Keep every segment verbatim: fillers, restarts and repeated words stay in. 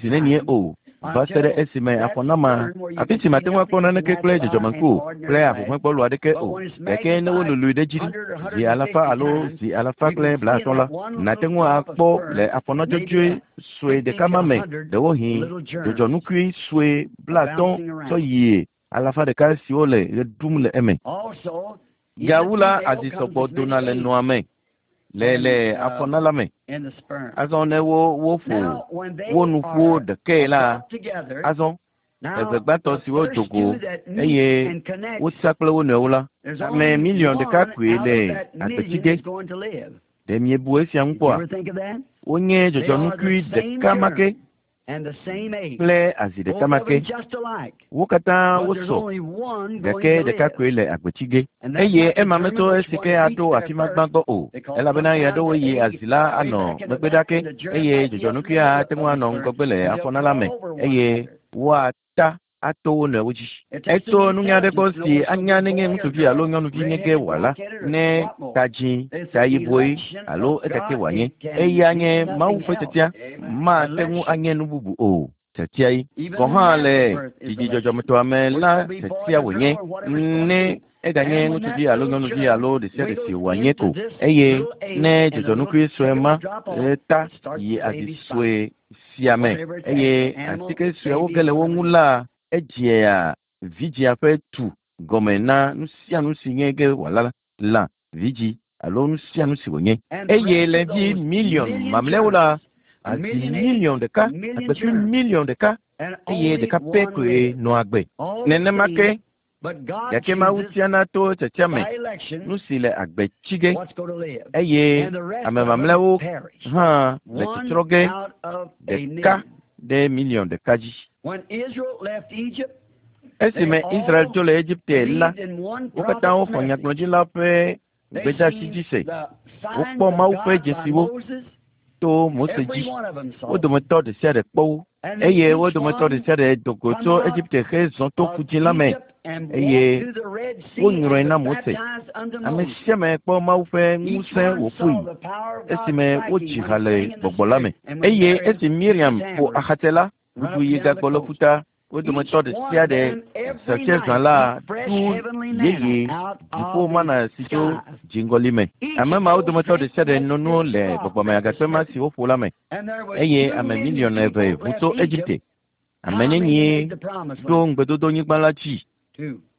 zi nenie o va se ɖe esime afɔnama afi si mate ŋu akpɔ naneke kple dzɔdzɔmeŋku kple ahuhɔ̃ekpɔlu aɖeke o gake ne wololoe ɖe dzi zi alafa alo zi alafa kple blaatɔ̃ la nàte ŋu akpɔ le afɔnɔdzɔdzɔe sue ɖeka ma me ɖewohĩ dzɔdzɔnukui sue blaatɔ̃ tsɔ yie alafa ɖeka siwo le ɣe ɖum le eme. Also, in Gawu the la female azi comes sɔgbɔ as dona many le eggs. nɔa me. Le le afɔna la me. Azɔ ne wo woƒo wo nu ƒu ɖekae la, azɔ eve gbãtɔ siwo do go eye wotsa kple wo nɔewo la, ame miliɔn ɖeka koe le agbetsi ge. Ɖe miebu esia ŋu kpɔa? Wonye dzɔdzɔnukui ɖeka ma ke kple azi ɖeka ma ke. Wo katã wosɔ gake ɖeka koe le agbetsi ge. Eye ema metso esi ke aɖo afi ma gbãgbɔ o, elabena ɣeaɖewo ɣi azi la anɔ megbe ɖa ke eye dzɔdzɔnukuia ate ŋu anɔ ŋgɔgbe le afɔna la me eye woata ato wo nɔewo dzi. Etso nunya aɖe gbɔ si anya nenye ŋutsuvi alo nyɔnuvi nye ge wòala, ne ta dzĩ, ta yibɔe alo ekake wòanye. Eya nye Mawu ƒe tiatia, mate ŋu anye nu bubu o. Tiatia ye. Gɔ̃ hã le dzidzidzɔdzɔmetɔa me la tiatia wònye ne eganye ŋutsuvi alo nyɔnuvi alo ɖe sia ɖe si wòanye ko. Eye ne dzɔdzɔnukui sue ma ta yi azi sue sia me eye atike suewo ge le wo ŋu la, edzea vidzĩa ƒe tu gɔme na nu sia nu si nye ge wòala lã, vidzĩ alo nu sia nu si wònye. Eye le vi miliɔn mamlɛawo la, azi miliɔn ɖeka, agbetui miliɔn ɖeka eye ɖeka pɛ koe nɔa agbe. Nenema ke gake Mawu tiana to tiatia me nu si le agbe tsi ge eye ame mamlɛawo hã le tsɔtsrɔ̃ ge ɖeka ɖe miliɔn ɖeka dzi. Esime Israel dzo le Egipte la, wo katã woxɔ nyagblɔɖila ƒe gbedeasi dzi se. Wokpɔ Mawu ƒe dzesiwo to Mose dzi. Wo dometɔ ɖe sia ɖe kpɔ wo eye wo dometɔ ɖe sia ɖe do go tso Egipte hezɔ to Ƒudzĩ la me eye wonyrɔe na Mose. Ame sia ame kpɔ Mawu ƒe ŋusẽ wòƒoe esime wodzi ha le gbɔgbɔ la me. Eye esi Miriam ƒo axatse la, ʋudu yi gagbɔ le ƒuta. Wo dometɔ ɖe sia ɖe setse zã la ɖu yeye dziƒo mana si tso dziŋgɔli me. Ame mawo dometɔ ɖe sia ɖe no nu le gbɔgbɔme agakpe ma si woƒo la me. Eye ame miliɔn eve ʋu tso Egipte. Ame nenie ɖo ŋugbedodonyigba la dzi?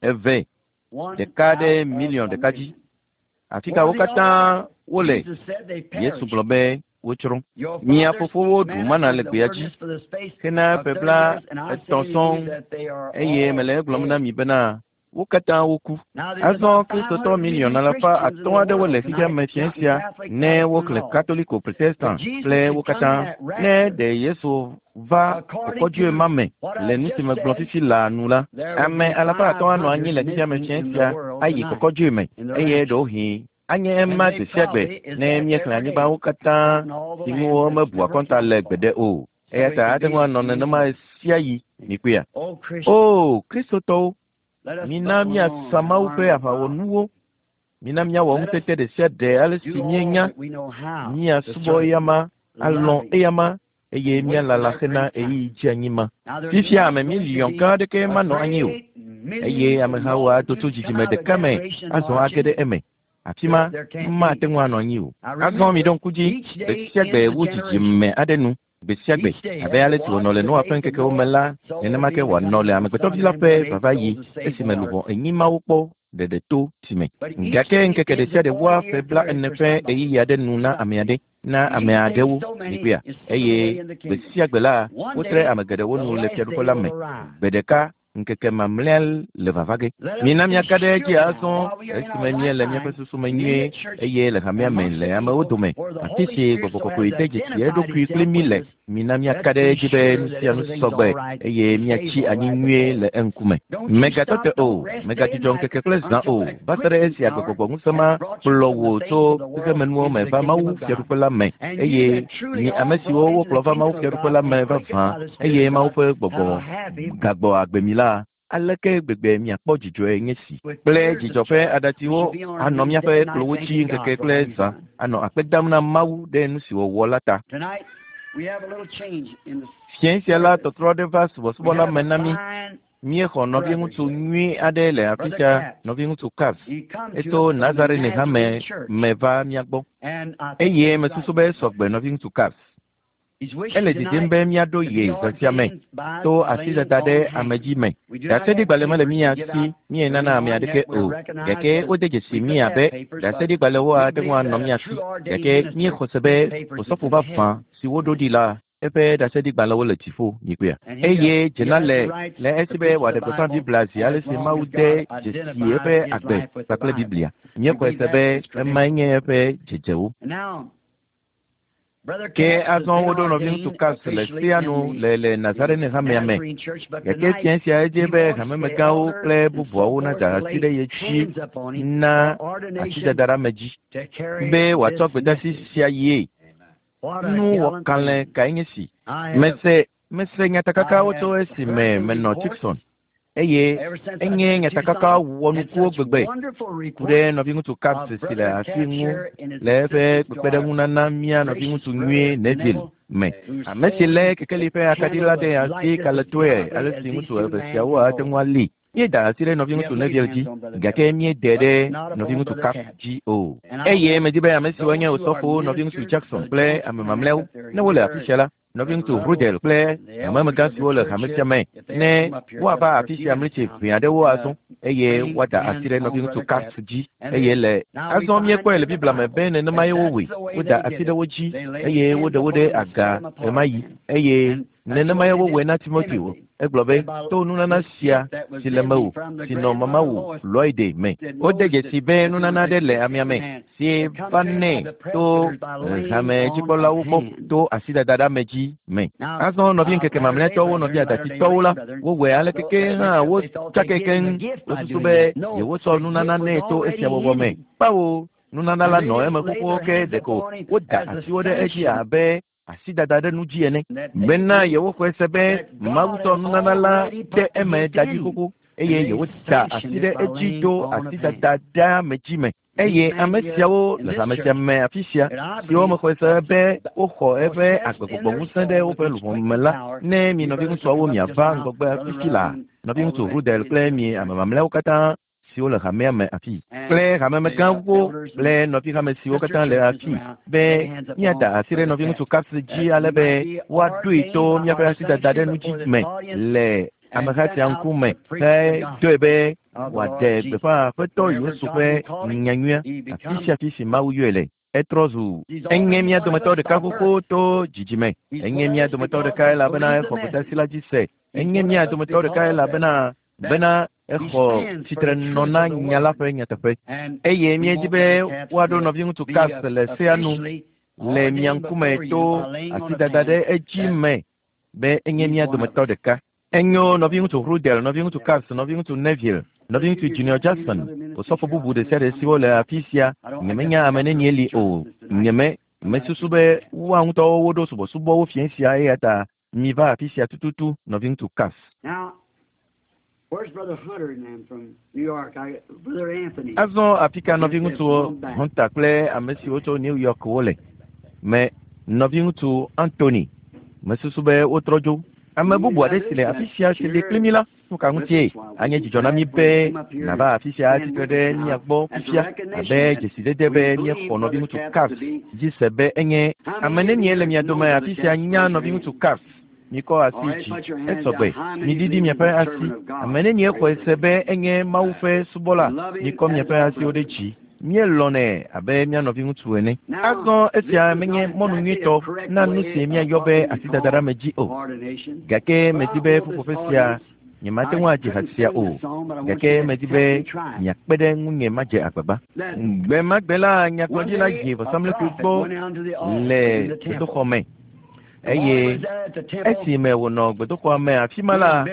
Eve, ɖeka ɖe miliɔn ɖeka dzi. Afi ka wo katã wole? Yesu gblɔ be wotsrɔ̃. Mia fofowo ɖu mana le gbea dzi hena ƒe bla etɔ̃ sɔŋ eye mele egblɔm na mi bena wo katã woku. Azɔ Kristotɔ miliɔn alafa atɔ̃ aɖewo le xexea me fiẽ sia ne woxlẽ Katoliko, Protestant kple wo katã. Ne ɖe Yesu va kɔkɔdzoe ma me le nu si megblɔ fifi laa nu la, ame alafa atɔ̃ anɔ anyi le xexea me fiẽ sia ayi kɔkɔdzoe me eye ɖewohĩ anye ema gbe sia gbe ne míexlẽ anyigbawo katã si ŋu womebu akɔnta le gbeɖe o. Eya ta ate ŋu anɔ nenema sia ɣi mikpɔea. O Kristotɔwo, mina míasa Mawu ƒe aʋawɔnuwo. Mina míawɔ ŋutete ɖe sia ɖe ale si míenya, míasubɔ eyama, alɔ̃ eyama eye míalala hena ɣeyiɣi dzeanyi ma. Fifia ame miliɔn gã aɖeke manɔ anyi o eye amehawo ado tso dzidzime ɖeka me azɔ age ɖe eme. Afi ma mate ŋu anɔ anyi o. Azɔ miɖo ŋku dzi gbe sia gbe wu dzidzime aɖe nu gbe sia gbe abe ale si wònɔ le Noa ƒe ŋkekewo me la, nenema ke wòanɔ le Amegbetɔvi la ƒe vavaɣi esime luʋɔ enyi mawo kpɔ ɖeɖe to si me. Gake ŋkeke ɖe sia ɖe wua ƒe bla ene ƒe ɣeyiɣi aɖe nu na ame aɖe, na ame aɖewo mikpɔea. Eye gbe sia gbe la, wotre ame geɖewo nu le fiaɖuƒe la me. Gbe ɖeka ŋkeke mamlɛa le vava ge. Mina míaka ɖe edzi azɔ esime míele míaƒe susu me nyuie eye le hamea me le amewo dome afi si gbɔgbɔ kɔkɔe de dzesi eɖokui kpli mí le. Mina míaka ɖe edzi be nu sia nu sɔgbe eye míatsi anyi nyuie le eŋkume. Mègatɔ te o, mègadzudzɔ ŋkeke kple zã o, va se ɖe esi agbegbɔgbɔ ŋusẽ ma kplɔ wò tso xexemenuwo me va Mawu fiaɖuƒe la me eye mi ame siwo wokplɔ va Mawu fiaɖuƒe la me vavã eye Mawu ƒe gbɔgbɔ gagbɔ agbe mi la, aleke gbegbe miakpɔ dzidzɔe nye si kple dzidzɔ ƒe aɖatsiwo anɔ míaƒe kplɔwo dzi ŋkeke kple zã anɔ akpe dam na Mawu ɖe nu si wòwɔ la ta. Fiẽ sia la tɔtrɔ aɖe va subɔsubɔ la me na mí. Míexɔ nɔviŋutsu nyui aɖe le afi sia, nɔviŋutsu Capps. Etso Nazarene hame me va mía gbɔ eye mesusu be esɔgbe nɔviŋutsu Capps. Ele didim be míaɖo ye zã sia me to asidada ɖe ame dzi me. Ɖaseɖigbalẽ mele mía si míenana ame aɖeke o. Gake wode dzesi mí abe ɖaseɖigbalẽwo ate ŋu anɔ mía si. Gake míexɔ se be osɔfo vavã si woɖo ɖi la eƒe ɖaseɖigbalẽwo le dziƒo nyikpea. Eye dzena le le esi be wòaɖe gbeƒã Biblia zi ale si Mawu de dzesi eƒe agbe kpakple Biblia. Míexɔe se be emae nye eƒe dzedzewo. Ke azɔ woɖo nɔviŋutsu Capps le sea nu le le Nazarene hamea me. Gake fia sia edze be hamemegãwo kple bubuawo nada asi ɖe ye dzi na asidada ɖe ame dzi be wòatsɔ gbedeasi sia yie. Nuwɔkalẽ kae nye si. Mese mese nyatakakawo tso esime menɔ Tucson eye enye nyatakaka wɔnukuwo gbegbe ku ɖe nɔviŋutsu Capps si le asi ŋu le eƒe kpekpeɖeŋunana mía nɔviŋutsu nyuie Neville me. Ame si lé kekeli ƒe akaɖi la ɖe asi kalẽtɔe ale si ŋutsu eve siawo ate ŋu ali. Míeda asi ɖe nɔviŋutsu Neville dzi gake míede ɖe nɔviŋutsu Capps dzi o. Eye medi be ame siwo nye osɔfowo nɔviŋutsu Jackson kple ame mamlɛawo ne wole afi sia la, nɔviŋutsu Rudel kple hamemegã siwo le hame sia me ne woava afi sia mlitsi ʋɛ aɖewo azɔ eye woada asi ɖe nɔviŋutsu Capps dzi eye le azɔ míekpɔe le Biblia me be nenemae wowɔe. Woda asi ɖe wo dzi eye woɖe wo ɖe aga ɣemaɣi eye nenemae wowɔe na Timoteo. Egblɔ be to nunana sia si le mewò si nɔ mamawò Loide me. Wode dzesi be nunana aɖe le amea me si va nɛ to hamedzikpɔlawo gbɔ to asidada ɖe ame dzi me. Azɔ nɔvi ŋkeke mamlɛtɔwo nɔvi adatitɔwo la wowɔe ale keke hã wotsake keŋ wosusu be yewotsɔ nunana nɛ to esia wɔwɔ me. Kpawo nunana la nɔ eme xoxo ke ɖeko woda asiwo ɖe edzi abe asidada ɖe nu dzi ene bena yewoxɔe se be Mawu tsɔ nunana la de eme da dzi xoxo eye yewoda asi ɖe edzi to asidada ɖe ame dzi me. Eye ame siawo le hame sia me afi sia siwo mexɔe se be woxɔ eƒe agbegbɔgbɔ ŋusẽ ɖe woƒe luʋɔ me la, ne mi nɔviŋutsuawo miava ŋgɔgbe afi la, nɔviŋutsu Rudel kple mi ame mamlɛawo katã siwo le hamea me afi kple hamemegãwo kple nɔvihame siwo katã le afi be míada asi ɖe nɔviŋutsu Capps dzi ale be woaɖoe to míaƒe asidada ɖe nu dzi me le ameha sia ŋkume hedoe be wòaɖe gbeƒã Aƒetɔ Yesu ƒe nyanyuia afi sia afi si Mawu yɔe le. Etrɔ zu enye mía dometɔ ɖeka xoxo to dzidzime. Enye mía dometɔ ɖeka elabena exɔ gbedeasi la dzi se. Enye mía dometɔ ɖeka elabena bena exɔ tsitrenɔ na nya la ƒe nyateƒe. Eye míedi be woaɖo nɔviŋutsu Capps le sea nu le mia ŋkume to asidada ɖe edzi me be enye mía dometɔ ɖeka. Enyo nɔviŋutsu Rudel, nɔviŋutsu Capps, nɔviŋutsu Neville, nɔviŋutsu Junior Jackson, osɔfo bubu ɖe sia ɖe siwo le afi sia, nyemenya ame nenie li o. Nyeme mesusu be woa ŋutɔwo woɖo subɔsubɔwo fiẽ sia eya ta miva afi sia tututu nɔviŋutsu Capps. Where's Brother Hunter and them from New York? I, Brother Anthony. Azɔ afi ka nɔviŋutsu Hunter kple ame siwo tso New York wole me nɔviŋutsu Anthony mesusu be wotrɔ dzo. Ame bubu aɖe si le afi sia si li kpli mí la, nu ka ŋutie anye dzidzɔ na mí be nàva afi sia atsitre ɖe mía gbɔ fifia abe dzesidede be míexɔ nɔviŋutsu Capps dzi se be enye ame nenie le mia dome afi sia nya nɔviŋutsu Capps. Mikɔ asi dzi esɔgbe miɖiɖi miaƒe asi. Ame nenie xɔe se be enye Mawu ƒe subɔla, mikɔ miaƒe asiwo ɖe dzi. Míelɔ̃nɛ abe mía nɔviŋutsu ene. Azɔ esia menye mɔnu nyuitɔ na nu si míayɔ be asidada ɖe ame dzi o. Gake medi be ƒuƒoƒe sia nyemate ŋu adzi ha sia o. Gake medi be miakpe ɖe ŋunye madze agbagba. Gbe ma gbe la nyagblɔɖila yi vɔsamlekpui gbɔ le gbedoxɔ me. Eye esime wònɔ gbedoxɔa me afi ma la,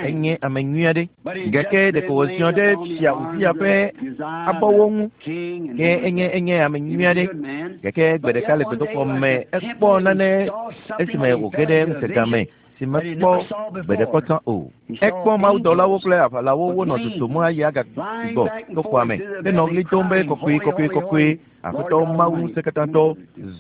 enye ame nyui aɖe. Gake ɖeko wòziɔ ɖe fia Uzia ƒe abɔwo ŋu. Ke enye enye ame nyui aɖe. Gake gbe ɖeka le gbedoxɔ me ekpɔ nane esime wòge ɖe ŋutega me si mekpɔ gbe ɖe kpɔtɔ o. Ekpɔ mawudɔlawo kple aʋalawo wonɔ dodom ayi agagbɔ to xɔa me henɔ ɣli dom be kɔkɔe kɔkɔe kɔkɔe Aƒetɔ Mawu ŋusẽkatãtɔ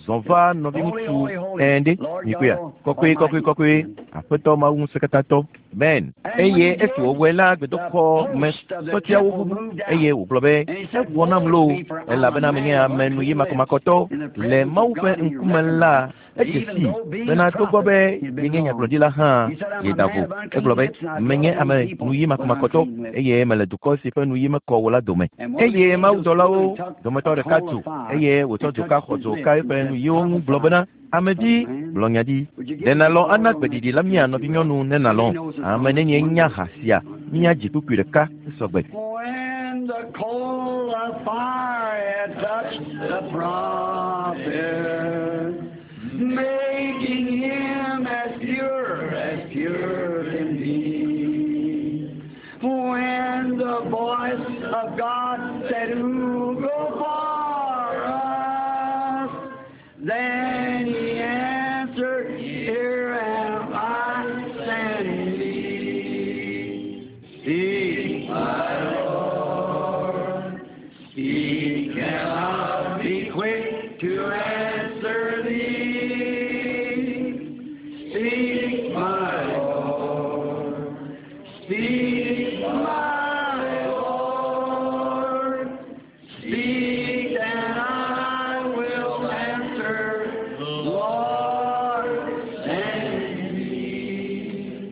zɔ va nɔviŋutsu ɛnɖe mikpɔea kɔkɔe kɔkɔe kɔkɔe Aƒetɔ Mawu ŋusẽkatãtɔ Ben. Eye esi wòwɔe la gbedoxɔ me sɔtiawo ʋuʋu eye wògblɔ be ewɔ nam loo Elabena menye ame nu yi makɔmakɔtɔ le Mawu ƒe ŋkume la edze si bena togbɔ be yenye nyagblɔɖila hã yeda vo. Egblɔ be menye ame nu yi makɔmakɔtɔ eye mele dukɔ si ƒe nu yi mekɔ o la dome. Eye mawudɔlawo dometɔ ɖeka tu eye wòtsɔ dzoka xɔ dzoka eƒe nu yiwo ŋu gblɔ bena ame dzi gblɔ nya ɖi. Ɖe nàlɔ̃ ana gbeɖiɖi la mía nɔvinyɔnu ne nàlɔ̃. Ame nenye nya ha sia míadzi kpukpui ɖeka esɔgbe. When the coal of fire had touched the prophet, making him as pure as pure can be. When the voice of God said, Who go for us? Then he answered, Here am I, send me. Speak, my Lord. Speak, and I'll be quick to answer thee. Speak, my Lord. Speak, my Lord. Speak, and I will answer. Lord, send me.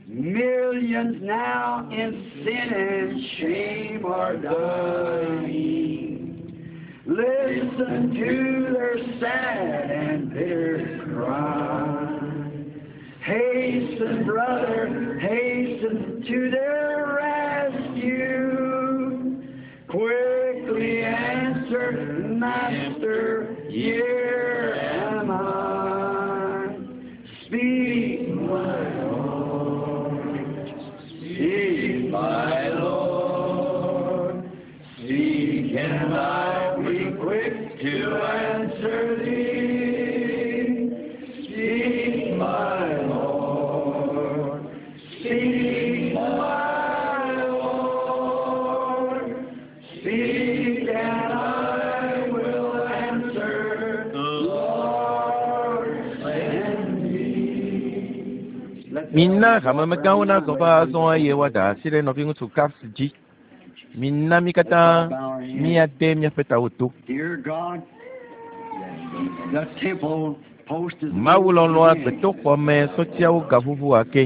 Millions now in sin and shame are dying. Listen to their sad and bitter cry. Hasten, brother, hasten to their rescue. Quickly answer, Master, here am I. Speak, my Lord. Speak, my Lord. Speak, and I'll be quick to answer thee. Speak, my Lord. Speak, my Lord. Speak, and I will answer. Lord, send me. Mina hamemegãwo nazɔ va azɔ eye woada asi ɖe nɔviŋutsu Capps dzi. Mina mí katã míade míaƒe tawo to. Dear God, the temple post is Mawu lɔlɔ̃a gbedoxɔme sɔtiawo gaʋuʋu ake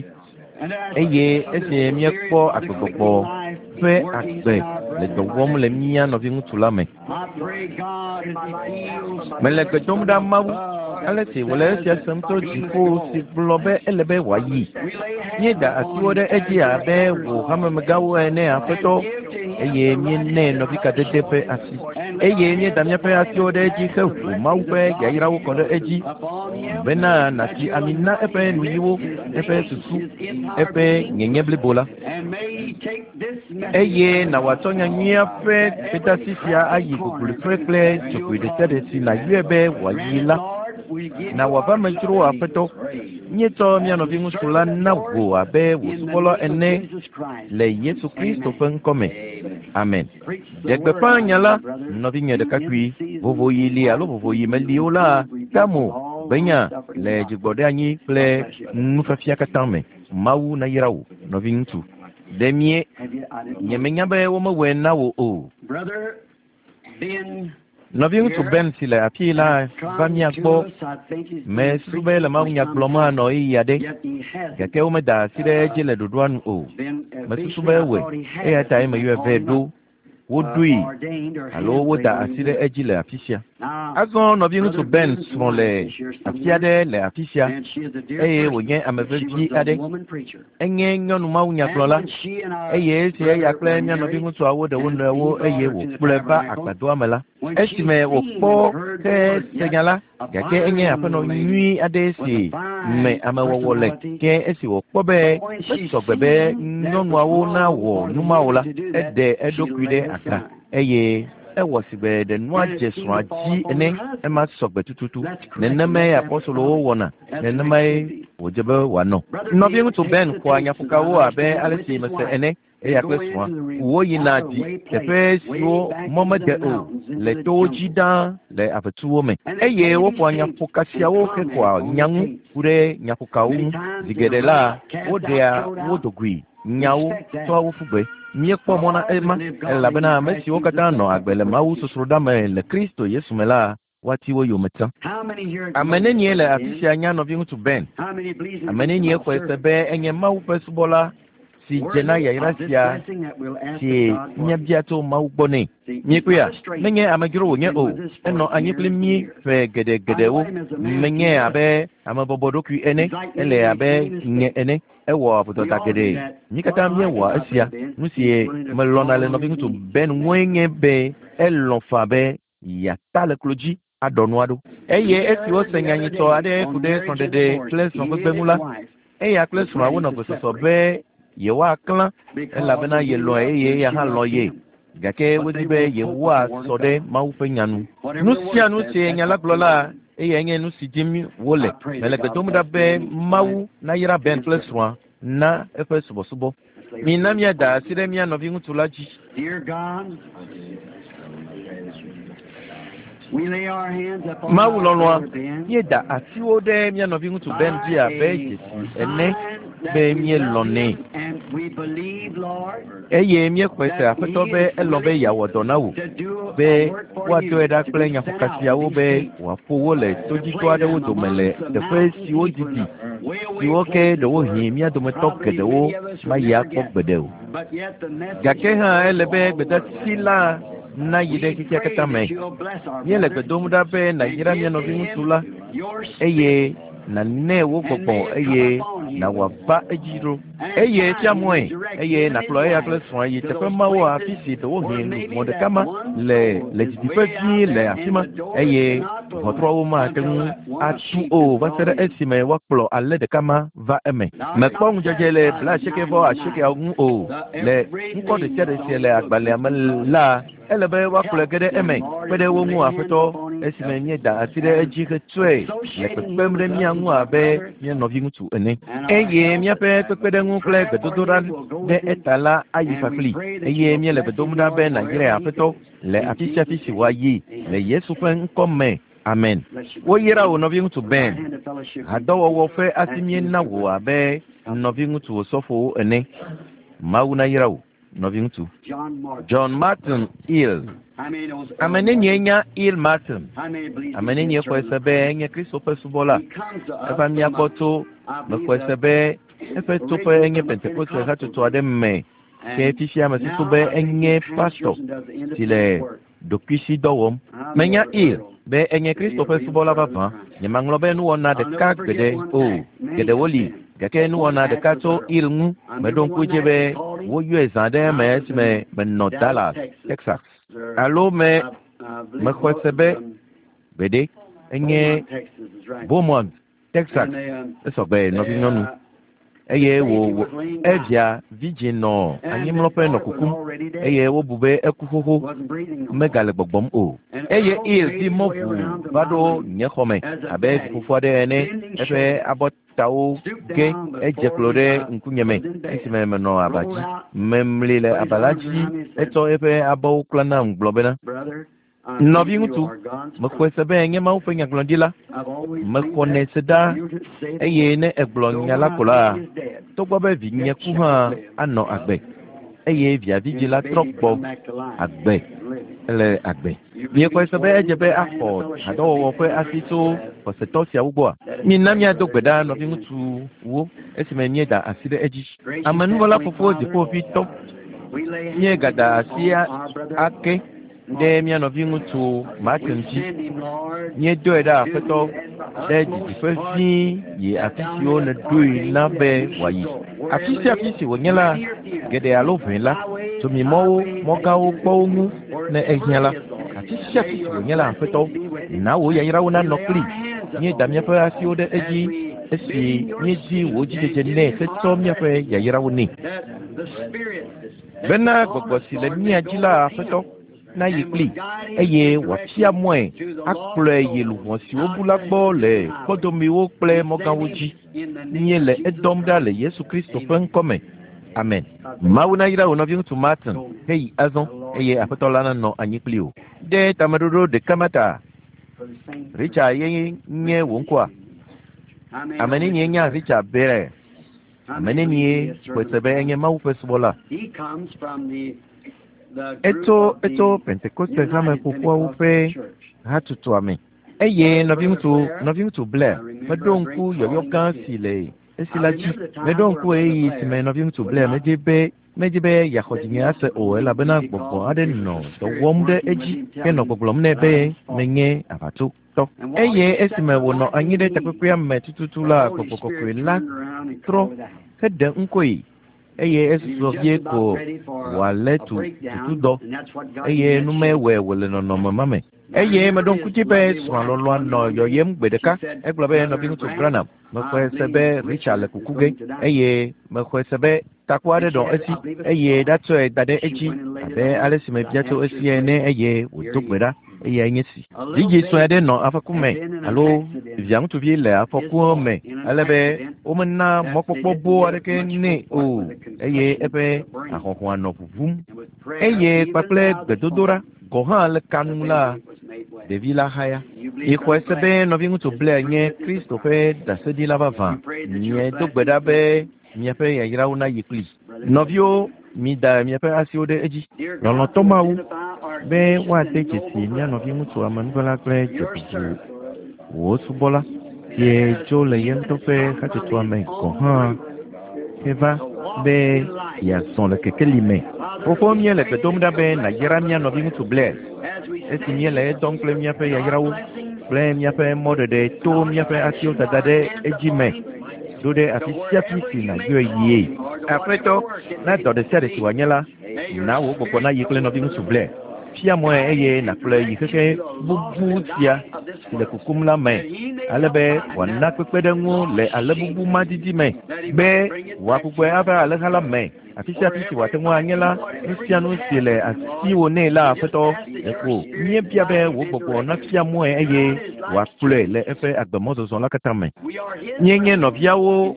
eye esi míekpɔ agbegbɔgbɔ ƒe agbe le dɔ wɔm le mía nɔviŋutsu la me. I pray God as he feels Mele gbe dom ɖa Mawu ale si wòle esia sem tso dziƒo si gblɔ be ele be wòayi. Míeda asiwo ɖe edzi abe wò hamemegãwo ene aƒetɔ eye míenɛ nɔvikadede ƒe asi eye míeda míaƒe asiwo ɖe edzi heʋu Mawu ƒe yayrawo kɔ ɖe edzi bena nàsi ami na eƒe nuyiwo, eƒe susu, eƒe nyenye blibo la. and may he take this message Eye nàwɔatsɔ nyanyuia ƒe gbedeasi sia ayi gogloƒe kple dzogoe ɖe sia ɖe si nàyɔe be wòayi la. Na wòava me dzro aƒetɔ. Míetsɔ mía nɔviŋutsu la na wò abe wò subɔla ene le Yesu Kristo ƒe ŋkɔ me. Amen. Ɖe gbeƒã nya la, nɔvinye ɖekakpui, vovoɣi li alo vovoɣi meli o la, tamo benya le dzigbɔɖeanyi kple nufiafia katã me. Mawu nayra wò, nɔviŋutsu. Ɖe mie Have you, I didn't nye menya be womewɔe na wò o. Brother Ben Nɔviŋutsu Ben si le afii la va mía come gbɔ to us. I think he's been mesusu be le mawunya gblɔm anɔ ɣeyiɣi aɖe yet he hasn't gake womeda asi ɖe edzi le ɖoɖoa nu o. been Mesusu be ewɔe eya tae meyɔe vɛ ɖo. Woɖoe alo woda asi ɖe edzi le afi sia. Azɔ nɔviŋutsu Ben srɔ̃ le afi aɖe le afi sia eye wònye ame vevi aɖe. Enye nyɔnu mawunyagblɔla eye esi eya kple mía nɔviŋutsuawo ɖe wo nɔewo eye wòkplɔe va agbadɔa me la, esime wòkpɔ ke se nya la, gake enye aƒenɔ nyui aɖe si me amewɔwɔ le. Ke esi wòkpɔ be mesɔgbe be nyɔnuawo nawɔ nu ma o la, eɖe eɖokui ɖe aga eye ewɔ sigbe ɖe nua dze srɔ̃a dzi ene ema sɔgbe tututu. Nenemae apɔstolowo wɔna, nenemae wòdze be wòanɔ. Nɔviŋutsu Ben xɔa nyaƒokawo abe ale si mese ene eya kple srɔ̃a. Woyina dzi teƒe siwo mɔ mede o le towo dzi ɖaa le avetsuwo me eye woƒoa nyaƒoka siawo hexɔa nya ŋu ku ɖe nyaƒokawo ŋu. Zi geɖe la, woɖea wo dogoe nyawo tsɔa wo ƒu gbe. Míekpɔ mɔ na ema elabena ame siwo katã nɔ agbe le Mawu sosroɖa me le Kristo Yesu me la woati wo yome tsã. Ame nenie le afi sia nya nɔviŋutsu Ben? Ame nenie xɔe se be enye Mawu ƒe subɔla si dze na yayra sia si míabia tso Mawu gbɔ nɛ? Míekpɔea, menye amedzro wònye o. Enɔ anyi kpli mí ƒe geɖegeɖewo. Menye abe ame bɔbɔɖokui ene, ele abe nye ene. Ewɔ vodada geɖe. Mí katã míewɔa esia. Nu si melɔ̃na le nɔviŋutsu Ben ŋue nye be elɔ̃ faa be yeata le klo dzi aɖɔ nua ɖo. Eye esi wose nyanyitɔ aɖe ku ɖe srɔ̃ɖeɖe kple srɔ̃gbegbe ŋu la, eya kple srɔ̃a wonɔ gbesɔsɔ be yewoaklã elabena yelɔ̃e eye eya hã lɔ̃ ye. Gake wodi be yewoasɔ ɖe Mawu ƒe nya nu. Nu sia nu si nya la gblɔ la, eyae nye nu si dim wole. Mele gbe dom ɖa be Mawu nayra Ben kple srɔ̃a na eƒe subɔsubɔ. Mina míada asi ɖe mía nɔviŋutsu la dzi. Mawu lɔlɔ̃a, míeda asiwo ɖe mía nɔviŋutsu Ben dzi abe dzesi ene be míelɔ̃nɛ. Eye míexɔe se Aƒetɔ be elɔ̃ be yeawɔ dɔ na wò, be woadɔe ɖa kple nyaƒokasiawo be wòaƒo wo le todzitɔ aɖewo dome le teƒe siwo didi, siwo ke ɖewohĩ mía dometɔ geɖewo mayi akpɔ gbeɖe o. Gake hã ele be gbedasi la nayi ɖe xexea katã me. Míele gbe dom ɖa be nàyra mía nɔviŋutsu la eye nànɛ wò gbɔgbɔ eye nàwɔ ava edzi ɖo. Eye fia mɔe eye nàkplɔ eya kple srɔ̃a yi teƒe mawo afi si ɖewohĩ luʋɔ ɖeka ma le le didiƒe vie le afi ma eye ʋɔtruawo mate ŋu atu o va se ɖe esime woakplɔ alẽ ɖeka ma va eme. Mekpɔ ŋudzedze le blaasieke vɔ asiekeawo ŋu o. Le ŋkɔ ɖe sia ɖe si le agbalẽa me la, ele be woakplɔe ge ɖe eme kpe ɖe wo ŋu Aƒetɔ esime míeda asi ɖe edzi hetsɔe le kpekpem ɖe mía ŋu abe mía nɔviŋutsu ene. Eye míaƒe kpekpeɖeŋu kple gbedodoɖa ɖe eta la ayi kpakpli. Eye míele gbe dom ɖa be nàyrae Aƒetɔ le afi sia afi si wòayi le Yesu ƒe ŋkɔ me. Amen. Woyra wò nɔviŋutsu Ben. Hadɔwɔwɔ ƒe asi míena wò abe nɔviŋutsu osɔfowo ene. Mawu nayra wò nɔviŋutsu. John Martin Hill. Ame nenie nya Hill Martin? Ame nenie xɔe se be enye Kristo ƒe subɔla? Eva mía gbɔ tso mexɔe se be eƒe toƒe enye Pentekoste hatsotso aɖe me. Ke fifia mesusu be enye pastor si le ɖokuisidɔ wɔm. Menya Hill be enye Kristo ƒe subɔla vavã. Nyemaŋlɔ be nuwɔna ɖeka gbeɖe o. Geɖewo li gake nuwɔna ɖeka tso Hill ŋu meɖo ŋku edzi be woyɔe zã ɖe eme esime menɔ Dallas, Texas. Alo me mexɔe se be gbeɖe enye Beaumont, Texas. Esɔgbe nɔvinyɔnu. Eye wò evia vidzĩ nɔ anyimlɔƒe nɔ kukum eye wobu be eku xoxo megale gbɔgbɔm o. Eye Hill di mɔ ʋu va ɖo nye xɔme abe vifofo aɖe ene. Eƒe abɔtawo ge edze klo ɖe ŋkunyeme esime menɔ aba dzi. Memli le aba la dzi etsɔ eƒe abɔwo klã nam gblɔ bena, nɔviŋutsu, mexɔe se be nye Mawu ƒe nyagblɔɖila. Mexɔnɛ se ɖa eye ne egblɔ nya la ko la, togbɔ be vinye ku hã anɔ agbe. Eye via vidzĩ la trɔ gbɔ agbe ele agbe. Miexɔe se be edze be axɔ hadɔwɔwɔ ƒe asi tso xɔsetɔ siawo gbɔa? Mina míado gbe ɖa nɔviŋutsuwo esime míeda asi ɖe edzi. Amenuvɔla fofo dziƒoʋĩtɔ, míegada asi ake ɖe mía nɔviŋutsu Martin dzi. Míedoe ɖa Aƒetɔ ɖe didiƒe vie yi afi siwo nèɖoe na be wòayi. Afi sia afi si wònye la, geɖe alo ʋɛ la, tsomimɔwo, mɔgãwo kpɔ wo ŋu ne ehiã la. Afi sia afi si wònye la, Aƒetɔ, na wò yayrawo nanɔ kpli. Míeda míaƒe asiwo ɖe edzi esi míedi wò dzidzedze nɛ hetsɔ míaƒe yayrawo nɛ. Bena gbɔgbɔ si le mía dzi la, Aƒetɔ, nayi kpli eye wòafia mɔe akplɔe yi luʋɔ siwo bu la gbɔ le kpɔdomewo kple mɔgãwo dzi. Míele edɔm ɖa le Yesu Kristo ƒe ŋkɔ me. Amen. Mawu nayra wò nɔviŋutsu Martin heyi azɔ eye Aƒetɔ la nanɔ anyi kpli wò. Ɖe tameɖoɖo ɖeka ma ta. Richard ye nye wò ŋkɔa? Ame nenie nya Richard Berer? Ame nenie xɔe se be enye Mawu ƒe subɔla? Etso etso Pentekoste hame ƒoƒuawo ƒe hatutua me. Eye nɔviŋutsu nɔviŋutsu Blair meɖo ŋku yɔyɔ gã si le esi la dzi. Meɖo ŋku ɣeyiɣi si me nɔviŋutsu Blair medze be medzi be yeaxɔ dzinye ase o elabena gbɔgbɔ aɖe nɔ dɔ wɔm ɖe edzi henɔ gbɔgblɔm nɛ be menye aʋatsotɔ. Eye esime wònɔ anyi ɖe takpekpea me tututu la, gbɔgbɔ kɔkɔe la trɔ heɖe ŋkɔe eye esusɔ vie ko wòalé tu tutudɔ eye numewɔe wòle nɔnɔme ma me. Eye meɖo ŋku dzi be srɔ̃a lɔlɔ̃a nɔ yɔyem gbe ɖeka. Egblɔ be nɔviŋutsu Branham, mexɔe se be Richard le kuku ge eye mexɔe se be taku aɖe nɔ esi eye ɖatsɔe da ɖe edzi abe ale si mebia tso esi ene eye wòdo gbe ɖa eyae nye si. Vidzĩ sue aɖe nɔ afɔku me alo via ŋutsuvi le afɔkua me ale be womena mɔkpɔkpɔ boo aɖeke nɛ o eye eƒe ahɔhɔa nɔ ʋuʋum eye kpakple gbedodoɖa gɔ̃ hã le kanu la ɖevi la haya. Mixɔe se be nɔviŋutsu Blair nye Kristo ƒe ɖaseɖila vavã. Miedo gbe ɖa be miaƒe yayrawo nayi kpli. Nɔviwo, mida miaƒe asiwo ɖe edzi. Lɔlɔ̃tɔ Mawu be woade dzesi mía nɔviŋutsu amenuvela kple dzebubu wò subɔla sie tso le ye ŋutɔ ƒe hatsotsoa me gɔ̃ hã heva be yeazɔ le kekeli me. Fofo míele gbe dom ɖa be nàyra mía nɔviŋutsu Blair esi míele edɔm kple míaƒe yayrawo kple míaƒe mɔɖeɖe to míaƒe asiwo dada ɖe edzi me ɖo ɖe afi sia afi si nàyɔe yie. Aƒetɔ, na dɔ ɖe sia ɖe si wòanye la, na wò gbɔgbɔ nayi kple nɔviŋutsu Blair. Fia mɔe eye nàkplɔe yi xexe bubu sia si le kukum la me ale be wòana kpekpeɖeŋu le ale bubu ma didi me be wòagbugbɔe ava alẽha la me. Afi sia afi si wòate ŋu anye la, nu sia nu si le asiwò nɛ la Aƒetɔ ɖeko míebia be wò gbɔgbɔ nafia mɔe eye wòakplɔe le eƒe agbemɔzɔzɔ la katã me. Míenye nɔviawo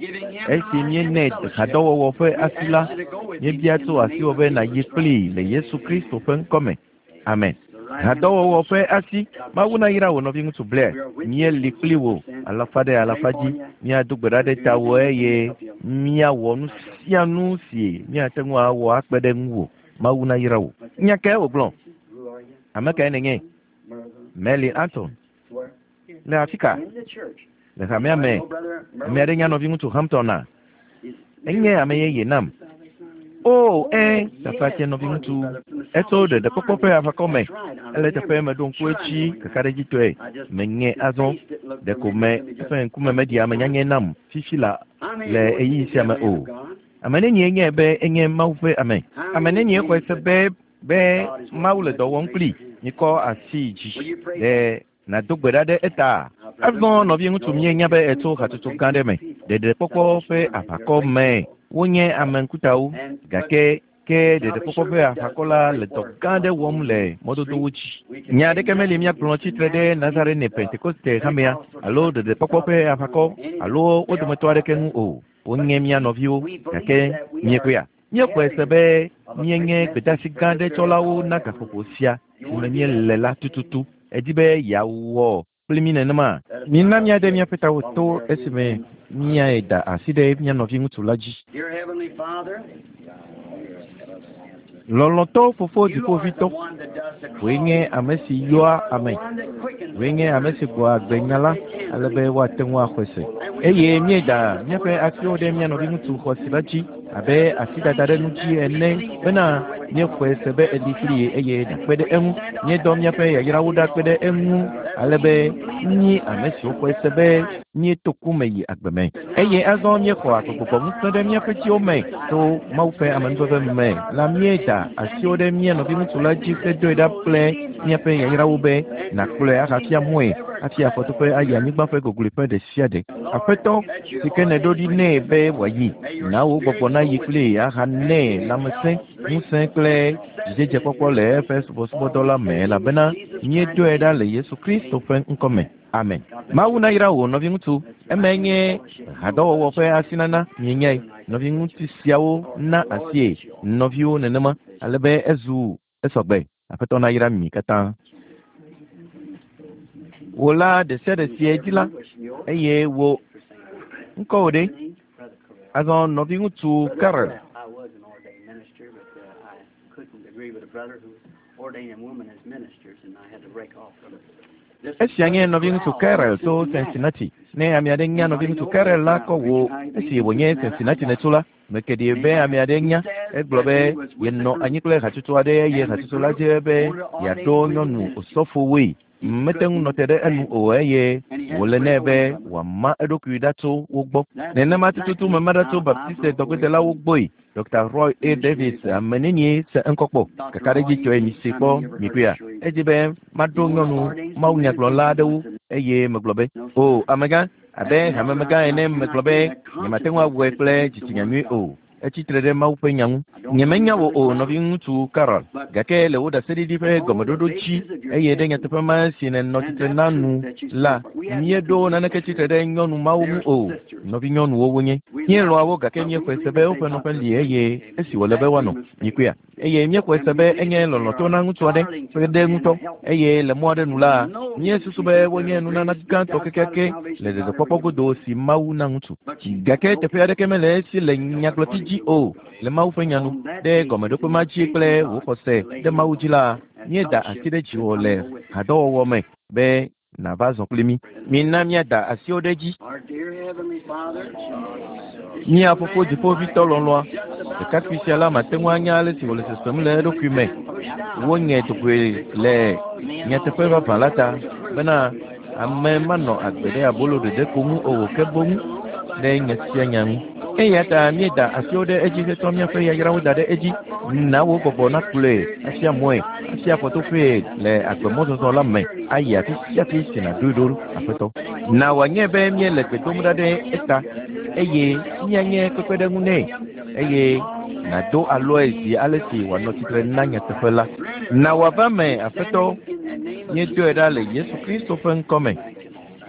esi míenɛ hadɔwɔwɔ ƒe asi la, míebia tso asiwò be nàyi kplii le Yesu Kristo ƒe ŋkɔme. Amen. Hadɔwɔwɔ ƒe asi. Mawu nayra wò nɔviŋutsu Blair. Míeli kpli wò alafa ɖe alafa dzi. Míado gbe ɖa ɖe tawò eye míawɔ nu sia nu si míate ŋu awɔ akpe ɖe ŋuwò. Mawu nayra wò. Nya kae wògblɔ? Ame kae nènye? Meli Anton. Le afi ka? Le hamea me. Ame aɖe nya nɔviŋutsu Hampton a? Enye ame yeye nam. O, ẽ, tafatse nɔviŋutsu. Etso ɖeɖekpɔkpɔ ƒe aʋakɔ me. Ele teƒe meɖo ŋku edzi kakaɖedzitɔe. Meŋe azɔ. Ɖeko me eƒe ŋkume meɖi ame nyanyɛ nam fifi la le ɣeyiɣi sia me o. Ame nenie nye be enye Mawu ƒe ame? Ame nenie xɔe se be be Mawu le dɔ wɔm kpli? Mikɔ asi dzi ɖe nàdo gbe ɖa ɖe eta. Azɔ nɔviŋutsu míenya be etso hatsotso gã ɖe me. Ɖeɖekpɔkpɔ ƒe aʋakɔ me. Wonye ame ŋkutawo gake ke ɖeɖekpɔkpɔ ƒe aʋakɔ la le dɔ gã aɖe wɔm le mɔdodowo dzi. Nya aɖeke meli míagblɔ tsitre ɖe Nazarene Pentekoste hamea alo ɖeɖekpɔkpɔ ƒe aʋakɔ alo wo dometɔ aɖeke ŋu o. Wonye mía nɔviwo gake míekpɔea. Míexɔe se be míenye gbedeasi gã aɖe tsɔlawo na gaƒoƒo sia si me míele la tututu. Edi be yeawɔ kpli mí nenema. Mina míaɖe míaƒe tawo to esime míada asi ɖe mía nɔviŋutsu la dzi. Lɔlɔ̃tɔ fofo dziƒoʋĩtɔ, wòe nye ame si yɔa ame, wòe nye ame si gbɔa agbe nya la ale be woate ŋu axɔe se. Eye míeda míaƒe asiwo ɖe mía nɔviŋutsu xɔasi la dzi abe asidada ɖe nu dzi ene bena míexɔe se be eli kpli ye eye nàkpe ɖe eŋu. Míedɔ míaƒe yayrawo ɖa kpe ɖe eŋu ale be mí ame siwo xɔe se be míeto ku me yi agbe me. Eye azɔ míexɔ agbegbɔgbɔ ŋusẽ ɖe míaƒe dziwo me to Mawu ƒe amenuveve me la míeda asiwo ɖe mía nɔviŋutsu la dzi hedoe ɖa kple míaƒe yayrawo be nàkplɔe ahafia mɔe hafi afɔtoƒe ayi anyigba ƒe gogloeƒe ɖe sia ɖe. Aƒetɔ si ke nèɖo ɖi nɛ be wòayi, na wò gbɔgbɔ nayi kplii ahanɛ lãmesẽ, ŋusẽ kple dzidzedzekpɔkpɔ le eƒe subɔsubɔdɔ la me elabena míedoe ɖa le Yesu Kristo ƒe ŋkɔme. Amen. Mawu nayra wò nɔviŋutsu. Emae nye hadɔwɔwɔ ƒe asinana mienyae. Nɔviŋutsu siawo na asie nɔviwo nenema ale be ezu esɔgbe. Aƒetɔ nayra mi katã. Wò la ɖe sia ɖe si edzi la eye wò ŋkɔwò ɖe? Azɔ nɔviŋutsu Carol. I was an ordained minister, but uh, I couldn't agree with a brother who was ordaining women as ministers, and I had to break off from it. Esia nye nɔviŋutsu Carol tso Cincinnati. Ne ame aɖe nya nɔviŋutsu Carol la kɔ wò esi wònye Cincinnati nètso la, meke ɖi be ame aɖe nya. Egblɔ be yenɔ anyi kple hatsotso aɖe eye hatsotso la dze be yeaɖo nyɔnu osɔfowoe. Mete ŋu nɔ te ɖe enu o eye wòle nɛ be wòama eɖokui ɖa tso wo gbɔ. Nenema tututu mema ɖa tso Baptiste dɔgbedelawo gbɔe. Dr. Roy A. Davis ame nenie se ŋkɔ kpɔ. Kakaɖedzitɔe mi si kpɔ mikuia. Edzi be maɖo nyɔnu mawunyagblɔla aɖewo eye megblɔ be o amegã abe hamemegã ene megblɔ be nyemate ŋu awɔe kple dzitsinya nyui o. Etsi tre ɖe Mawu ƒe nya ŋu. Nyemenya wò o nɔviŋutsu Carol, gake le wò ɖaseɖiɖi ƒe gɔmeɖoɖo dzi eye ɖe nyateƒe ma si nènɔ tsitre na nu la, míeɖo naneke tsitre ɖe nyɔnu mawo ŋu o. Nɔvinyɔnuwo wonye. Míelɔ̃a wo gake míexɔe se be woƒe nɔƒe li eye esi wòle be woanɔ. Mikuia. Eye míexɔe se be enye lɔlɔ̃tɔ na ŋutsu aɖe ƒe ɖe ŋutɔ eye le mɔ aɖe nu la, míesusu be wonye nunana gãtɔ kekeake le ɖeɖekpɔkpɔ godo si Mawu na ŋutsu. Gake teƒe aɖeke mele esi le nyagblɔti dzi o le Mawu ƒe nya nu. Ɖe gɔmeɖokpe ma dzi kple wò xɔse ɖe Mawu dzi la, míeda asi ɖe dziwò le hadɔwɔwɔ me be nàva zɔ kpli mí. Mina míada asiwo ɖe edzi. Our dear Heavenly Father, Mía fofo dziƒovitɔ lɔlɔ̃a, ɖekakpui sia la mate ŋu anya ale si wòle sesem le eɖokui me. Wonye dogoe le nyateƒe vavã la ta bena ame manɔ agbe ɖe abolo ɖeɖe ko ŋu o ke boŋ ɖe nya sia nya ŋu. Eya ta míeda asiwo ɖe edzi hetsɔ míaƒe yayrawo da ɖe edzi. Na wò gbɔgbɔ nakplɔe afia mɔe, afia afɔtoƒee le agbemɔzɔzɔ la me ayi afi sia afi si nàɖoe ɖo Aƒetɔ. Na wòanye be míele gbe dom ɖa ɖe eta eye míanye kpekpeɖeŋu nɛ eye nàdo alɔe zi ale si wòanɔ tsitre na nyateƒe la. Na wòava me Aƒetɔ, míedoe ɖa le Yesu Kristo ƒe ŋkɔ me.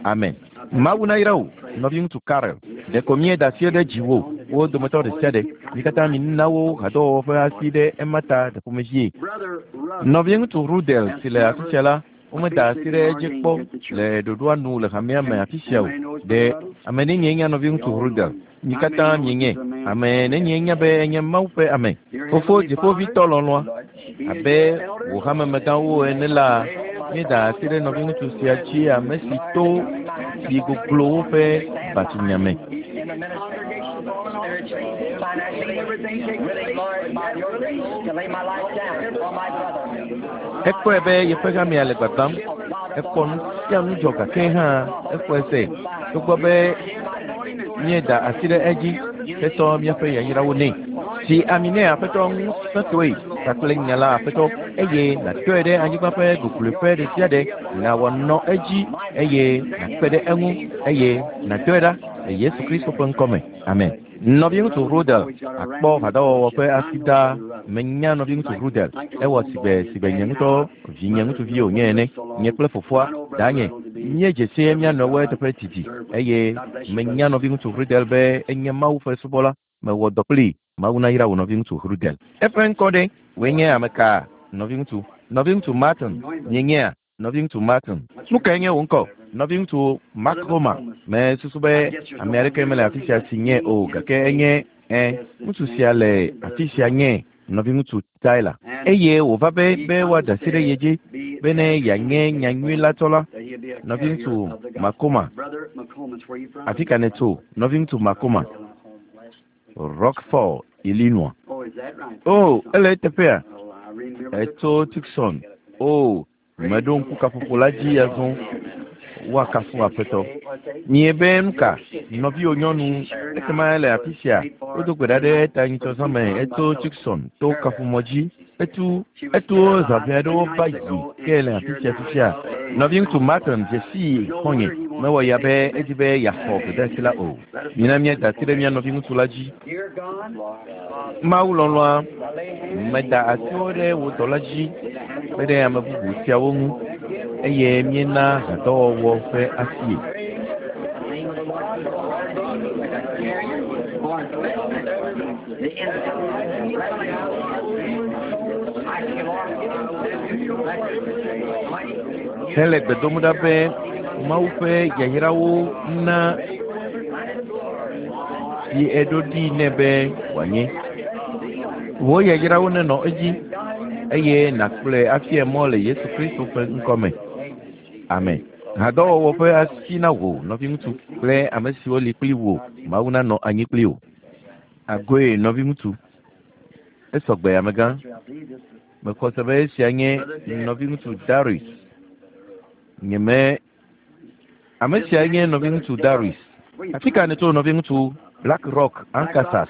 Amen. Mawu nayra wò, nɔviŋutsu Karel. Ɖeko míeda asi ɖe dziwò, wo dometɔ ɖe sia ɖe. Mi katã mina wo hadɔwɔwɔ ƒe asi ɖe ema ta ɖe ƒomevie. Brother Rudd, Nɔviŋutsu Rudel si le afi sia la, womeda asi ɖe edzi kpɔ le ɖoɖoa nu le hamea me afi sia o. Ɖe ame nenie nya nɔviŋutsu Rudel? Mi katã mienye. Ame nenie nya be enye Mawu ƒe ame. Fofo dziƒovitɔ lɔlɔ̃a, abe wò hamemegãwo ene la, míeda asi ɖe nɔviŋutsu sia dzi ame si to tsi goglowo ƒe batunya me. in the ministry, spiritually, financially, really, Lord, by your grace, to lay my life down for my brother. Ekpɔe be yeƒe hamea le gbagbam. Ekpɔ nu sia nu dzɔ gake hã exɔe se togbɔ be míeda asi ɖe edzi hetsɔ míaƒe yayrawo nɛ. Si ami nɛ Aƒetɔ ŋusẽtɔe kpakple nya la Aƒetɔ eye nàtɔe ɖe anyigba ƒe gogloeƒe ɖe sia ɖe na wòanɔ edzi eye nàkpe ɖe eŋu eye nàdɔe ɖa le Yesu Kristo ƒe ŋkɔ me. Amen. Nɔviŋutsu Rudel akpɔ hadɔwɔwɔ ƒe asi ɖaa. Menya nɔviŋutsu Rudel. Ewɔ sigbe sigbe nye ŋutɔ vinye ŋutsuvi wònye ene. Nye kple fofoa, danye, míedze sie mía nɔewo eteƒe didi eye menya nɔviŋutsu Rudel be enye Mawu ƒe subɔla. Mewɔ dɔ kplii. Mawu nayra wò nɔviŋutsu Rudel. Eƒe ŋkɔ ɖe wòe nye ame ka nɔviŋutsu? Nɔviŋutsu Martin mienyea? Nɔviŋutsu Martin. Nu kae nye wò ŋkɔ? Nɔviŋutsu Makroma. Mesusu be ame aɖeke mele afi sia si nye o gake enye ẽ ŋutsu sia le afi sia nye nɔviŋutsu Tyler. Eye wòva be be woada asi ɖe ye dzi bene yeanye nyanyui la tsɔla. Nɔviŋutsu Makoma. Brother McComas, where you from? Afi ka nètso? Nɔviŋutsu Makoma. Rockford, Illinois. Oh, is that right? Oh, ele eteƒea? Well, I remember the Etso Tucson. Oh, meɖo ŋku kaƒoƒo la dzi azɔ. Woakafu Aƒetɔ. Mie be nu ka? Nɔviwò nyɔnu ekema ele afi sia. Wodo gbe ɖa ɖe eta nyitsɔzã me etso Tucson to kaƒomɔ dzi. Etu eto zã ʋɛ aɖewo va yi ke le afi sia fifia. Nɔviŋutsu Martin dze sii xɔ̃nye. Mewɔ ya be edzi be yeaxɔ gbedeasi la o. Mina míada asi ɖe mía nɔviŋutsu la dzi. Dear God, Mawu lɔlɔ̃a, meda asiwo ɖe wò dɔla dzi kpe ɖe ame bubu siawo ŋu eye míena hadɔwɔwɔ ƒe asie. Hele gbe dom ɖa be Mawu ƒe yayrawo na si eɖo ɖi nɛ be wòanye. Wò yayrawo nenɔ edzi eye nàkplɔe afia mɔ le Yesu Kristo ƒe ŋkɔme. Amen. Hadɔwɔwɔ ƒe asi na wò nɔviŋutsu kple ame siwo li kpli wò. Mawu nanɔ anyi kpli wò. Agoe nɔviŋutsu. Esɔgbe amegã. Mexɔ se be esia nye nɔviŋutsu Darius. Nyeme ame sia nye nɔviŋutsu Darius. Afi ka nètso nɔviŋutsu Black Rock, Arkansas?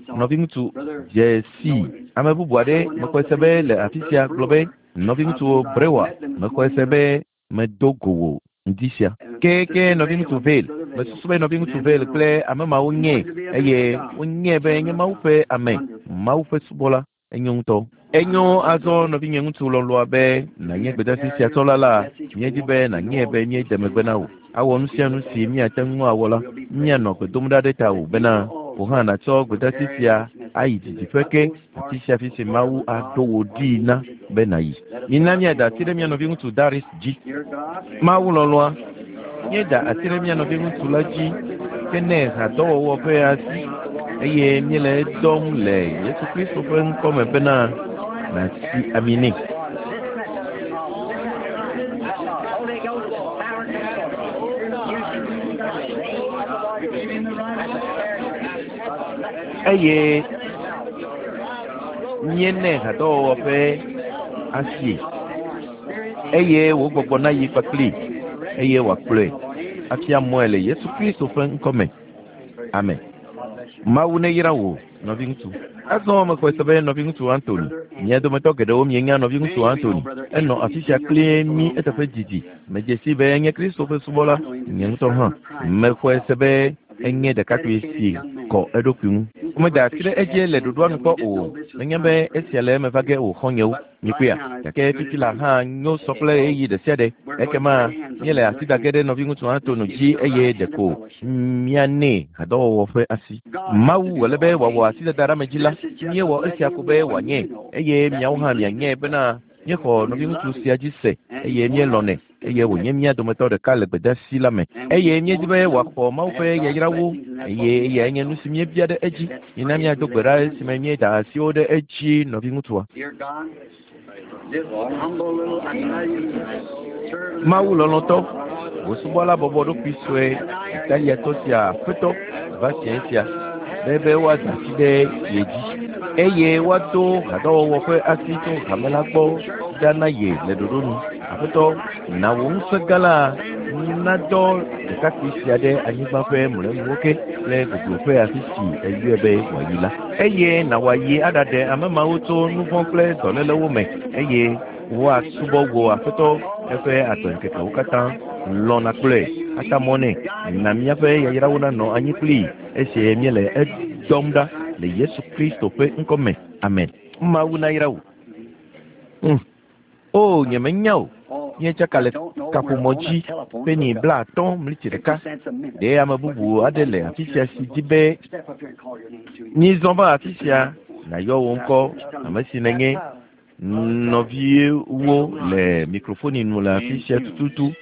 Nɔviŋutsu Jesse. Ame bubu aɖe mexɔe se be le afi sia gblɔ be nɔviŋutsu Brewer. Mexɔe se be medo go wò ŋdi sia. Ke ke nɔviŋutsu Vale. Mesusu be nɔviŋutsu Vale kple ame mawo nye eye wonye be nye Mawu ƒe ame, Mawu ƒe subɔla. Enyo ŋutɔ. Enyo azɔ nɔvinye ŋutsu lɔlɔa be nànye gbedeasi sia tsɔla la, míedi be nànye be míede megbe na wò. Awɔ nu sia nu si míate ŋu awɔ la, míanɔ gbe dom ɖa ɖe tawò bena wò hã nàtsɔ gbedeasi sia ayi didiƒe ke afi sia afi si Mawu aɖo wò ɖii na be nàyi. Mina míada asi ɖe mía nɔviŋutsu Darius dzi. Mawu lɔlɔa, míeda asi ɖe mía nɔviŋutsu la dzi ke nɛ hadɔwɔwɔ ƒe asi eye míele edɔm le Yesu Kristo ƒe ŋkɔme bena nàsi ami nɛ. Eye míenɛ hadɔwɔwɔ ƒe asie eye wò gbɔgbɔ nayi kpakpli eye wòakplɔe afia mɔe le Yesu Kristo ƒe ŋkɔme. Amen. Mawu neyra wò nɔviŋutsu. Azɔ mexɔe se be nɔviŋutsu Anthony. Mia dometɔ geɖewo mienya nɔviŋutsu Anthony. Enɔ afi sia kpli mí eteƒe didi. Medze si be enye Kristo ƒe subɔla. Nye ŋutɔ hã mexɔe se be enye ɖekakpui si kɔ eɖokui ŋu. Womeda asi ɖe edzi le ɖoɖoa nu kpɔ o. Menye be esia le eme va ge o xɔ̃nyewo. Mikpɔea? Gake fifi la hã nyo sɔ kple ɣeyiɣi ɖe sia ɖe. Ekema míele asi da ge ɖe nɔviŋutsu Anthony dzi eye ɖeko míanɛ hadɔwɔwɔ ƒe asi. Mawu wòle be wòawɔ asidada ɖe ame dzi la, míewɔ esia ko be wòanye eye miawo hã mianye bena míexɔ nɔviŋutsu sia dzi se eye míelɔ̃nɛ eye wònye mía dometɔ ɖeka le gbedeasi la me eye míedi be wòaxɔ Mawu ƒe yayrawo eye eyae nye nu si míebia ɖe edzi. Mina míado gbe ɖa esime míeda asiwo ɖe edzi nɔviŋutsua. Mawu lɔlɔ̃tɔ, wò subɔla bɔbɔ ɖokui sue Italiatɔ sia aƒetɔ va sia sia be be woada asi ɖe ye dzi eye woado hadɔwɔwɔ ƒe asi tso hame la gbɔ ɖa na ye le ɖoɖo nu. Aƒetɔ, na wò ŋusẽ gã la nadɔ ɖekakpui sia ɖe anyigba ƒe mlɔenuwo ke kple gogloƒe afi si eyɔe be wòayi la. Eye na wòayi aɖaɖe ame mawo tso nu vɔ̃ kple dɔlélewo me eye woasubɔ wò aƒetɔ eƒe agbeŋkekewo katã. Lɔ̃ nàkplɔe ata mɔ nɛ. Na míaƒe yayrawo nanɔ anyi kplii esi míele edɔm ɖa le Yesu Kristo ƒe ŋkɔme. Amen. Mawu nayra wò. Mm. O, nyemenya o. Míetsaka le kaƒomɔ dzi peni blaatɔ̃ mliti ɖeka. Ɖe ame bubu aɖe le afi sia si di be mízɔ va afi sia nàyɔ wò ŋkɔ ame si nènye. Nɔviwo le mikrofoni nu le afi sia tututu.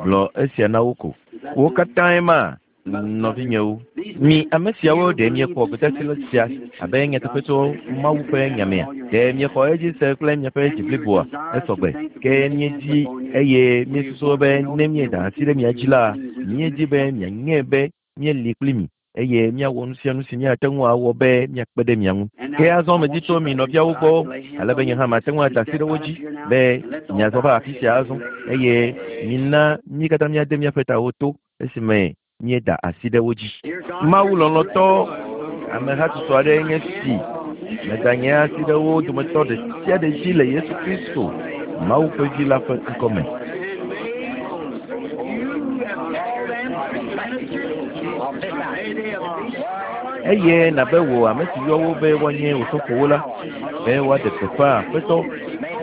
Gblɔ esia na wo ko. Wo katãe ma nɔvinyewo. Mi ame siawo ɖe miexɔ gbedeasi sia abe nyateƒe tso Mawu ƒe nyamea. Ɖe miexɔ edzi se kple miaƒe dzi bliboa esɔgbe. Ke míedi eye míesusu be ne míeda asi ɖe mia dzi la, míedi be mianye be míeli kpli mi eye míawɔ nu sia nu si míate ŋu awɔ be míakpe ɖe mia ŋu. Ke azɔ medi tso mi nɔviawo gbɔ ale be nye hã mate ŋu ada asi ɖe wo dzi be miazɔ va afi sia azɔ eye mina mí katã míade míaƒe tawo to esime míeda asi ɖe wo dzi. Mawu lɔlɔ̃tɔ, amehatsotso aɖe nye si meda nye asi ɖe wo dometɔ ɖe sia ɖe dzi le Yesu Kristo, Mawu ƒe Vi la ƒe ŋkɔme. Eye nabe wò ame si yɔ wo be woanye wò sɔfowo la, be woaɖe gbeƒã Aƒetɔ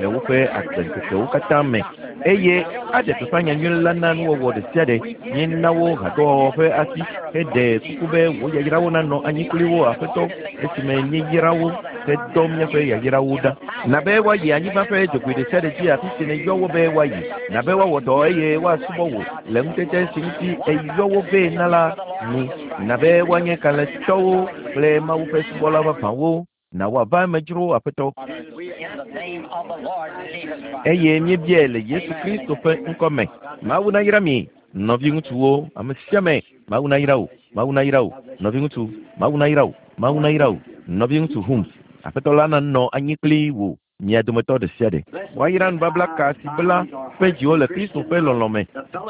le woƒe agbeŋkekewo katã me eye aɖe gbeƒã nyanyui la na nuwɔwɔ ɖe sia ɖe. Míena wo hadɔwɔwɔ ƒe asi heɖe kuku be wò yayrawo nanɔ anyi kpli wo Aƒetɔ esime míeyra wo Hedɔ míaƒe yayrawo ɖa. Na be woayi anyigba ƒe dzogoe ɖe sia ɖe dzi afi si nèyɔ wo be woayi. Na be woawɔ dɔ eye woasubɔ wò le ŋutete si ŋuti èyɔ wo vɛ na la nu. Na be woanye kalẽtɔwo kple Mawu ƒe subɔla vavãwo. Na woava eme dzro Aƒetɔ. Eye míebiae le Yesu Kristo ƒe ŋkɔ me. Mawu nayra mi, nɔviŋutsuwo, ame sia ame. Mawu nayra wò, Mawu nayra wò, nɔviŋutsu, Mawu nayra wò, Mawu nayra wò, nɔviŋutsu Humes. Aƒetɔ la nanɔ anyi kpli wò mia dometɔ ɖe sia ɖe. Woayra nubabla ka si bla ƒe dziwo le Kristo ƒe lɔlɔ̃ me.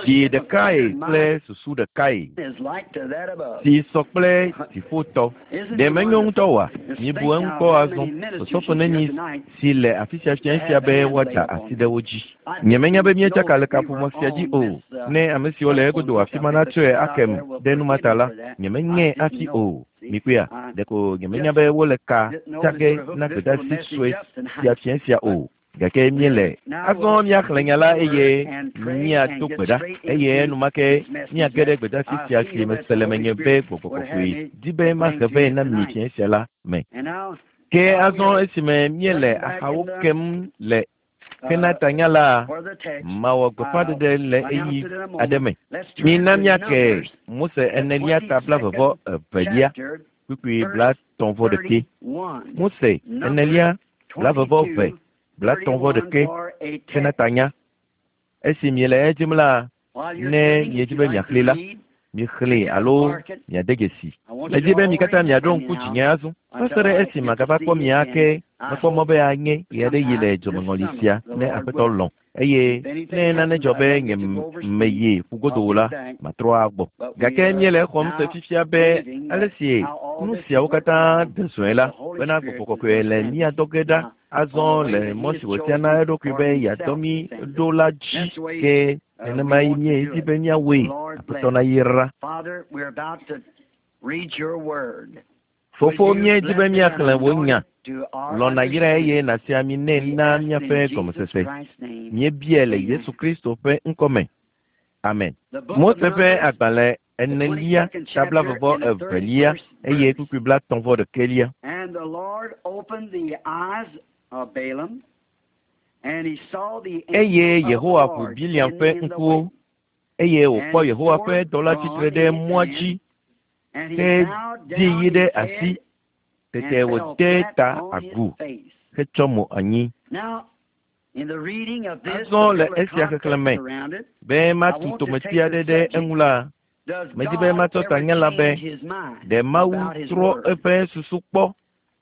Dzi ɖekae kple susu ɖekae si sɔ kple dziƒotɔ. Ɖe menyo ŋutɔ oa? Mibu eŋu kpɔ azɔ. Osɔfo nenyi si le afi sia fia sia be woada asi ɖe wo dzi. Nyemenya be míetsaka le kaƒomɔ sia dzi o. Ne ame siwo le egodo afi ma natsɔe akem ɖe nu ma ta la, nyemenyae hafi o. Mikpɔea, ɖeko nyemenya be wole ka tsage na gbedeasi sue sia fia sia o. Gake míele. Azɔ míaxlẽ nya la eye míado gbe ɖa eye enumake míage ɖe gbedeasi sia si mese le menye be Gbɔgbɔ Kɔkɔe di be mahe vɛ na mi fia sia la me. Ke azɔ esime míele axawo kem le hena tanya la, mawɔ gbeƒãɖeɖe le ɣeyiɣi aɖe me. Mina míake Mose enelia ta blaeve evelia kpukpui blaetɔ̃ vɔ ɖekɛ. Mose enelia blaeve vɔ eve blaetɔ̃ vɔ ɖekɛ hena tanya. Esi miele edzim la, ne miedzi be miaxlẽe la, mixlẽe alo miade dzesi. Medi be mi katã miaɖo ŋku dzinye azɔ. Va se ɖe esi magava kpɔ mi ake, mekpɔ mɔ be anye ɣe aɖe yi le dzomeŋɔli sia ne Aƒetɔ lɔ̃. Eye ne nane dzɔ be nye meyi ƒugodo o la, matrɔ agbɔ. Gake míele exɔm se fifia be ale si nu siawo katã de zɔe la, bena Gbɔgbɔ Kɔkɔe le mía dɔ ge ɖa azɔ le mɔ si wòtia na eɖokui be yeadɔ mí ɖo la dzi. Ke nenemae míedi be míawɔe. Aƒetɔ nayra. Fofo, míedi be míaxlẽ wò nya. Lɔ̃ nàyrae eye nàsi ami nɛ na míaƒe gɔmesese. Míebiae le Yesu Kristo ƒe ŋkɔ me. Amen. Mose ƒe agbalẽ enelia ta blaeve vɔ evelia eye kpukpui blaetɔ̃ vɔ ɖekɛlia. And the Lord opened the eyes of Balaam, and he saw the Eye angel of the Yehowa ʋu Lord Biliam ƒe standing in the ŋkuwo way. eye wòkpɔ Yehowa ƒe dɔla tsitre ɖe mɔa dzi And he ke bowed di down yi ɖe his asi. head Tete and fell wòde flat ta on his agu face. hetsɔ mo anyi. Now, in the reading of this, Azɔ to le build a esia xexlẽ me context around it, be I matu want to tometi take the aɖe ɖe subject, eŋu la, Does medi be God matsɔ ever tanya la be change his mind ɖe Mawu about his trɔ word? eƒe susu kpɔ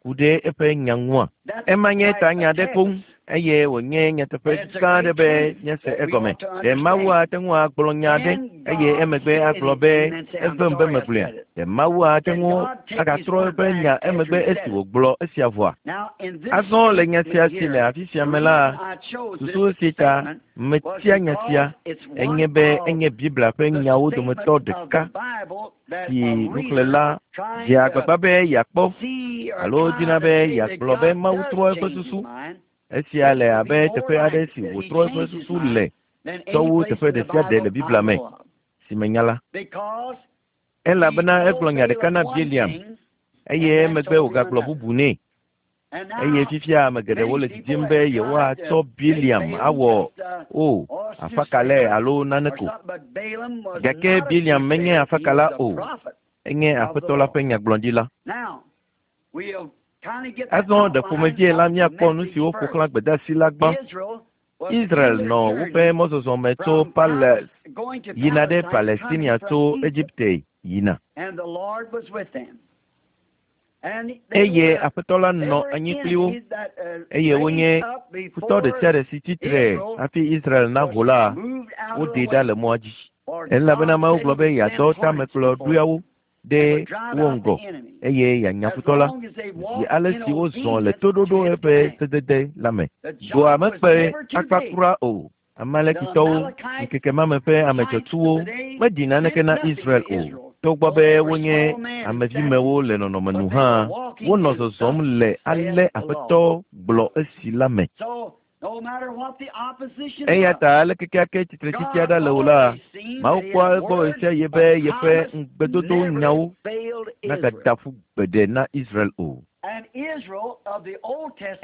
ku ɖe eƒe nya ŋua? That's Ema nye quite a tanya aɖe koŋ text. eye wònye nyateƒe And it's a gã aɖe great be truth míase that we egɔme. ought to Ɖe Mawu understand. ate ŋu agblɔ nya aɖe Can eye God emegbe say agblɔ be anything and say, I'm evem be sorry I megblɔea? said it? Ɖe Mawu ate Can ŋu God take his agatrɔ word eƒe back nya after emegbe he esi said it? wògblɔ esia vɔa? Now, in this Azɔ le nya sia statement si le here, afi sia the me la, reason I chose this susu si ta statement was metia nya sia because it's enye one be of enye Biblia ƒe the nyawo statements dometɔ of ɖeka the Bible that si a reader nuxlẽla trying dzea to agbagba be yeakpɔ see or alo trying dina to be say that yeagblɔ be God Mawu does trɔ eƒe change his susu. mind, Esia this le would abe be more teƒe aɖe like si that he wòtrɔ eƒe changed his susu mind le than tsɔ any wu place teƒe in the ɖe sia ɖe le Bible Biblia I me know of. si menya la. Because he Elabena egblɔ told nya ɖeka Balaam na one Biliam thing eye and then emegbe told him wògagblɔ another. bubu nɛ. And Eye now fifia ame geɖewo many le people didim be have tried yewoatsɔ to make Biliam Balaam awɔ just uh, o or afakalae soothsayer alo nane or ko. something, but Balaam was Gake not a Biliam menye soothsayer. He afakala was a o. prophet Enye of the Aƒetɔ la Lord. ƒe nyagblɔɖila. Now, we'll kind of get the Azɔ ɖe outline ƒomevie la of the míakpɔ nu message siwo ƒo first. xlã gbedeasi la gbã. Israel was Israel in their nɔ woƒe journey mɔzɔzɔ me tso from Pales Pales going to yina ɖe Palestine, coming Palestinia from tso Egypt, Egipte yina. and the Lord was with them. And they Eye were Aƒetɔ la they nɔ were anyi kpli wo enemies that uh, eye wonye raised up futɔ ɖe before sia ɖe si tsitre Israel hafi Israel was naho la, moved out of the woɖee ɖa way. le mɔa dzi. For Elabena God Mawu said gblɔ he be would send yeadɔ hornets before tamekplɔɖoeawo them ɖe and would drive wo out ŋgɔ the enemy. eye yeanya As futɔ la long as they zi walked ale in si wozɔ le obedience to toɖoɖo his eƒe command. sedede la me. The Dua job was mekpe never too akpa big. kura o. The Amalekitɔwo, Amalekites, ŋkeke ma me ƒe ame giants of dzɔtsuwo the day, meɖi naneke meant na nothing Israel to o. Israel, Togbɔ though be they were wonye small men in amevimewo stature, le nɔnɔme nu but they hã, were walking wonɔ in zɔzɔm thus le ale saith the Lord. Aƒetɔ gblɔ esi la me. So, no matter what the opposition Eya was, ta ale kekeake tsitretsitsi God aɖe le o la, always seen Mawu that kpɔa his egbɔ word ɣesiaɣi of be yeƒe promise ŋugbedodo never nyawo failed Israel. nagada ƒu gbeɖe na Israel o. And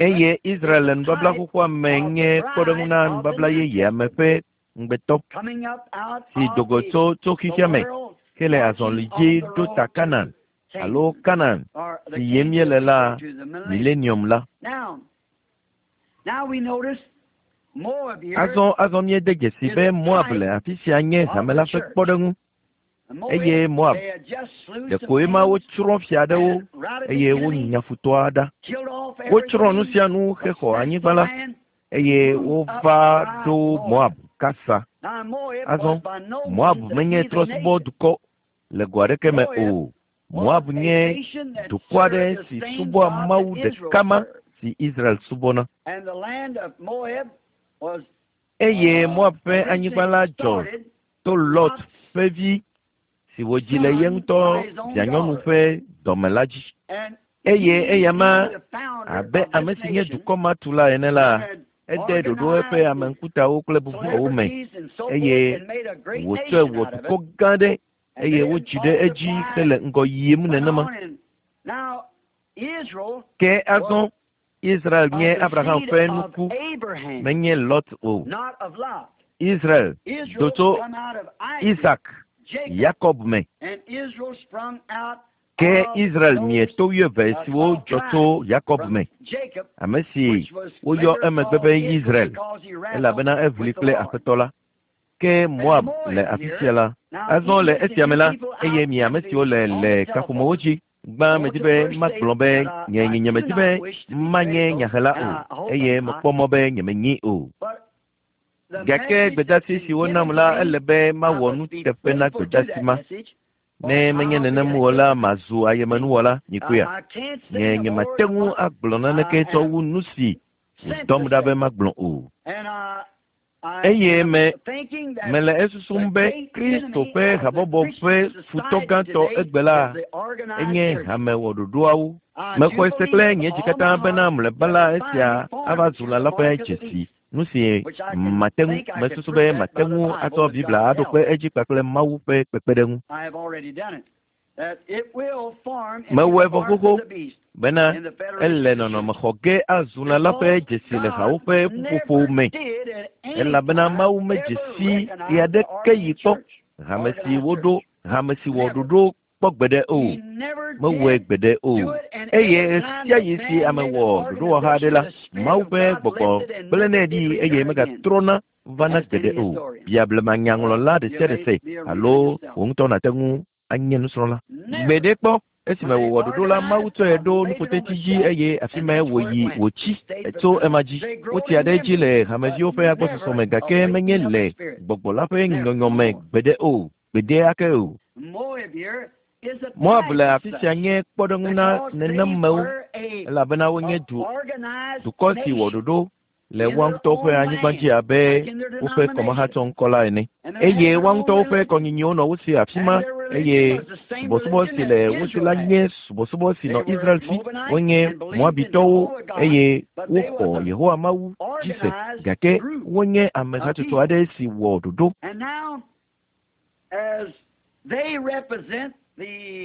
Eye Israel le nubabla xoxoa me nye kpɔɖeŋu na nubabla yeyea me ƒe ŋugbetɔ si do go tso tso xexea me ke le azɔli dzi ɖo ta Kanan alo Kanan si yim míele la milenium la. Azɔ azɔ míede dzesi be Moab le afi sia nye hame la ƒe kpɔɖeŋu. Eye Moab ɖeko ema wotsrɔ̃ fia aɖewo eye wonya futɔa ɖa. Wotsrɔ̃ nu sia nu hexɔ anyigba la eye wova ɖo Moab kasa. Azɔ Moab menye trɔ̃subɔdukɔ le go aɖeke me o. Moab nye dukɔ aɖe si subɔa Mawu ɖeka ma si Israel subɔna. Eye Moab ƒe anyigba la dzɔ to Lot ƒe vi si wòdzi le ye ŋutɔ vianyɔnu ƒe dɔme la dzi. Eye eyama abe ame si nye dukɔ ma tula ene la, ede ɖoɖo eƒe ame ŋkutawo kple bubuawo me eye wòtsɔe wɔ dukɔ gã aɖe eye wodzi ɖe edzi hele ŋgɔ yim nenema. Ke azɔ Israel nye Abraham ƒe nuku, menye Lot o. Israel do tso Isak, Yakob me. Ke Israel mie to wuieve siwo dzɔ tso Yakob me, ame si woyɔ emegbe be Israel, elabena eʋli kple Aƒetɔ la. Ke Moab le afi sia la. Azɔ le esia me la, eye mi ame siwo le le kaƒomewo dzi, gbã medi be magblɔ be nye nye nyemedi be manye nyahela o, eye mekpɔ mɔ be nyemenyi o. Gake gbedasi si wonam la, ele be mawɔ nuteƒe na gbedasi ma. Ne menye nenem o la, mazu ayemenuwɔla nyikoea. Nye nyemate ŋu agblɔ naneke tsɔ wu nu si wòdɔm ɖa be magblɔ o. Eye me mele esusum be Kristo ƒe habɔbɔ ƒe futɔ gãtɔ egbe la enye hamewɔɖoɖoawo. Mexɔe se kple nye dzi katã bena mlɔeba la esia ava zu lã la ƒe dzesi. Nu si mate ŋu mesusu be mate ŋu atsɔ Biblia aɖo kpe edzi kpakple Mawu ƒe kpekpeɖeŋu. Mewɔe vɔ xoxo bena ele nɔnɔme xɔ ge azu lã la ƒe dzesi le hawo ƒe ƒuƒoƒo me elabena Mawu medze si ɣe aɖeke yi kpɔ hame si woɖo hame si wɔ ɖoɖo kpɔ gbeɖe o. Mewɔe gbeɖe o. Eye ɣe sia ɣi si ame wɔ ɖoɖowɔha aɖe la, Mawu ƒe gbɔgbɔ gblẽnɛ ɖi eye megatrɔna vana gbeɖe o. Bia blemanyaŋlɔla ɖe sia ɖe se alo wò ŋutɔ nàte ŋu anye nusrɔ̃la. Gbeɖe kpɔ esime wòwɔ ɖoɖo la, Mawu tsɔe ɖo nuƒoteti dzi eye afi mae wòyi wòtsi tso ema dzi. Wotsia ɖe edzi le hameviwo ƒe agbɔsɔsɔ me gake menye le gbɔgbɔ la ƒe nyɔnyɔ me gbeɖe o, gbeɖe ake o. Moab le afi sia nye kpɔɖeŋu na nenemewo elabena wonye du dukɔ si wɔ ɖoɖo le woa ŋutɔwo ƒe anyigba dzi abe woƒe kɔmahatsɔŋkɔ la ene. Eye woa ŋutɔwo ƒe kɔnyinyiwo nɔ wo si afi ma eye subɔsubɔ si le wo si la nye subɔsubɔ si nɔ Israel si. Wonye Moabitɔwo eye woxɔ Yehowa Mawu dzi se gake wonye ame hatsotso aɖe si wɔ ɖoɖo.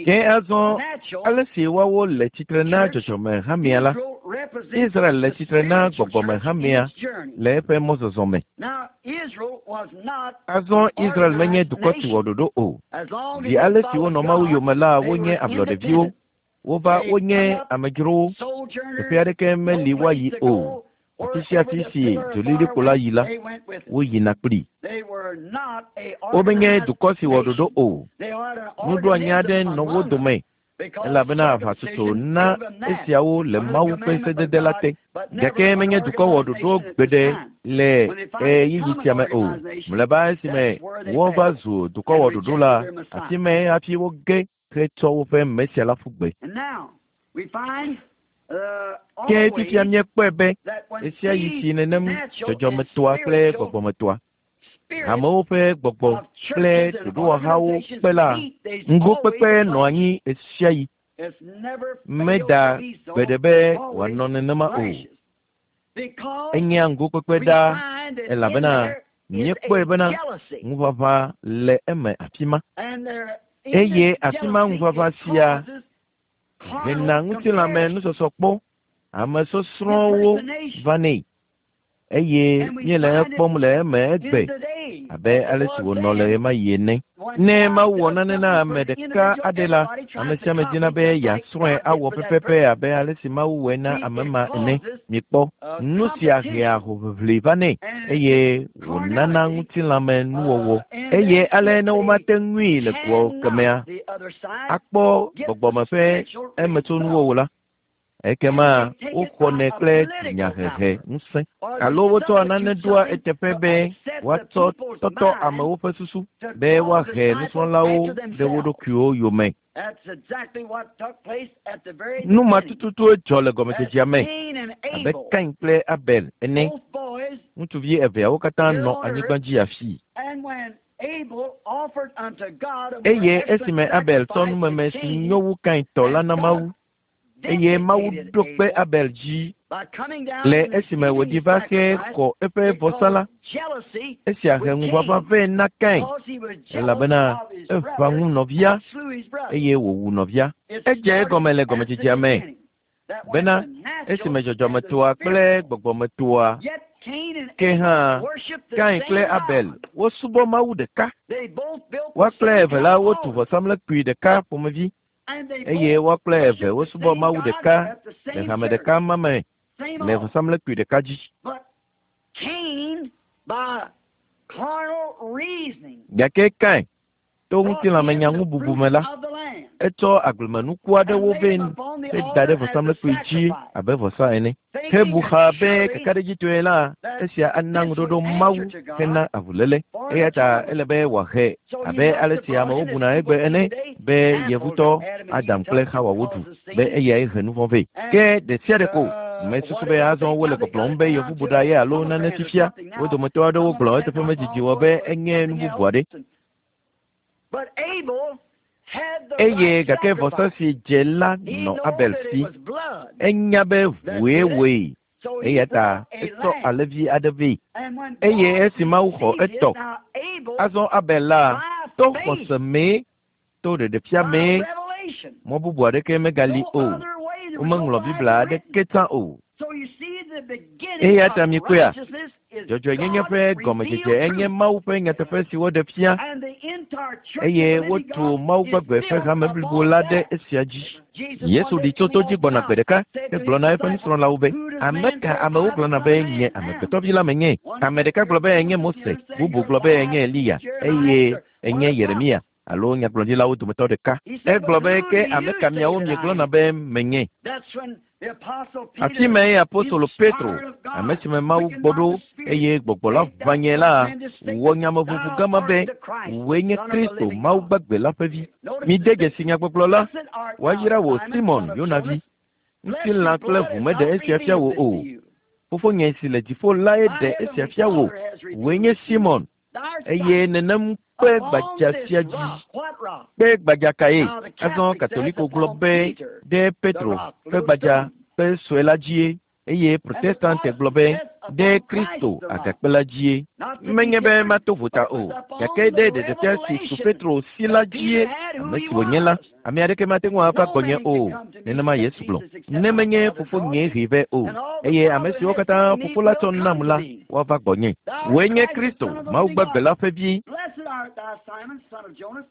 Ke azɔ ale si woawo le tsitre na dzɔdzɔme hamea la, Israel le tsitre na gbɔgbɔme hamea le eƒe mɔzɔzɔ me. Azɔ Israel menye dukɔ si wɔ ɖoɖo o. Zi ale si wonɔ Mawu yome la, wonye ablɔɖeviwo. Wova wonye amedzrowo. Teƒe aɖeke meli woayi o. Afi sia afi si dzolilikpo la yi la, woyina kplii. Womenye dukɔ si wɔ ɖoɖo o. Nuɖoanyi aɖe nɔ wo dome elabena aʋatsotso na esiawo le Mawu ƒe sedede la te. Gake menye dukɔ wɔ ɖoɖo gbeɖe le ɣeyiɣi sia me o. Mlɔeba esime wova zu dukɔ wɔ ɖoɖo la, afi mae hafi woge hetsɔ woƒe Mesia la ƒu gbe. Ke fifia míekpɔe be ɣe sia ɣi si nenem dzɔdzɔmetoa kple gbɔgbɔmetoa, hamewo ƒe gbɔgbɔ kple ɖoɖowɔhawo kpe la, ŋgokpekpe nɔ anyi ɣe sia ɣi. Meda gbeɖe be wòanɔ nenema o. Enyea ŋgokpekpe ɖaa elabena míekpɔe bena ŋuʋaʋã le eme afi ma. Eye afi ma ŋuʋaʋã sia Hena ŋutilãme nusɔsɔkpɔ, ame sɔsrɔ̃wo vanɛ eye míele ekpɔm le eme egbe abe ale si wònɔ le ɣemaɣi ene. Ne Mawu wɔ nane na ame ɖeka aɖe la, ame sia ame dina be yeasrɔ̃e awɔ pɛpɛpɛ abe ale si Mawu wɔe na ame ma ene. Mikpɔ, nu sia hea hoʋiʋli vanɛ eye wònana ŋutilãme nuwɔwɔ. Eye ale ne womate ŋui le goa kemea akpɔ gbɔgbɔme ƒe emetsonuwo o la, ekema woxɔnɛ kple dunyahehe ŋusẽ alo wotsɔa nane ɖoa eteƒe be woatsɔ tɔtɔ amewo ƒe susu be woahe nusrɔ̃lawo ɖe wo ɖokuiwo yome. Nu ma tututue dzɔ le gɔmedzedzea me abe Kain kple Abel ene. Ŋutsuvi eveawo katã nɔ anyigba dzi afii. Eye esime Abel tsɔ numeme si nyo wu Kain tɔ la na Mawu, eye Mawu ɖo kpe Abel dzi le esime wòɖi va xe xɔ eƒe vɔsa la, esia he ŋuʋaʋã vɛ na Kain, elabena eʋã ŋu nɔvia eye wòwu nɔvia. Edze egɔme le gɔmedzedzea me bena esime dzɔdzɔmetoa kple gbɔgbɔmetoa ke hã Kain kple Abel wosubɔ Mawu ɖeka. Woa kple eve la wotu vɔsamlekpui ɖeka ƒomevi eye woa kple eve wosubɔ Mawu ɖeka le hame ɖeka ma me le vɔsamlekpui ɖeka dzi. Gake Kain to ŋutilãmenyaŋububu me la, etsɔ agblemenuku aɖewo vɛ heda ɖe vɔsamlekpui dzi abe vɔsa ene. Hebu xa be kakaɖedzitɔe la, esia ana ŋuɖoɖo Mawu hena avuléle. Eya ta ele be wòahe abe ale si amewo buna egbe ene be yevutɔ Adam kple Xawa woɖu be eyae he nu vɔ̃ vɛ. Ke ɖe sia ɖe ko mesusu be azɔ wole gbɔgblɔm be yevubuɖa ye alo nane fifia. Wo dometɔ aɖewo gblɔ eteƒe medzidzi wɔ be enye nu bubu aɖe. Eye gake vɔsa si dze la nɔ Abel si. Enya be ʋue wɔe. Eya ta etsɔ alẽvi aɖe vɛ. Eye esi Mawu xɔ etɔ, azɔ Abel la to xɔse mee, to ɖeɖefia mee, mɔ bubu aɖeke megali o. Womeŋlɔ Biblia aɖeke tsã o. Eya ta mikpɔea, dzɔdzɔenyenye ƒe gɔmedzedze enye Mawu ƒe nyateƒe si woɖe fia eye wotu Mawu gbagbe ƒe hame blibo la ɖe esia dzi. Yesu ɖi tso to dzi gbɔna gbe ɖeka hegblɔ na eƒe nusrɔ̃lawo be, ame ka amewo gblɔna be nye amegbetɔvi la menye? Ame ɖeka gblɔ be enye Mose, bubu gblɔ be enye Eliya eye enye Yeremia alo nyagblɔɖilawo dometɔ ɖeka. Egblɔ be ke ame ka miawo miegblɔna be menye? Afi mae apostolo Petro, ame si me Mawu gbɔ ɖo eye gbɔgbɔ la ʋã nye la, wɔ nyameʋuʋu gama be wòe nye Kristo, Mawu gbagbe la ƒe vi. Mide dzesi nyagbɔgblɔ la, woayra wò Simon Yonavi. Ŋutilã kple ʋu meɖe esia fia wò o. Fofonye si le dziƒo lae ɖe esia fia wò. Wòe nye Simon eye nenem kpe gbadza sia dzi. Kpe gbadza kae? Azɔ Katoliko gblɔ be ɖe Petro kpe gbadza kpe sue la dzie eye Protestante gblɔ be ɖe Kristo agakpe la dzie. Menye be mato vota o, gake ɖe ɖeɖefia si su Petro si la dzie ame si wònye la, ame aɖeke mate ŋu ava gbɔnye o. Nenema Yesu gblɔ. Ne menye fofonye hee vɛ o, eye ame siwo katã fofo la tsɔ nam la, woava gbɔnye. Wòe nye Kristo, Mawu gbagbe la ƒe vi.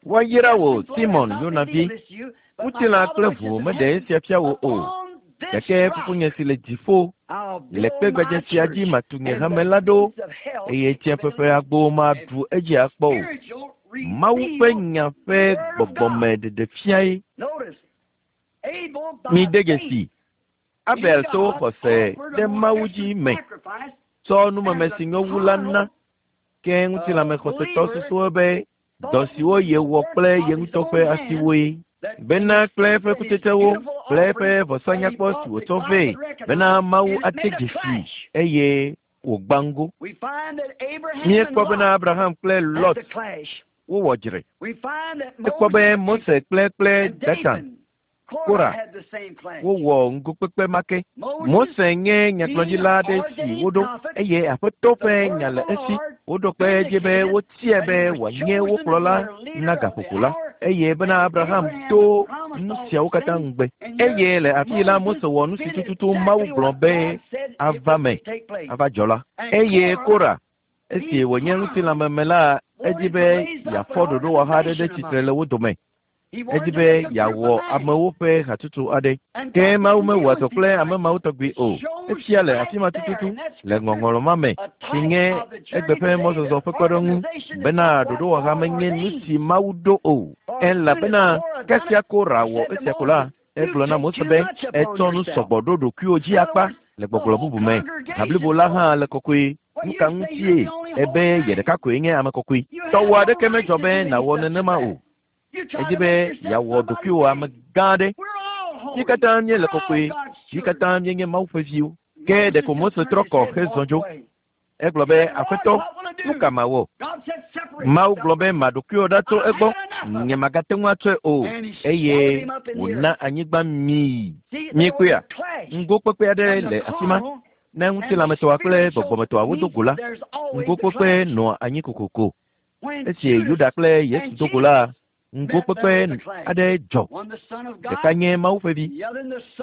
Woayra wò Simon Yonavi. Ŋutilã kple ʋu meɖe esia fia wò o, gake fofonye si le dziƒo le kpe gbadza sia dzi matu nye hame la ɖo eye tsiẽƒe agbo maɖu edzi akpɔ o. Mawu ƒe nya ƒe gbɔgbɔme ɖeɖefiae. Mide dzesi, Abel to xɔse ɖe Mawu dzi me tsɔ numeme si nyo wu la na ke ŋutilãme xɔsetɔ susuwo be dɔ siwo yewɔ kple ye ŋutɔ ƒe asiwoe. Bena kple eƒe kutsetsewo kple eƒe vɔsanyakpɔ si wòtsɔ vɛ bena Mawu ate dzesi eye wògbã ŋgo. Míekpɔ bena Abraham kple Lot wowɔ dzre. Ekpɔ be Mose kple kple Datan, Kora wowɔ ŋgokpekpe ma ke. Mose nye nyagblɔɖila aɖe si woɖo eye Aƒetɔ ƒe nya le esi. Woɖo kpe edzi be wotiae be wòanye wo kplɔla na gaƒoƒo la eye bena Abraham to Nu siawo katã ŋugbe. Eye le afi la Mose wɔ nu si tututu Mawu gblɔ be ava me, ava dzɔ la. Eye Kora, esi wònye ŋutilãmeme la, edi be yeafɔ ɖoɖowɔha aɖe ɖe tsitre le wo dome. Edi be yeawɔ amewo ƒe hatsotso aɖe. Ke Mawu mewɔa dɔ kple ame mawo tɔgbi o. Efia le afi ma tututu le ŋɔŋlɔ ma me si nye egbe ƒe mɔzɔzɔ ƒe kpɔɖeŋu bena ɖoɖowɔha menye nu si Mawu ɖo o. Elabena kasia Kora wɔ esia ko la, egblɔ na Mose be etsɔ nu sɔgbɔ ɖo ɖokuiwò dzi akpa le gbɔgblɔ bubu me. Ha blibo la hã le kɔkɔe. Nu ka ŋutie ebe ye ɖeka koe nye ame kɔkɔe? Tɔwò aɖeke medzɔ be nàwɔ nenema o. Edi be yeawɔ ɖokuiwò ame gã aɖe. Mí katã míele kɔkɔe, mí katã míenye Mawu ƒe viwo. Ke ɖeko Mose trɔ kɔ hezɔ dzo. Egblɔ be, Aƒetɔ, nu ka mawɔ? Mawu gblɔ be ma ɖokuiwò ɖa tso egbɔ, nye magate ŋu atsɔe o. Eye wòna anyigba mii. Miekpɔea? Ŋgokpekpe aɖe le afi ma. Ne ŋutilãmetɔa kple gbɔgbɔmetɔa wodo go la, ŋgokpekpe nɔa anyi kokoko. Esi Yuda kple Yesu do go la, ŋgokpekpe aɖe dzɔ. Ɖeka nye Mawu ƒe vi,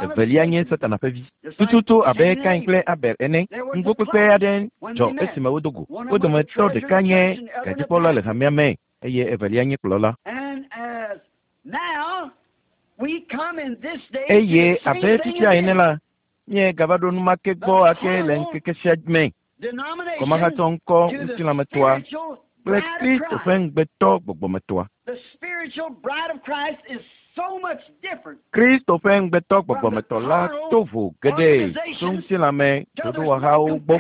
evelia nye Satana ƒe vi. Tututu abe Kain kple Abel ene, ŋgokpekpe aɖe dzɔ esime wodo go. Wo dometɔ ɖeka nye gadzikpɔla le hamea me eye evelia nye kplɔla. Eye abe fifia ene la, míegava ɖo nu ma ke gbɔ ake le ŋkeke sia me. Kɔmahatsɔ ŋkɔ ŋutilãmetɔa kple Kristo ƒe ŋugbetɔ gbɔgbɔmetɔa. Kristo ƒe ŋugbetɔ gbɔgbɔmetɔ la to vo geɖe tso ŋutilãme ɖoɖowɔhawo gbɔ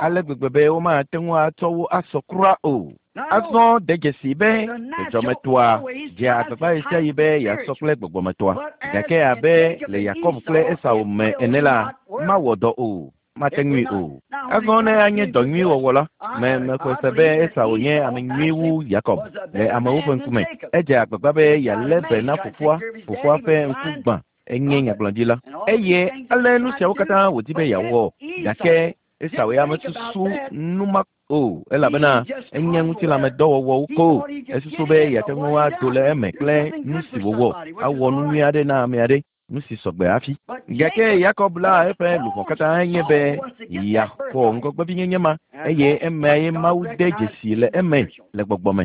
ale gbegbe be womate ŋu atsɔ wo asɔ kura o. Azɔ de dzesi be dzɔdzɔmetɔa dzea agbagba ɣesiaɣi be yeasɔ kple gbɔgbɔmetɔa. Gake abe le Yakob kple Esau me ene la, mawɔ dɔ o. Mate ŋui o. Azɔ ne anye dɔ nyui wɔwɔ la, me mexɔe se be Esau nye ame nyui wu Yakob le amewo ƒe ŋkume. Edze agbagba be yealé be na fofoa, fofoa ƒe ŋku gbã enye nyagblɔɖila. Eye ale nu siawo katã wòdi be yeawɔ. Gake Esau ya mesusu nu ma o elabena enye ŋutilãmedɔwɔwɔwo ko. Esusu be yeate ŋu ado le eme kple nu si wòwɔ, awɔ nu nyui aɖe na ame aɖe. Nu si sɔgbe hafi. Gake Yakob la eƒe luʋɔ katã nye be yeaxɔ ŋgɔgbevinyenye ma eye emea ye Mawu de dzesi le eme le gbɔgbɔ me.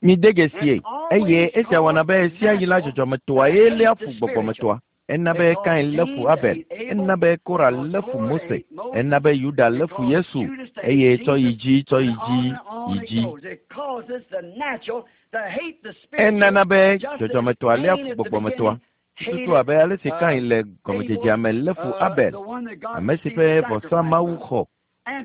Mide dzesie eye esia wɔna be sia yi la dzɔdzɔmetɔa ye léa fu gbɔgbɔmetɔa. Ena be Kain lé fu Abel, ena be Kora lé fu Mose, ena be Yuda lé fu Yesu eye tsɔ yi dzi tsɔ yi dzi yi dzi. Enana be dzɔdzɔmetɔa léa fu gbɔgbɔmetɔa. Tututu abe ale si Kain le gɔmedzedzea me lé fu Abel, ame si ƒe vɔsa Mawu xɔ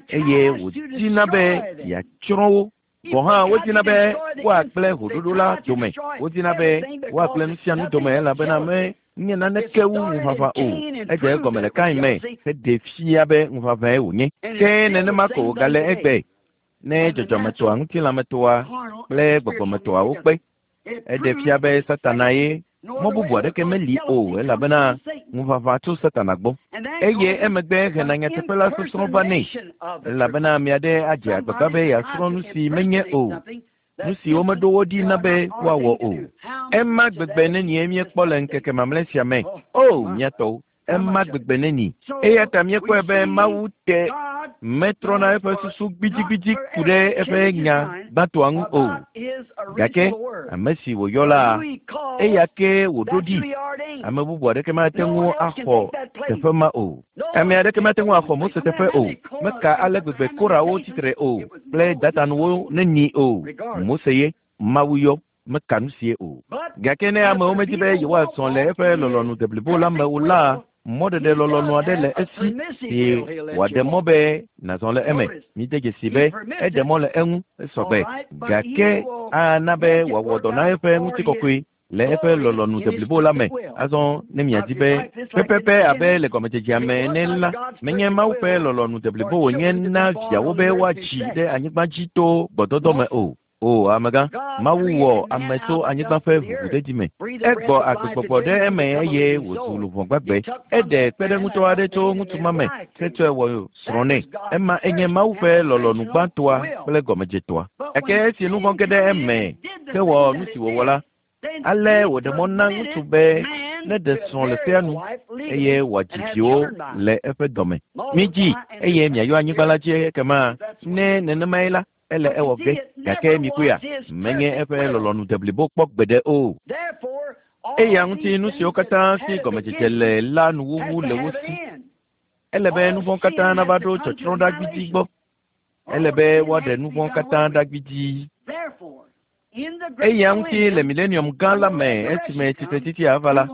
eye wòdina be yeatsrɔ̃ wo. Gɔ̃ hã wodina be woagblẽ hoɖoɖo la dome, wodina be woagblẽ nu sia nu dome elabena me nye naneke wu ŋuʋaʋã o. Edze egɔme le Kain me heɖe fia be ŋuʋaʋãe wònye. Ke nenema ko wògale egbe ne dzɔdzɔmetɔa, ŋutilãmetɔa kple gbɔgbɔmetɔa wokpe. Eɖe fia be Satana ye. Mɔ bubu aɖeke meli o elabena ŋuʋaʋã tso Satana gbɔ. Eye emegbe hena nyateƒe la sɔsrɔ̃ va nɛ elabena ame aɖe adze agbagba be yeasrɔ̃ nu si menye o, nu si womeɖo wo ɖi na be woawɔ o. Ema gbegbe nenie míekpɔ le ŋkeke mamlɛ sia me. O, mía tɔwo, ema gbegbe neni. Eya ta míekpɔe be Mawu te metrɔna eƒe susu gbidigbidi ku ɖe eƒe nya gbãtɔa ŋu o. Gake ame si wòyɔ la, eya ke wòɖo ɖi. Ame bubu aɖeke mate ŋu axɔ teƒe ma o. Ame aɖeke mate ŋu axɔ Mose teƒe o. Meka ale gbegbe Korawo tsitre o kple Datanuwo neni o. Mose ye Mawu yɔ meka nu sie o. Gake ne amewo medi be yewoazɔ le eƒe lɔlɔ̃nu deblibo la me o la, mɔɖeɖe lɔlɔ̃nu aɖe le esi si wòaɖe mɔ be nàzɔ le eme. Mide dzesi be eɖe mɔ le eŋu esɔgbe. Gake ana be wòawɔ dɔ na eƒe ŋutikɔkɔe le eƒe lɔlɔ̃nu deblibo la me. Azɔ ne miadi be pɛpɛpɛ abe le gɔmedzedzea me ene la, menye Mawu ƒe lɔlɔ̃nu deblibo wònye na viawo be woadzi ɖe anyigba dzi to gbɔdɔdɔ me o. O amegã, Mawu wɔ ame tso anyigba ƒe ʋuʋudedi me. Egbɔ agbegbɔgbɔ ɖe eme eye wòzu luʋɔ gbagbe. Eɖe kpeɖeŋutɔ aɖe tso ŋutsu ma me hetsɔe wɔ srɔ̃ nɛ. Ema enye Mawu ƒe lɔlɔ̃nu gbãtɔa kple gɔmedzetɔa. Gake esi nu vɔ̃ ge ɖe eme hewɔ nu si wòwɔ la, Ale wòɖe mɔ na ŋutsu be neɖe srɔ̃ le sea nu eye wòadzi viwo le eƒe dɔme. Midzi eye miayɔ anyigba la dzi ekema ne nenemae la ele ewɔ ge gake mikpɔea menye eƒe lɔlɔ̃nu deblibo kpɔ gbeɖe o. Eya ŋuti nu siwo katã si gɔmedzedze le la nuwuwu le wo si. Ele be nu vɔ̃ katã nava ɖo tsɔtsrɔ̃ ɖa gbidzi gbɔ. Ele be woaɖe nu vɔ̃ katã ɖa gbidzi. Eya ŋuti le milenium gã la me esime tsitretsitsi ava la,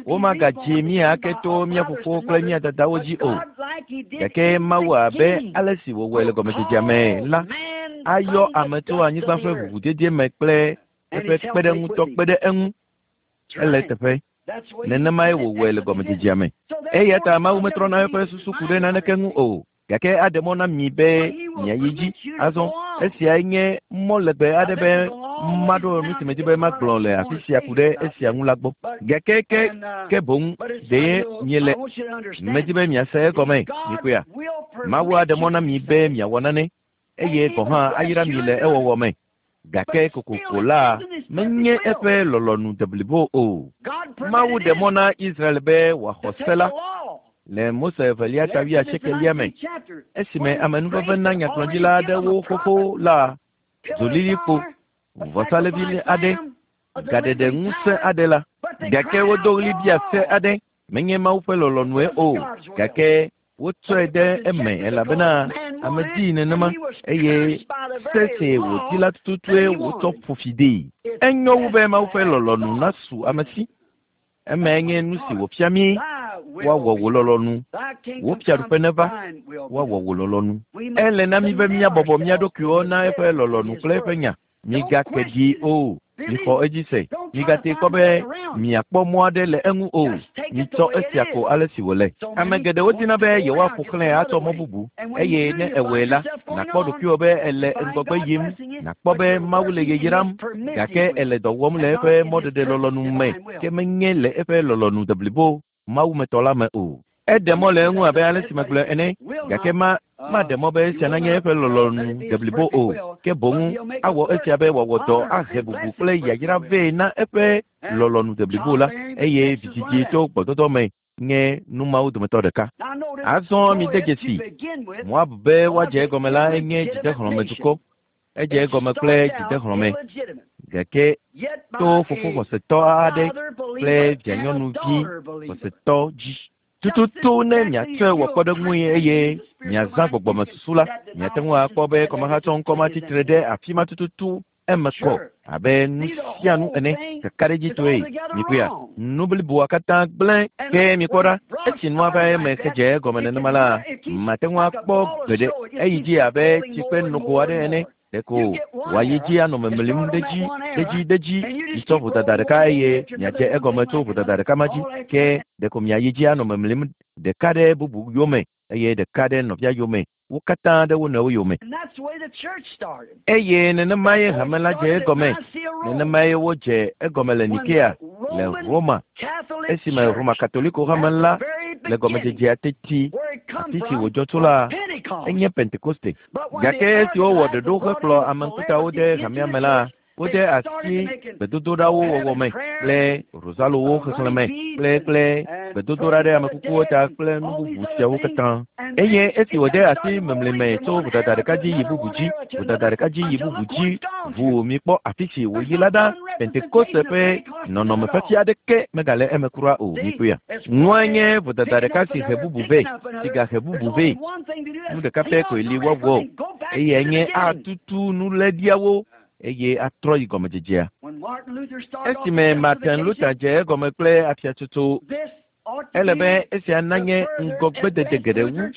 womagadzi mí ake to mía fofowo kple mía dadawo dzi o. Gake Mawu abe ale si wòwɔe le gɔmedzedzea me la, ayɔ ame tso anyigba ƒe ʋuʋudede me kple eƒe kpeɖeŋutɔ kpe ɖe eŋu. Ele teƒe. Nenemae wòwɔe le gɔmedzedzea me. Eya ta Mawu metrɔna eƒe susu ku ɖe naneke ŋu o. Gake aɖe mɔ na mi be miayi dzi. Azɔ esiae nye mɔ legbe aɖe be maɖo nu si medi be magblɔ le afi sia ku ɖe esia ŋu la gbɔ. Gake ke ke boŋ ɖe miele medi be miase egɔme mikpɔea. Mawu aɖe mɔ na mi be miawɔ nane eye gɔ̃ hã ayra mi le ewɔwɔ me. Gake kokoko la menye eƒe lɔlɔ̃nu deblibo o. Mawu ɖe mɔ na Israel be wòaxɔ se la le Mose evelia ta wuiasiekelia me esime amenuveve na nyagblɔɖila aɖewo xoxo la zolilikpo vɔsalevi aɖe gaɖeɖe ŋusẽ aɖe la gake wodo ɣli bia se aɖe menye Mawu ƒe lɔlɔ̃nue o gake wotsɔe ɖe eme elabena ame dii nenema eye se si wòdi la tututue wotsɔ ƒo fi dee. Enyo wu be Mawu ƒe lɔlɔ̃nu nasu ame si. Emae nye nu si wòfia mí woawɔ wò lɔlɔ̃nu. Wò fiaɖuƒe neva, woawɔ wò lɔlɔ̃nu. Ele na mí be míabɔbɔ mía ɖokuiwo na eƒe lɔlɔ̃nu kple eƒe nya. Migake ɖi o. Mixɔ edzi se. Migate kpɔ be miakpɔ mɔ aɖe le eŋu o. Mitsɔ esia ko ale si wòle. Ame geɖewo dina be yewoaƒo xlãe atsɔ mɔ bubu eye ne ewɔe la, nàkpɔ ɖokuiwò be ele ŋgɔgbe yim, nàkpɔ be Mawu le yayram gake ele dɔ wɔm le eƒe mɔɖeɖe lɔlɔ̃nu me ke menye le eƒe lɔlɔ̃nu deblibo Mawumetɔ la me o. Eɖe mɔ le eŋu abe ale si megblɔe ene gake ma maɖe mɔ be esia nanye eƒe lɔlɔ̃nu deblibo o ke boŋ awɔ esia be wòawɔ dɔ ahe bubu kple yayra vɛ na eƒe lɔlɔ̃nu deblibo la eye vidzidzi tso gbɔdɔdɔ me nye nu mawo dometɔ ɖeka. Azɔ mide dzesi Moab be woadze egɔme la enye dzidehlɔ̃medukɔ. Edze egɔme kple dzidehlɔ̃me gake to fofo xɔsetɔ aɖe kple vianyɔnuvi xɔsetɔ dzi. Tututu ne miatsɔe wɔ kpɔɖeŋui eye miazã gbɔgbɔmesusu la, miate ŋu akpɔ be kɔmahatsɔŋkɔ ma tsitre ɖe afi ma tututu eme kɔ abe nu sia nu ene kakaɖedzitɔe. Mikpɔea, nu bliboa katã gblẽ ke mikpɔ ɖa esi nua va eme hedze egɔme nenema la, mate ŋu akpɔ gbeɖe eyi dzi abe tsikpe nogo aɖe ene. Ɖeko wòayi dzi anɔ memlim ɖe dzi ɖe dzi ɖe dzi mitsɔ vodada ɖeka eye miadze egɔme tso vodada ɖeka ma dzi ke ɖeko miayi dzi anɔ memlim ɖeka ɖe bubu yome eye ɖeka ɖe nɔvia yome wo katã ɖe wo nɔewo yome. Eye nenemae hame la dze egɔme. Nenemae wodze egɔme le Nikea le Roma esime Roma Katoliko hame la le gɔmedzedzea teti afi si wòdzɔ tso la enye Pentekoste. Gake esi wowɔ ɖoɖo hekplɔ ame ŋkutawo ɖe hamea me la, wode asi gbedodoɖawo wɔwɔ me kple rozalowo xexlẽ me kple kple gbedodoɖa ɖe ame kukuwo ta kple nu bubu siawo katã. Eye esi wòde asi memlime tso vodada ɖeka dzi yi bubu dzi, vodada ɖeka dzi yi bubu dzi, ʋuu mikpɔ afi si wòyi la ɖa, Pentekoste ƒe nɔnɔmefiafia aɖeke megale eme kura o. Mikpɔea, nua nye vodada ɖeka si he bubu vɛ, si gahe bubu vɛ. Nu ɖeka pɛ koe li woawɔ eyae nye atutu nuléɖiawo eye atrɔ yi gɔmedzedzea. Esime Martin Luther dze egɔme kple afiatsotso, ele be esia nanye ŋgɔgbedede geɖe wu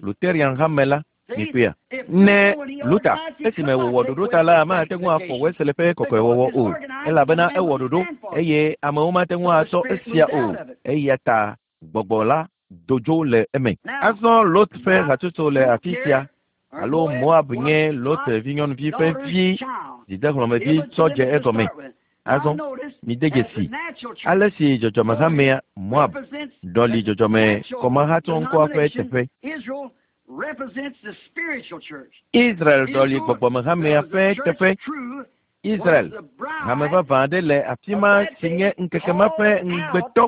Lutheran hame la. Mikpɔea, ne Luther esime wòwɔ ɖoɖo ta la mate ŋu afɔ Wesley ƒe kɔkɔewɔwɔ o elabena ewɔ ɖoɖo eye amewo mate ŋu atsɔ esia o eya ta gbɔgbɔ la do dzo le eme. Azɔ Lot ƒe hatsotso le afi sia alo Moab nye Lot vinyɔnuvi ƒe vi dzidehlɔ̃mevi tsɔ dze egɔme. Azɔ mide dzesi ale si dzɔdzɔmehamea Moab ɖɔli dzɔdzɔme kɔmahatsɔŋkɔa ƒe teƒe. Israel ɖɔli gbɔgbɔmehamea ƒe teƒe. Israel hame vavã aɖe le afi ma si nye ŋkeke ma ƒe ŋugbetɔ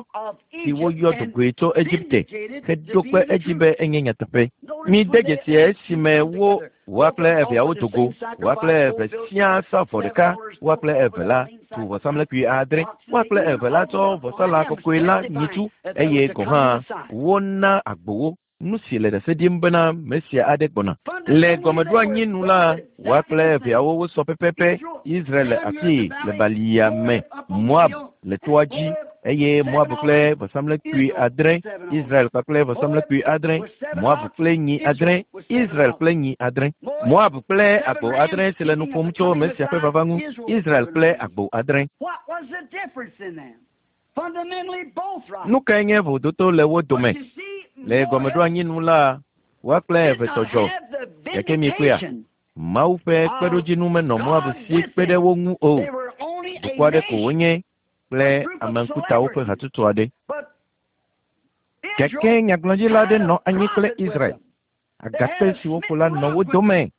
si woyɔ dogoe tso Egipte heɖo kpe edzi be enye nyateƒe. Mide dzesi esime wo woa kple eveawo do go, woa kple eve siaa sa vɔ ɖeka, woa kple eve la tu vɔsamlekpui adre, woa kple eve la tsɔ vɔsalã kɔkɔe la nyitsu eye gɔ̃ hã wona agbowo. Nu si le ɖase ɖim bena Mesia aɖe gbɔna. Le gɔmeɖoanyi nu la, woa kple eveawo wosɔ pɛpɛpɛ. Israel le afii le balia me, Moab le toa dzi eye Moab kple vɔsamlekpui adre, Israel kpakple vɔsamlekpui adre, Moab kple nyi adre, Israel kple nyi adre, Moab kple agbo adre si le nu ƒom tso Mesia ƒe vava ŋu, Israel kple agbo adre. Nu kae nye vododo le wo dome? Le gɔmeɖoanyi nu la, woa kple eve tɔ dzɔ. Gake miekpɔea, Mawu ƒe kpeɖodzinu menɔ Moab si kpe ɖe wo ŋu o. Dukɔ aɖe ko wonye kple ame ŋkutawo ƒe hatsotso aɖe. Gake nyagblɔɖila aɖe nɔ anyi kple Israel. Agakpe si woƒo la nɔ wo dome.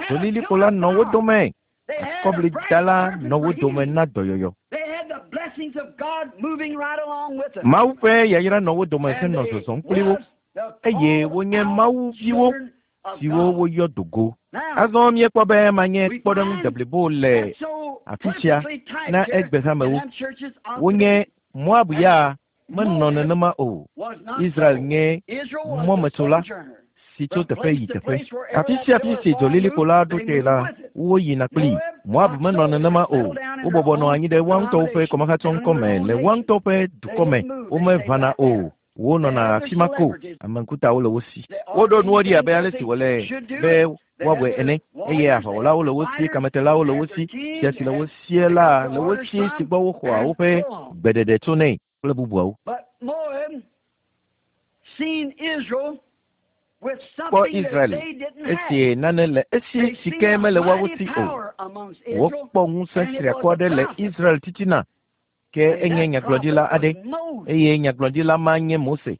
Dzolilikpo la nɔ wo dome. Akɔblidala nɔ wo dome na dɔyɔyɔ. Mawu ƒe yayra nɔ wo dome henɔ zɔzɔm kpli wo eye wonye Mawu viwo siwo woyɔ do go. Azɔ míekpɔ be manye kpɔɖeŋu deblibo le afi sia na egbe hamewo. Wonye Moab ya menɔ nenema o. Israel nye mɔmetsola si tso teƒe yi teƒe. Afi sia afi si dzolilikpo la ɖo te la, woyina kplii. Moab menɔ nenema o. Wobɔbɔ nɔ anyi ɖe woa ŋutɔwo ƒe kɔmahatsɔŋkɔme le woa ŋutɔ ƒe dukɔ me. Womeʋãna o. Wonɔna afi ma ko. Ame ŋkutawo le wo si. Woɖo nuwo ɖi abe ale si wòle be woawɔe ene eye aʋawɔlawo le wo si, kametelawo le wo si, fia si le wo sie la le wo si si gbɔ woxɔa woƒe gbeɖeɖe tsonɛ kple bubuawo. Kpɔ Israel esi nane le esi si ke mele woawo si o. Wokpɔ ŋusẽ triakɔ aɖe le Israel titina ke enye nyagblɔɖila aɖe eye nyagblɔɖila ma nye Mose.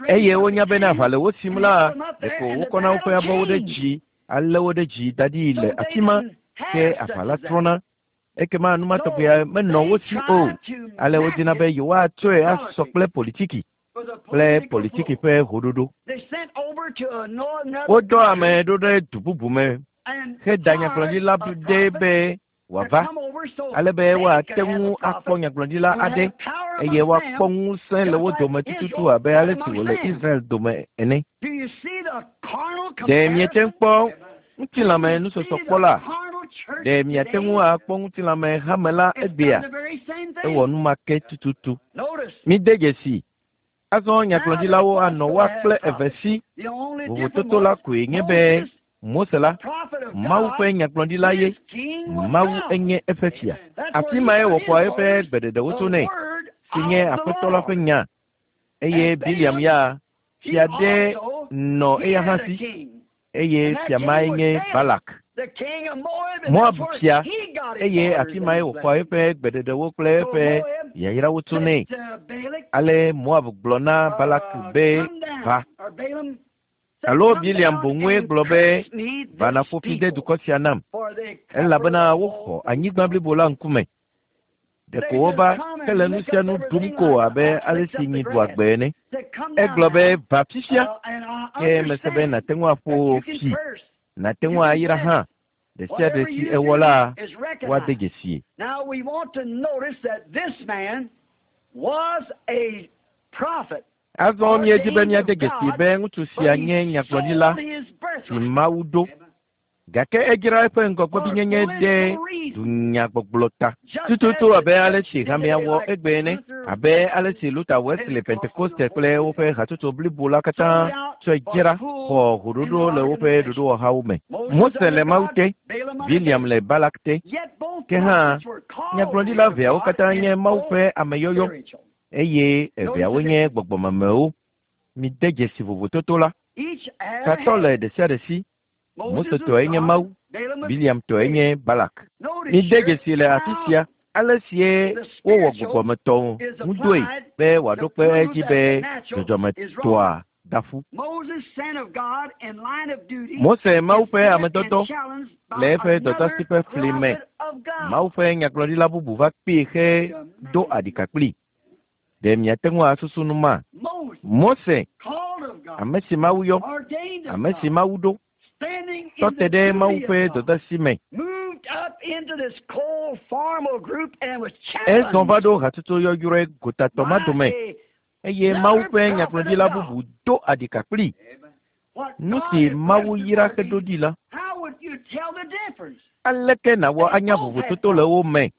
Eye wonya bena aʋa le wo sim la, ɖeko wokɔna woƒe abɔwo ɖe dzi, alé wo ɖe dzi da ɖi le afi ma ke aʋa la trɔna. Ekema nu ma tɔgbea menɔ wo si o. Ale wodina be yewoatsɔe asɔ kple politiki kple politiki ƒe hoɖoɖo. Wodɔ ame ɖo ɖe du bubu me heda nyagblɔɖila ɖe be wòava ale be woate ŋu akpɔ nyagblɔɖila aɖe eye woakpɔ ŋusẽ le wo dome tututu abe ale si wòle Israel dome ene. Ɖe miete ŋu kpɔ ŋutilãme nusɔsɔkpɔ la? Ɖe miate ŋu akpɔ ŋutilãme hame la egbea? Ewɔ nu ma ke tututu. Mide dzesi. Azɔ nyagblɔɖilawo anɔ woa kple eve si. Vovototo la koe nye be Mose la, Mawu ƒe nyagblɔɖila ye. Mawu enye eƒe fia. Afi mae wòxɔa eƒe gbeɖeɖewo tsonɛ, si nye Aƒetɔ la ƒe nya. Eye Biliam ya, fia ɖe nɔ eya hã si eye fia mae nye Balak. Moab fia eye afi mae wòxɔa eƒe gbeɖeɖewo kple eƒe yayrawo tsonɛ. Ale Moab gblɔ na Balak be va. Alo Biliam boŋue gblɔ be va naƒo fi de dukɔ sia nam elabena woxɔ anyigba blibo la ŋkume. Ɖeko wova hele nu sia nu ɖum ko abe ale si nyi ɖua gbe ene. Egblɔ be va fifia ke mese be nàte ŋu aƒo fi, nàte ŋu ayra hã. Ɖe sia ɖe si ewɔ la, woade dzesie. Azɔ míedi be míade dzesi be ŋutsu sia nye nyagblɔɖila si Mawu ɖo. Gake edzra eƒe ŋgɔgbevinyenye ɖe dunyagbɔgblɔ ta. Tututu abe ale si hamea wɔ egbe ene, abe ale si Luther, Wesley, Pentekoste kple woƒe hatsotso blibo la katã tsɔe dzra xɔ hoɖoɖo le woƒe ɖoɖowɔhawo me. Mose le Mawu te, Biliam le Balak te. Ke hã, nyagblɔɖila eveawo katã nye Mawu ƒe ameyɔyɔ eye eveawo nye gbɔgbɔmemewo. Mide dzesi vovototo la. Tatɔ le ɖe sia ɖe si. Mose tɔe nye Mawu, Biliam tɔe nye Balak. Mide dzesi le afi sia ale sie wowɔ gbɔgbɔmetɔwo ŋudɔe be wòaɖo kpe edzi be dzɔdzɔmetɔa da ƒu. Mose Mawu ƒe amedɔdɔ le eƒe dɔdasi ƒe fli me. Mawu ƒe nyagblɔɖila bubu va kpee he do aɖika kpli. Ɖe miate ŋu asusu nu ma? Mose, ame si Mawu yɔ, ame si Mawu ɖo, tɔ te ɖe Mawu ƒe dɔdasi me. Ezɔ va ɖo hatsotso yɔyrɔe gotatɔ ma dome eye Mawu ƒe nyagblɔɖila bubu do aɖika kpli. Nu si Mawu yra heɖo ɖi la, aleke nàwɔ anya vovototo le wo me?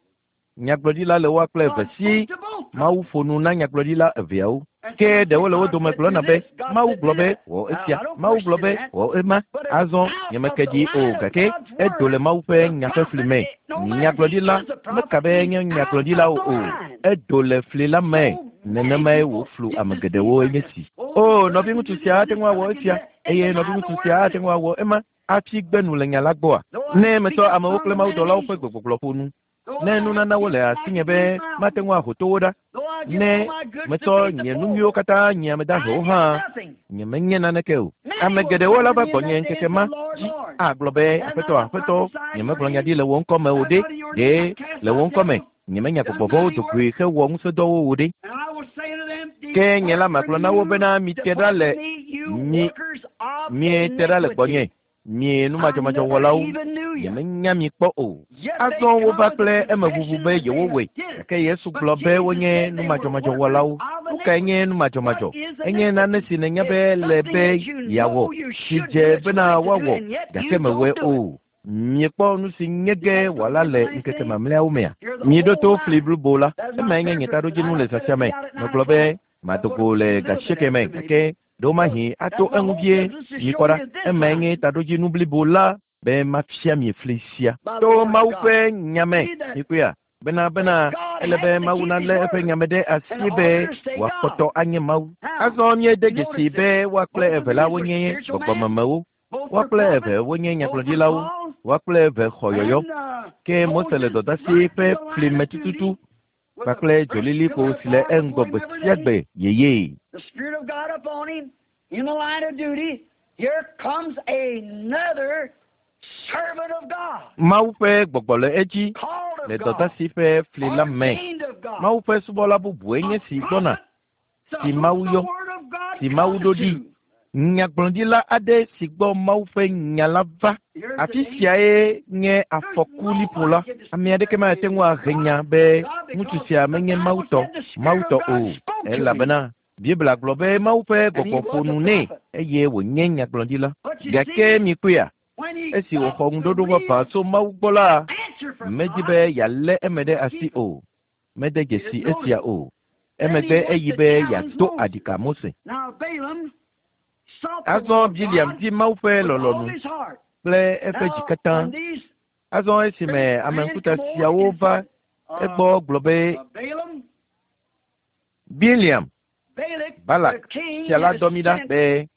Nyagblɔɖila le woa kple eve si Mawu ƒo nu na nyagblɔɖila eveawo. Ke ɖewo le wo dome gblɔna be Mawu gblɔ be wɔ esia, Mawu gblɔ be wɔ ema. Azɔ nyemeke ɖi o gake edo le Mawu ƒe nya ƒe fli me. Nyagblɔɖila meka be nye nyagblɔɖilawo o. Edo le fli la me. Nenemae wòflu ame geɖewo enye si. O nɔviŋutsu sia ate ŋu awɔ esia eye nɔviŋutsu sia ate ŋu awɔ ema hafi gbe nu le nya la gbɔa? Ne metsɔ amewo kple mawudɔlawo ƒe gbegbɔgblɔ ƒo nu, ne nunanawo le asinye be mate ŋu aho to wo ɖa, ne metsɔ nye nu nyuiwo katã nye ame dahewo hã, nyemenye naneke o. Ame geɖewo la va gbɔnye ŋkeke ma dzi agblɔ be Aƒetɔ, Aƒetɔ, nyemegblɔ nya ɖi le wò ŋkɔ me o ɖe, ɖe le wò ŋkɔ me nyemenya gbɔgbɔ vɔ̃wo do goe hewɔ ŋusẽdɔwo o ɖe. Ke nye la magblɔ na wo bena mite ɖa le mi miete ɖa le gbɔnye. Mie numadzɔmadzɔwɔlawo, nyemenya mi kpɔ o. Azɔ wova kple emeʋuʋu be yewowɔe, gake Yesu gblɔ be wonye numadzɔmadzɔwɔlawo. Nu kae nye numadzɔmadzɔ? Enye nane si nènya be le be yeawɔ, si dze bena woawɔ, gake mewɔe o. Miekpɔ nu si nye ge wɔla le ŋkeke mamlɛawo mea? Mieɖo to fli blibo la. Emae nye nye taɖodzinu le zã sia me. Megblɔ be mado go le gasieke me gake ɖewomahi ato eŋu vie. Mikpɔ ɖa, emae nye taɖodzinu blibo la be mafia mi fli sia. To Mawu ƒe nya me, mikpɔea? Bena bena ele be Mawu nalé eƒe nya me ɖe asi be wòakpɔtɔ anye Mawu. Azɔ míede dzesi be woa kple eve la wonye gbɔgbɔmemewo. Woa kple eve wonye nyagblɔɖilawo. Woa kple eve xɔ yɔyɔ. Ke Mose le dɔdasi ƒe fli me tututu kpakple dzolilikpo si le eŋgɔ gbe sia gbe yeyee. The Spirit of God upon him in the line of duty. Here comes another servant of God, Mawu ƒe gbɔgbɔ le edzi called le of God, dɔdasi ƒe fli la me. ordained of God. Mawu ƒe subɔla bubue nye si gbɔna, To si whom Mawu the yɔ, word of God si Mawu comes ɖo ɖi. to. Nyagblɔɖila aɖe si gbɔ Mawu ƒe nya la va. Here's the Afi danger. siae nye afɔkuliƒo la. Ame aɖeke mate ŋu ahe nya be ŋutsu sia menye Mawu tɔ, Mawu tɔ o. Elabena Biblia gblɔ be Mawu ƒe gbɔgbɔ ƒo nu nɛ eye wònye nyagblɔɖila. But you Gake see, mikpɔea, when he esi got wòxɔ the ŋuɖoɖo real vavã tso Mawu gbɔ la, answer from medi God, be yealé eme ɖe asi o. Mede dzesi esia o. Emegbe eyi be yeado aɖika Mose. Now Balaam sought the Azɔ will of Biliam God di Mawu ƒe with all lɔlɔ̃nu his heart. kple eƒe dzi Now, katã. when these Azɔ esime ame ŋkuta siawo va uh, egbɔ gblɔ be uh, Balaam, Biliam, Balak, Balak, the king, fia la has dɔ mi ɖa sent be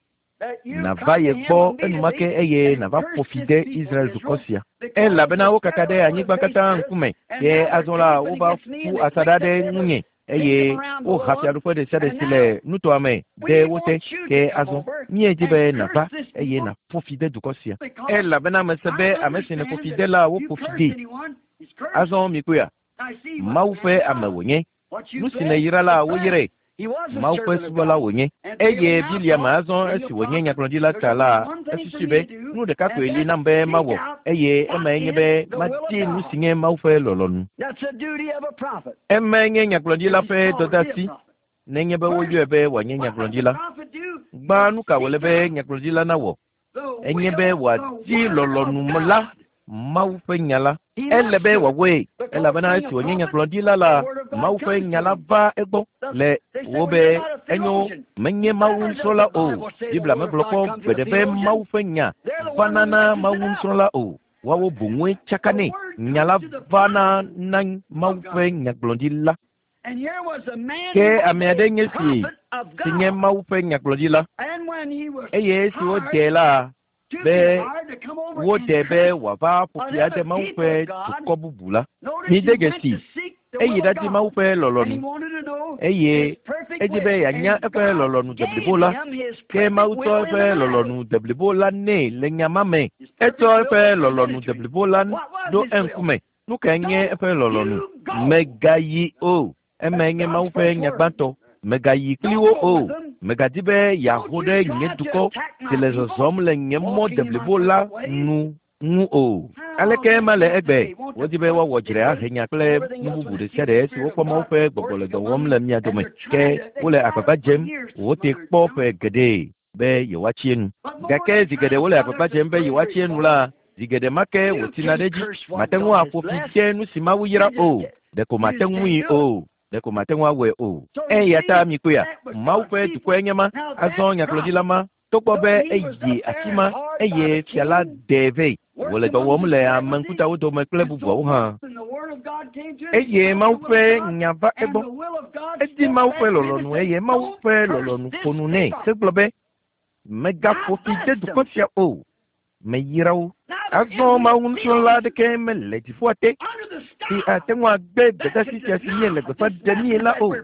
that you nàva come to ye him gbɔ enumake immediately eye and nàva curse ƒo fi this de people Israel dukɔ Israel, sia. because Elabena they wokaka scattered ɖe all anyigba the katã face ŋkume. and Ke now they're azɔ la camping wova against me ƒu and they asaɖa clicked ɖe up every ŋunye they eye come around the woha world fiaɖuƒe ɖe sia ɖe and si now le nutoa me we de wo te. want you Ke to come azɔ over míedzi and be curse nàva this eye people nàƒo fi de dukɔ sia. because Elabena mese I be ame si nèƒo understand fi that de la you woƒo fi curse dee. anyone, he's cursed. Azɔ mikpɔea, I see what Mawu the ƒe man ame of God. wònye. What you Nu si bless, nèyra la is blessed. woyrae. He was a Mawu ƒe servant of subɔla God. wònye. And Eye Balaam now Biliam thought, azɔ being a esi wònye prophet, nyagblɔɖila there's ta only la, one thing for esusui me be to do, nu ɖeka and koe li that's nam be seek mawɔ out eye what emae nye is be the will of madi nu God. si nye Mawu ƒe lɔlɔ̃nu. That's the duty of a prophet. Emae nye nyagblɔɖila If ƒe he's called to be a dɔdeasi prophet. nenye be First, woyɔe be wòanye what does the nyagblɔɖila. prophet do? Gbã He nu ka wòle seeks be out nyagblɔɖila nawɔ? the Enye be will, the wòadi word of lɔlɔ̃nu la, God. Mawu ƒe nya la. He Ele must be do it wòawɔe because elabena being esi a wònye prophet, nyagblɔɖila the la, word of God Mawu ƒe comes nya to la him. va egbɔ The, le they say, wo well, be you're not a enyo theologian. menye Mawu Never does nusrɔ̃la the o. Bible say the Biblia word of megblɔ God kpɔ comes to the gbeɖe be theologian. Mawu ƒe nya They're the one vana who na messes Mawu it up. nusrɔ̃la o. Woawo boŋue The tsakanɛ. word Nya la comes to the vana prophet na Mawu of ƒe God. nyagblɔɖila. And here was a man Ke who was ame aɖe a nye si prophet of si nye God. Mawu ƒe nyagblɔɖila And when he was eye esi hired wodee la to be be hired to come over and wodee be curse wòava ƒo fi ade another Mawu people ƒe of God, dukɔ bubu la. notice Mide he went dzesi, to seek the eyi will of ɖadi Mawu God. ƒe And he lɔlɔ̃nu wanted to know eye his perfect edi be will. yeanya And eƒe God lɔlɔ̃nu gave deblibo la him his Ke Mawu tsɔ eƒe lɔlɔ̃nu deblibo la nɛ le nya ma me. Etsɔ eƒe lɔlɔ̃nu deblibo la ɖo eŋkume. Nu kae nye eƒe lɔlɔ̃nu? Megayi o. Emae nye Mawu ƒe nya gbãtɔ. Megayi kpli wo o. Megadi be yeaho ɖe nye dukɔ si le zɔzɔm le nye mɔ deblibo la nu ŋu o. Aleke ema le egbe? Wodi be woawɔ dzre ahe nya kple nu bubu ɖe sia ɖe si wokpɔ Mawu ƒe gbɔgbɔ le dɔ wɔm le mia dome. Ke wole agbagba dzem wote kpɔ ƒe geɖe be yewoatsi enu. Gake zi geɖe wole agbagba dzem be yewoatsi enu la, zi geɖe ma ke wòtsina ɖe edzi. Mate ŋu aƒo fi de nu si Mawu yra o. Ɖeko mate ŋui o. Ɖeko mate ŋu awɔe o. Eya ta mikpɔea, Mawu ƒe dukɔe nye ma. Azɔ nyagblɔɖila ma, togbɔ be eyi afi ma eye fia la ɖee vɛ. Wòle dɔ wɔm le ame ŋkutawo dome kple bubuawo hã. Eye Mawu ƒe nya va egbɔ. Edi Mawu ƒe lɔlɔ̃nu eye Mawu ƒe lɔlɔ̃nu ƒo nu nɛ. Hegblɔ be, megaƒo fi de dukɔ sia o. Meyra wo. Azɔ Mawu nusrɔ̃la aɖeke mele dziƒoa te si ate ŋu agbe gbedeasi sia si míele gbeƒã ɖemie la o.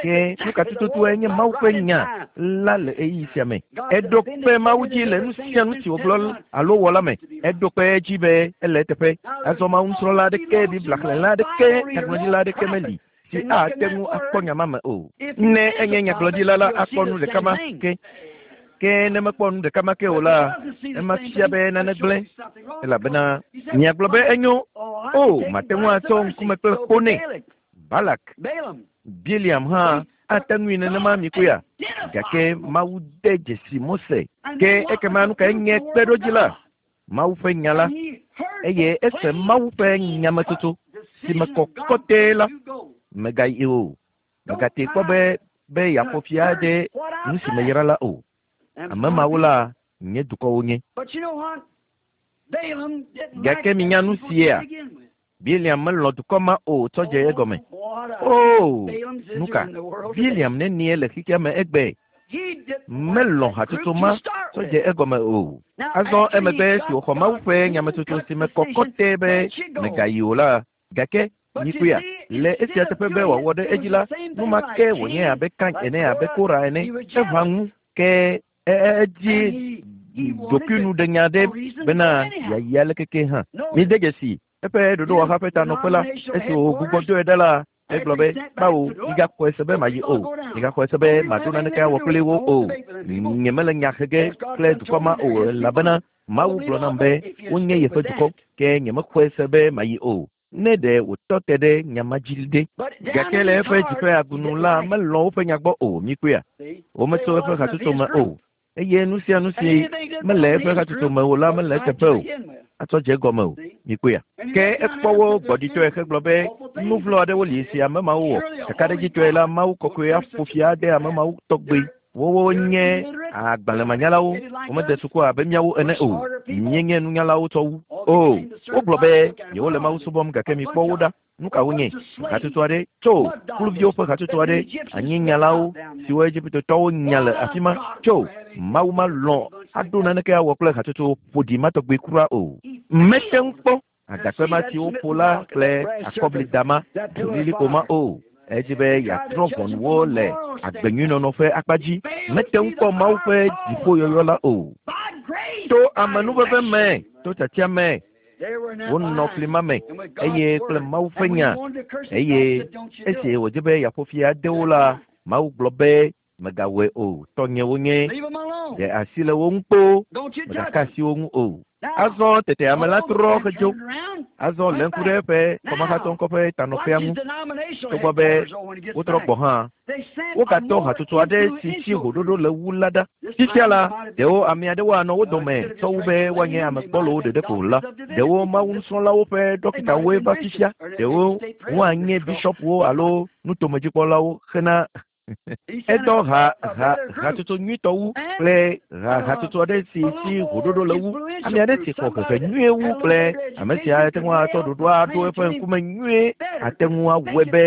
Ke nu ka tututue nye Mawu ƒe nya la le ɣeyiɣi sia me? Eɖo kpe Mawu dzi le nu sia nu si wògblɔ alo wɔ la me. Eɖo kpe edzi be ele eteƒe. Azɔ Mawu nusrɔ̃la aɖeke, Biblia xlẽla aɖeke, nyagblɔɖila aɖeke meli si ate ŋu akpɔ nya ma me o. Ne enye nyagblɔɖila la, akpɔ nu ɖeka ma ke. Ke ne mekpɔ nu ɖeka ma ke o la, ema fia be nane gblẽ, elabena miagblɔ be enyo. O, mate ŋu atsɔ ŋkume kple kpo nɛ. Balak, Biliam hã ate ŋui nenema mikpɔea. Gake Mawu de dzesi Mose. Ke ekema nu kae nye kpeɖodzi la? Mawu ƒe nya la. Eye ese Mawu ƒe nyametsotso si me kɔ kɔtɛe la. Megayi o. Megate kpɔ be be yeaƒo fi ade nu si meyra la o. Ame mawo la nye dukɔwo nye. Gake minya nu sia. Biliam melɔ̃ dukɔ ma o tsɔ dze egɔme. O, nu ka? Biliam nenie le xexea me egbe. Melɔ̃ hatsotso ma tsɔ dze egɔme o. Azɔ emegbe si wòxɔ Mawu ƒe nyametsotso si me kɔ kɔtɛe be megayi o la, gake mikpɔea, le esia teƒe be wòawɔ ɖe edzi la, nu ma ke wònye abe Kain ene, abe Kora ene. Eʋã ŋu ke edzi ɖokuinuɖenya ɖe bena yeayi aleke ke hã. Mide dzesi eƒe ɖoɖowɔha ƒe tanɔƒe la, esi wògbugbɔ doe ɖa la, egblɔ be, kpawo, migaxɔe se be mayi o. Migaxɔe se be maɖo naneke awɔ kpli wo o. Nyemele nya he ge kple dukɔ ma o, elabena Mawu gblɔ nam be wonye yeƒe dukɔ, ke nyemexɔe se be mayi o. Ne ɖe wòtɔ te ɖe nya ma dzi ɖe. Gake le eƒe dziƒe agunu la, melɔ̃ woƒe nya gbɔ o. Mikpɔea, wometso eƒe hatsotso me o. Eye nu sia nu si mele eƒe hatsotso me o la mele eteƒe o. Atsɔ dze egɔme o. Mikpɔea. Ke ekpɔ wo gbɔɖitɔe hegblɔ be nu vlo aɖewo li si ame mawo wɔ. Kakaɖedzitɔe la, Mawu kɔkɔe aƒo fi ade ame mawo tɔgbe. Wowo nye agbalẽmanyalawo. Womede suku abe míawo ene o. Míenye nunyalawo tsɔ wu. O, wogblɔ be yewole Mawu subɔm gake mikpɔ wo ɖa. Nu ka wonye? Hatsotso aɖe tso kluviwo ƒe hatsotso aɖe, anyinyalawo siwo Egiptetɔwo nya le afi ma tso. Mawu malɔ̃ aɖo naneke awɔ kple hatsotso ƒoɖi ma tɔgbe kura o. Mete ŋu kpɔ agakpe ma si woƒo la kple akɔblidama lilikpo ma o. Edzi be yeatrɔ ʋɔnuwo le agbenyuinɔnɔ ƒe akpa dzi. Mete ŋu kpɔ Mawu ƒe dziƒoyɔyɔ la o. To amenuveve me, to tiatia me, wonɔ fli ma me eye kple Mawu ƒe nya. Eye esi wòdze be yeaƒo fi ade wo la, Mawu gblɔ be megawɔe o. Tɔnye wonye. Ɖe asi le wo ŋu kpoo, megaka asi wo ŋu o. Azɔ tete ame la trɔ hedzo. Azɔ lé ŋku ɖe eƒe kɔmahatsɔŋkɔ ƒe tanɔƒea ŋu. Togbɔ be wotrɔ gbɔ hã, wogatɔ hatsotso aɖe si tsi hoɖoɖo le wu la ɖa. Fifia la, ɖewo ame aɖewo anɔ wo dome tsɔ wu be woanye ame gbɔlowo ɖeɖe ko la. Ɖewo Mawu nusrɔ̃lawo ƒe ɖɔkitawoe va fifia. Ɖewo woanye bishɔpwo alo nutomedzikpɔlawo hena Edɔ ha ha hatsotso nyuitɔ wu kple ha hatsotso aɖe si si hoɖoɖo le wu. Ame aɖe si xɔ hehe nyuie wu kple ame sia ate ŋu atsɔ ɖoɖoa aɖo eƒe ŋkume nyuie ate ŋu awɔe be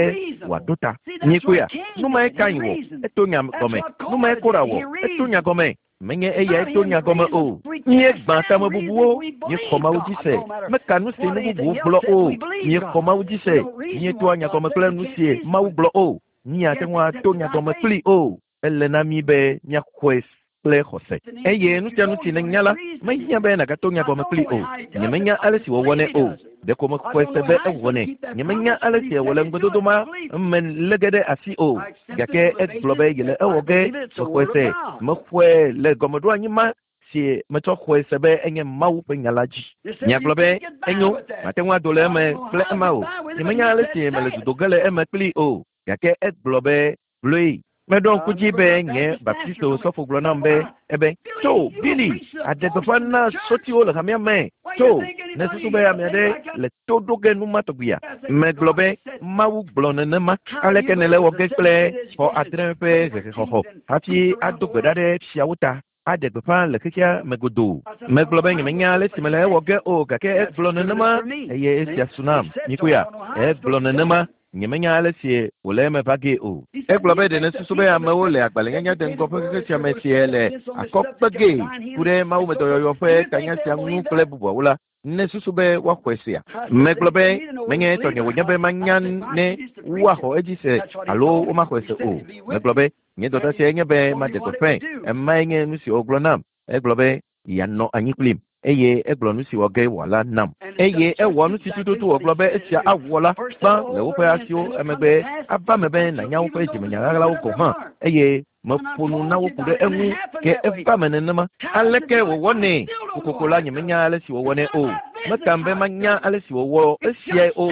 wòaɖo ta. Mikpɔea, nu mae Kain wɔ, eto nya gɔme. Nu mae Kora wɔ, eto nya gɔme. Menye eyae to nya gɔme o. Míegbã tamebubuwo, míexɔ Mawu dzi se. Meka nu si nu bubuwo gblɔ o. Míexɔ Mawu dzi se. Míetoa nya gɔme kple nu si Mawu gblɔ o. Míate ŋu ato nya gɔme kpli o. Ele na mí be míaxɔe kple xɔse. Eye nu sia nu si nènya la, mehiã be nàgato nya gɔme kpli o. Nyemenya ale si wòwɔnɛ o. Ɖeko mexɔe se be ewɔnɛ. Nyemenya ale si wòle ŋugbedodo ma me lé ge ɖe asi o. Gake egblɔ be yele ewɔ ge. Mexɔe se. Mexɔe le gɔmeɖoanyi ma si metsɔ xɔe se be enye Mawu ƒe nya la dzi. Miagblɔ be enyo, mate ŋu ado le eme kple ema o. Nyemenya ale si mele dodo ge le eme kpli o. Gake egblɔ be gblɔe. Meɖo ŋku dzi be nye Baptisto sɔfo gblɔ nam be ebe tso Billy aɖe gbeƒã na sɔtiwo le hamea me. Tso ne susu be ame aɖe le to ɖo ge nu ma tɔgbia. Megblɔ be Mawu gblɔ nenema. Aleke nèle wɔ ge kple xɔ adre ƒe hehexɔxɔ hafi ado gbe ɖa ɖe fiawo ta aɖe gbeƒã le xexea me godoo. Megblɔ be nyemenya ale si mele ewɔ ge o gake egblɔ nenema eye esia su nam. Mikuya egblɔ nenema. Nyemenya ale si wòle eme va gee o. Egblɔ be ɖe nesusu be amewo le agbalẽnyanya de ŋgɔ ƒe xexe sia me sie le akɔ kpe gee ku ɖe mawumedɔyɔyɔ ƒe tanya sia ŋu kple bubuawo la, nesusu be woaxɔe sea. Megblɔ be menye tɔnye wònye be manya ne woaxɔ edzi se alo womaxɔe se o. Megblɔ be nye dɔdeasie nye be maɖe gbeƒãe. Emae nye nu si wògblɔ nam. Egblɔ be yeanɔ anyi kplim. Eye egblɔ nu si wɔ ge wòala nam. Eye ewɔ nu si tututu wògblɔ be esia awɔ la gbã le woƒe asiwo emegbe ava me be nànya woƒe dzimenya ɣaɣlawo gɔ̃ hã. Eye meƒo nu na wo ku ɖe eŋu ke eva me nenema. Aleke wòwɔnɛ? Kokoko la nyemenya ale si wòwɔnɛ o. Mekam be manya ale si wòwɔ esiae o.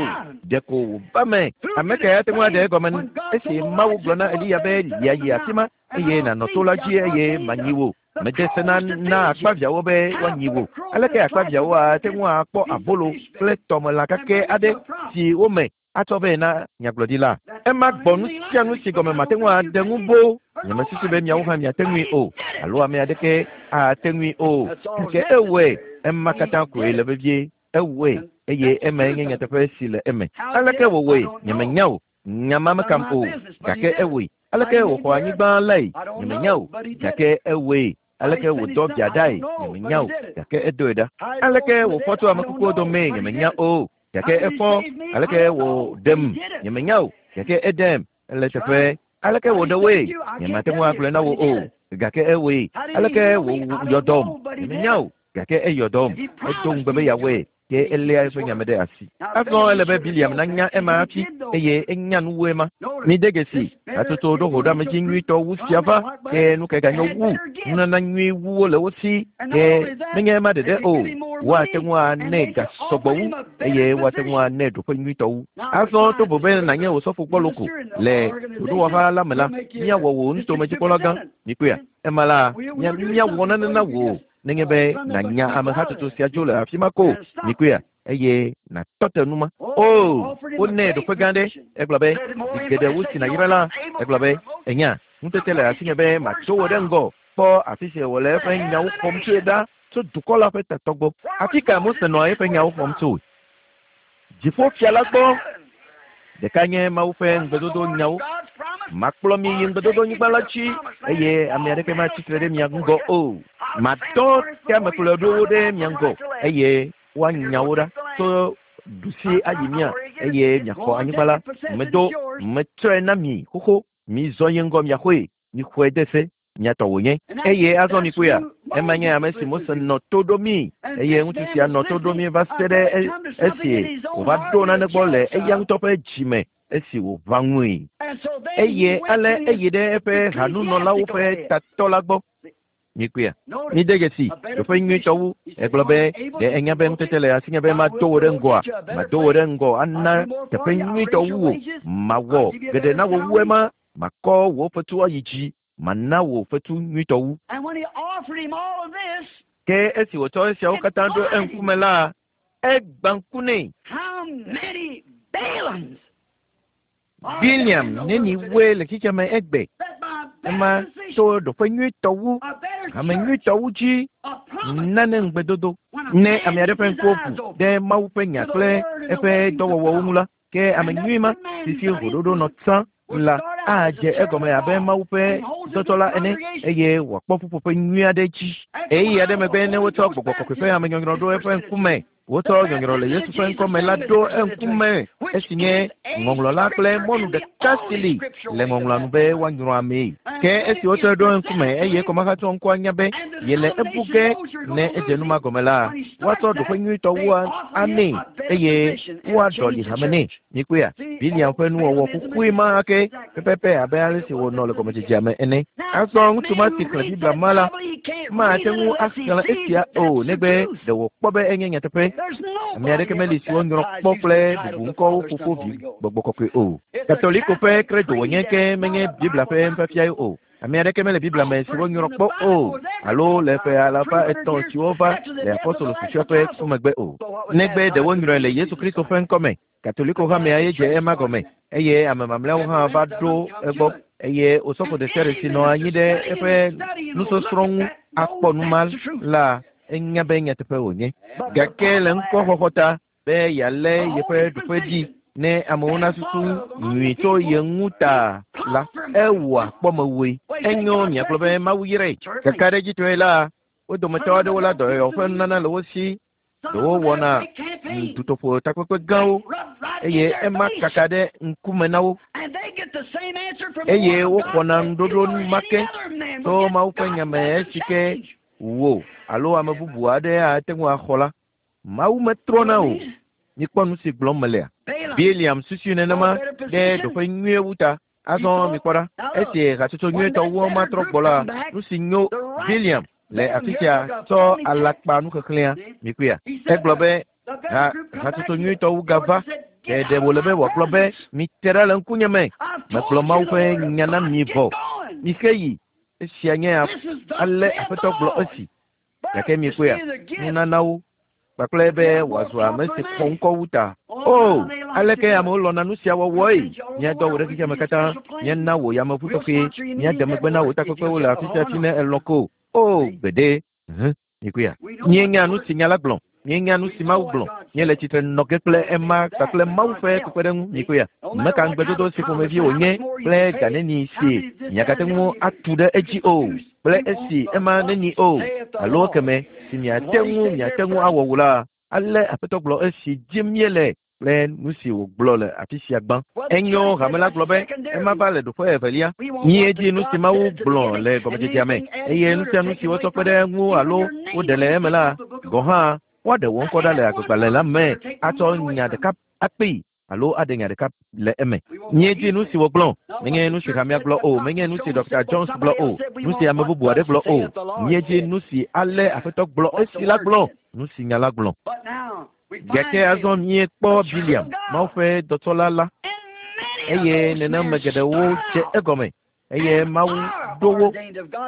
Ɖeko wòva me. Ame kae ate ŋu aɖe egɔme esi Mawu gblɔ na Eliya be lia yi afi ma eye nànɔ to la dzi eye manyi wò. Mede se na na akpaviãwo be woanyi wò. Aleke akpaviãwo ate ŋu akpɔ abolo kple tɔmelã kakɛ aɖe si wome atsɔ vɛ na nyagblɔɖila? Ema gbɔ nu sia nu si gɔme mate ŋu aɖe ŋu boo. Nyemesusu be miawo hã miate ŋui o alo ame aɖeke ate ŋui o. Gake ewɔe. Ema katã koe le vevie. Ewɔe eye emae nye nyateƒe si le eme. Aleke wòwɔe? Nyemenya o. Nya ma mekam o. Gake ewɔe. Aleke wòxɔ anyigba lae? Nyemenya o. Gake ewɔe. Aleke wòdɔ via ɖae? Nyemenya o. Gake edoe ɖa. Aleke wòfɔ tso ame kukuwo domee? Nyemenya o. Gake efɔ. Aleke wòɖem? Nyemenya o. Gake eɖem. Ele teƒe. Aleke wòɖe woe? Nyemate ŋu agblɔe na wò o. Gake ewɔe. Aleke wòyɔ dɔm? Nyemenya o. Gake eyɔ dɔm. Edo ŋugbe be yeawɔe. Ke eléa eƒe nyame ɖe asi. Azɔ ele be Biliam nanya ema hafi eye enya nu wu ema. Mide dzesi hatsotso ɖo hoɖoamedzi nyuitɔ wu sia va ke nu ke ganyo wu nunana nyui wuwo le wo si ke menye ema ɖeɖe o. Woate ŋu anɛ ga sɔgbɔ wu eye woate ŋu anɛ ɖoƒe nyuitɔ wu. Azɔ tovo be nànye osɔfo gbɔ loko le ɖoɖowɔha la me la, míawɔ wò nutomedzikpɔla gã. Mikpɔea? Ema la, míawɔ nane na wò nenye be nànya ame hatsotso sia dzo le afi ma ko. Mikpɔea? Eye nàtɔ te nu ma. O, wonɛ ɖoƒe gã ɖe. Egblɔ be zi geɖe wu si nàyra la, egblɔ be enya ŋutete le asinye be matso wò ɖe ŋgɔ kpɔ afi si wòle eƒe nyawo xɔm tsoe ɖa tso dukɔ la ƒe tatɔ gbɔ. Afi ka Mose nɔa eƒe nyawo xɔm tsoe? Dziƒofia la gbɔ. Ɖeka nye Mawu ƒe ŋugbedodo nyawo. Makplɔ mi yi ŋugbedodonyigba la dzi eye ame aɖeke matsi tre ɖe mia ŋgɔ o. Madɔ teamekplɔɖowo ɖe mia ŋgɔ eye woanya wo ɖa tso ɖusi ayi mia eye miaxɔ anyigba la. Medo metsɔe na mi xoxo. Mizɔ yi ŋgɔ miaxɔe. Mixɔe de se. Miatɔ wònye. Eye azɔ mikpɔea? Ema nye ame si Mose nɔ to ɖo mi eye ŋutsu sia nɔ to ɖo mi va se ɖe esi wòva ɖo nane gbɔ le eya ŋutɔ ƒe dzime esi wòʋã ŋui. Eye ale eyi ɖe eƒe hanunɔlawo ƒe tatɔ la gbɔ. Mikpɔea? Mide dzesi ɖoƒe nyuitɔ wu. Egblɔ be ɖe enya be ŋutete le asinye be mado wò ɖe ŋgɔa? Mado wò ɖe ŋgɔ ana teƒe nyuitɔ wu wò. Mawɔ geɖe na wò wu ema. Makɔ wò fetu ayi dzi. Mana wò fetu nyuitɔ wu. Ke esi wòtsɔ esiawo katã ɖo eŋkume la, egbã ŋku nɛ. Biliam neni woe le xexea me egbe. Ema tso ɖoƒe nyuitɔ wu, ame nyuitɔ wu dzi nane ŋugbedodo. Ne ame aɖe ƒe ŋkuwo ʋu ɖe Mawu ƒe nya kple eƒe dɔwɔwɔwo ŋu la, ke ame nyui ma si si hoɖoɖo nɔ tsã la adze egɔme abe Mawu ƒe dɔtɔ la ene eye wòakpɔ ƒuƒoƒe nyui aɖe dzi. Ɣeyiɣi aɖe megbe ne wotsɔ gbɔgbɔ kɔkɔe ƒe amenyɔnyrɔ ɖo eƒe ŋkume Wotsɔ nyɔnyrɔ le Yesu ƒe ŋkɔme la ɖo eŋkume esi nye ŋɔŋlɔ la kple mɔnu ɖeka si li le ŋɔŋlɔa nu be woanyrɔ amee. Ke esi wotsɔe ɖo eŋkume eye kɔmahatsɔ ŋkɔa nya be yele ebu ge ne edze nu ma gɔme la, woatsɔ ɖoƒe nyuitɔ wu anɛ eye woaɖɔli hame nɛ. Mikpɔea, Biliam ƒe nuwɔwɔ kuxui ma ke pɛpɛpɛ abe ale si wònɔ le gɔmedzedzea me ene. Azɔ ŋutsu ma si xlẽ Biblia ma la mate ŋu axlẽ esia o negbe ɖe wòkpɔ be enye nyateƒe. Ame aɖeke meli si wonyrɔ kpɔ kple bubuŋkɔwo fofo vi gbɔgbɔ kɔkɔe o. Katoliko ƒe credo wònye ke menye Biblia ƒe nufiafia o. Ame aɖeke mele Biblia me si wonyrɔ kpɔ o alo le ƒe alafa etɔ̃ siwo va le apostolo susɔe ƒe ku megbe o. Negbe ɖe wonyrɔe le Yesu Kristo ƒe ŋkɔme. Katoliko hamea ye dze ema gɔme eye ame mamlɛawo hã va ɖo egbɔ eye osɔfo ɖe sia ɖe si nɔ anyi ɖe eƒe nusɔsrɔ̃ ŋu akpɔ nu ma la enya be nyateƒe wònye. Gake le ŋkɔxɔxɔ ta be yealé yeƒe ɖoƒe dzi ne amewo nasusu nyui tso ye ŋu ta la, ewɔa kpɔmewoe. Enyo miagblɔ be Mawu yrae. Kakaɖedzitɔe la, wo dometɔ aɖewo la dɔyɔyɔ ƒe nunana le wo si. Ɖewo wɔna dutoƒo takpekpe gãwo eye ema kaka ɖe ŋkume na wo eye woxɔna nuɖoɖo ma ke tso Mawu ƒe nya me esi ke wò alo ame bubu aɖe ate ŋu axɔ la. Mawu metrɔna o. Mikpɔ nu si gblɔm melea. Biliam susui nenema ɖe ɖoƒe nyuie wu ta. Azɔ mikpɔ ɖa, esi hatsotso nyuietɔ wu matrɔ gbɔ la, nu si nyo Biliam le afi sia tsɔ alakpa nuxexlẽa mikpɔea. Egblɔ be ha hatsotso nyuietɔ wu gava. Ɖe wòle be wòagblɔ be mite ɖa le ŋkunye me. Megblɔ Mawu ƒe nya na mi vɔ. Mixe yi. Esia nye ale Aƒetɔ gblɔ esi. Gake mikpɔea, nunanawo kpakple be wòazu ame si xɔ ŋkɔ wu ta. O, aleke amewo lɔ̃na nu sia wɔwɔe? Míadɔ wò ɖe xexea me katã, míana wò yameʋu tɔxɛ, míade megbe na wò takpekpewo le afi sia afi ne elɔ̃ ko. O, gbeɖe. Hẽ, mikpɔea. Míenya nu si nya la gblɔ. Míenya nu si Mawu gblɔ. Míele tsitre nɔ ge kple ema kpakple Mawu ƒe kpekpeɖeŋu. Mikpɔea. Meka ŋugbedodo si ƒomevi wònye kple ga neni si miagate ŋu atu ɖe edzi o kple esi ema neni o alo keme si miate ŋu miate ŋu awɔ wò la, ale Aƒetɔ gblɔ esi dim míele kple nu si wògblɔ le afi sia gbã. Enyo hame la gblɔ be ema va le ɖoƒe evelia. Míedi nu si Mawu gblɔ le gɔmedzedzea me eye nu sia nu si wotsɔ kpe ɖe eŋu alo woɖe le eme la gɔ̃ hã woaɖe wò ŋkɔ ɖa le agbegbalẽ la me atsɔ nya ɖeka akpee alo aɖe nya ɖeka le eme. Míedi nu si wògblɔ, menye nu si hamea gblɔ o, menye nu si Doctor Jones gblɔ o, nu si ame bubu aɖe gblɔ o. Míedi nu si ale Aƒetɔ gblɔ esi la gblɔ, nu si nya la gblɔ. Gake azɔ míekpɔ Biliam, Mawu ƒe dɔtsɔla la, eye nenema geɖewo dze egɔme eye Mawu ɖo wo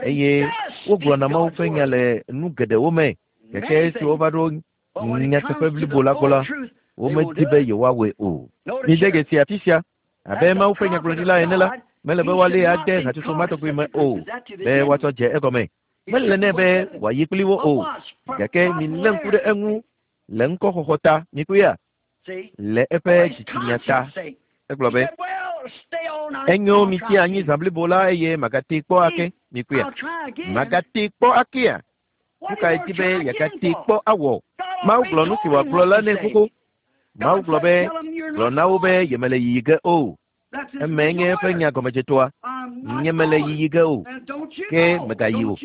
eye wogblɔna Mawu ƒe nya le nu geɖewo me. Gake esi wova ɖo nyateƒe blibo la gbɔ la, womedi be yewoawɔe o. Mide dzesi afi sia abe Mawu ƒe nyagblɔɖila ene la, mele be woalée ade hatsotso ma tɔgbi me o be woatsɔ dze egɔme. Mele nɛ be wòayi kpli wo o. Gake milé ŋku ɖe eŋu le ŋkɔxɔxɔ ta. Mikpɔea, le eƒe dzitsinya ta. Egblɔ be, enyo mitsi anyi zã blibo la eye magatee kpɔ ake. Mikpɔea, magatee kpɔ akea? Nu kae di be yeagatee kpɔ awɔ? Mawu gblɔ nu si wòagblɔ la nɛ xoxo. Mawu gblɔ be, gblɔ na wo be yemele yiyi ge o. Eme nye eƒe nya gɔmedzetoa. Nye mele yiyi ge o. Ke megayi o.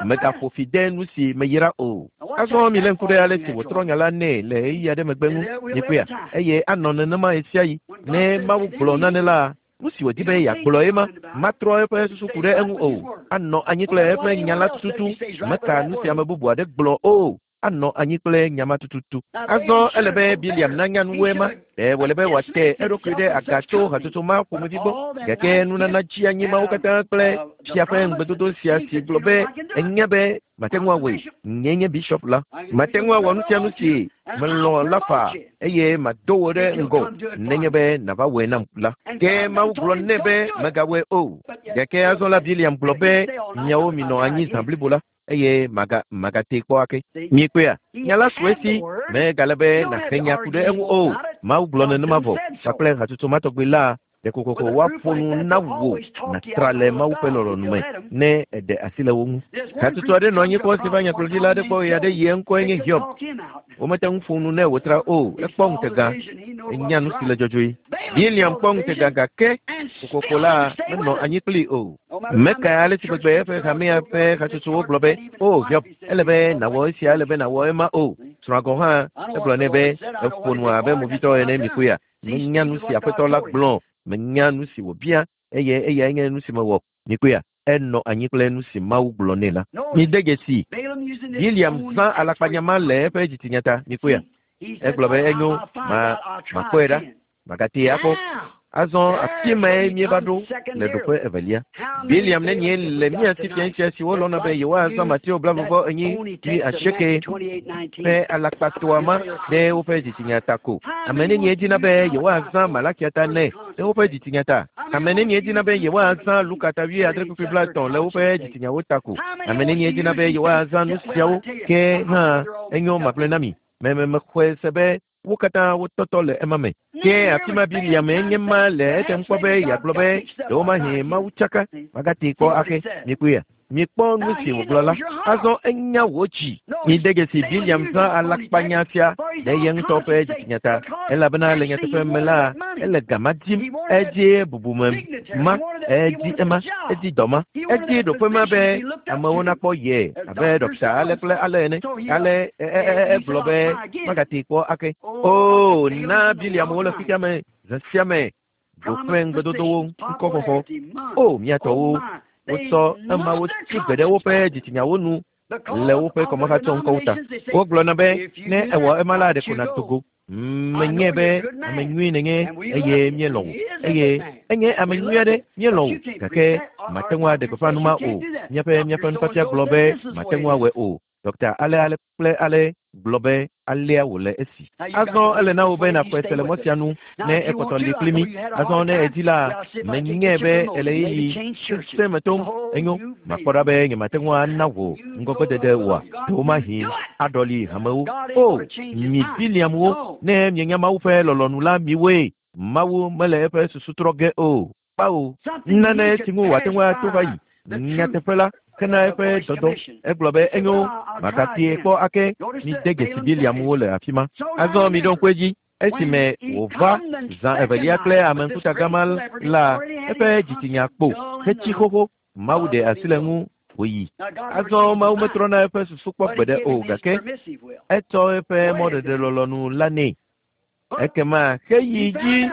Megaƒo fi de nu si meyra o. Azɔ milé ŋku ɖe ale si wòtrɔ nya la nɛ le ɣeyiɣi aɖe megbe ŋu. Mikpɔea, eye anɔ nenema ɣe sia ɣi. Ne Mawu gblɔ nane la, nu si wòdi be yeagblɔ ema matrɔ eƒe susu ku ɖe eŋu o. Anɔ anyi kple eƒe nya la tututu. Meka nu si ame bubu aɖe gblɔ o. Anɔ anyi kple nya ma tututu. Azɔ ele be Biliam nanya nuwoe ma. Ɖe wòle be wòate eɖokui ɖe aga tso hatsotso ma ƒomevi gbɔ. Gake nunana tsi anyi mawo katã kple fia ƒe ŋugbedodo sia si gblɔ be enya be mate ŋu awɔe. Nye nye bishop la. Mate ŋu awɔ nu sia nu si melɔ̃ la faa eye mado wò ɖe ŋgɔ nenye be nàva wɔe nam la. Ke Mawu gblɔ nɛ be megawɔe o. Gake azɔ la Biliam gblɔ be miawo minɔ anyi zã blibo la eye maga magatee kpɔ ake. Miekpɔea, nya la su esi megale be nàhe nya ku ɖe eŋu o. Mawu gblɔ nenema vɔ kpakple hatsotso ma tɔgbi la Ɖeko woaƒo nu na wò nàtra le Mawu ƒe lɔlɔ̃nu me ne èɖe asi le wo ŋu. Hatsotso aɖe nɔ anyi kpɔ si va nyagblɔɖila aɖe gbɔ ɣe aɖe yi eŋkɔe nye Hiob. Womete ŋu ƒo nu nɛ wòtra o. Ekpɔ ŋutega, enya nu si le dzɔdzɔe. Biliam kpɔ ŋutega gake kokoko la menɔ anyi kplii o. Meka ale si gbegbe eƒe hamea ƒe hatsotsowo gblɔ be, "O Hiob, ele be nàwɔ esia, ele be nàwɔ ema o." Srɔ̃a gɔ̃ hã egblɔ nɛ be eƒo nu abe movitɔ ene mikpɔea. Menya nu si aƒetɔ la gblɔ, menya nu si wòbia eye eyae nye nu si mewɔ. Mikpɔea, enɔ anyi kple nu si Mawu gblɔ nɛ la. Mide dzesi, Biliam zã alakpanya le eƒe dzitsinya ta. Mikpɔea, egblɔ be enyo, ma makpɔe ɖa, magatee akpɔ. Azɔ afi mae míeva ɖo le ɖoƒe evelia. Biliam nenie le mía si fia sia siwo lɔ̃na be yewoazã Mateo blaeve enyi kple asieke ƒe alakpatoa ma ɖe woƒe dzitsinya ta ko. Ame nenie dina be yewoazã Malakia ta nɛ ɖe woƒe dzitsinya ta. Ame nenie dina be yewoazã Luka ta wuiadre kpukpui blaetɔ̃ le woƒe dzitsinyawo ta ko. Ame nenie dina be yewoazã nu siawo ke hã enyo magblɔe na mi. Me me mexɔe se be wo katã wotɔtɔ le ema me. Ke afi ma Biliam enye ma le etem kpɔ be yeagblɔ be ɖewomahi Mawu tsaka magatee kpɔ ake. Mikpɔea, mikpɔ nu si wògblɔ la. Azɔ enya wò dzi. Mide dzesi Biliam zã alakpanya sia ɖe ye ŋutɔ ƒe dzitsinya ta elabena le nyateƒe me la ele gama dim. Edzi bubume ma, edi ema, edi dɔ ma, edi ɖoƒe ma be amewo nakpɔ ye abe ɖɔkita ale kple ale ene. Ale egblɔ be magatee kpɔ ake. O na Biliamwo le xexea me zã sia me ɖoƒe ŋugbedodowo ŋkɔxɔxɔ. O miatɔwo, wotsɔ emawo tsi gbe ɖe woƒe dzitsinyawo nu le woƒe kɔmahatsɔ ŋkɔwo ta. Wogblɔna be ne ewɔ ema la ɖeko nàdo go. Menye be ame nyui nènye eye míelɔ̃ wò eye enye ame nyui aɖe míelɔ̃ wò gake mate ŋu aɖe gbeƒã nu ma o. Míaƒe míaƒe nufiafia gblɔ be mate ŋu awɔe o. Ɖɔkita ale ale kple ale gblɔ be alea wòle esi. Azɔ ele na wò be nàxɔe se le mɔ sia nu ne ekpɔtɔ li kpli mí. Azɔ ne èdi la, menyae be ele ɣeyiɣi sesẽ me tom. Enyo, makpɔ ɖa be nyemate ŋu ana wò ŋgɔgbedede oa. Ɖewomahi aɖɔli hamewo. O, mi Biliamwo, ne mienya Mawu ƒe lɔlɔ̃nu la miwoe. Mawu mele eƒe susu trɔ ge o. Kpao, nane si ŋu wòate ŋu ato va yi. Nyateƒe la, hena eƒe dɔdɔ. Egblɔ be enyo, magatee kpɔ ake. Mide dzesi Biliamwo le afi ma. Azɔ miɖo ŋku edzi. Esime wòva zã evelia kple ame ŋkuta gama la, eƒe dzitsinya kpo hetsi xoxo. Mawu ɖe asi le eŋu wòyi. Azɔ Mawu metrɔna eƒe susu kpɔ gbeɖe o gake etsɔ eƒe mɔɖeɖe lɔlɔ̃nu la nɛ. Ekema heyi dzi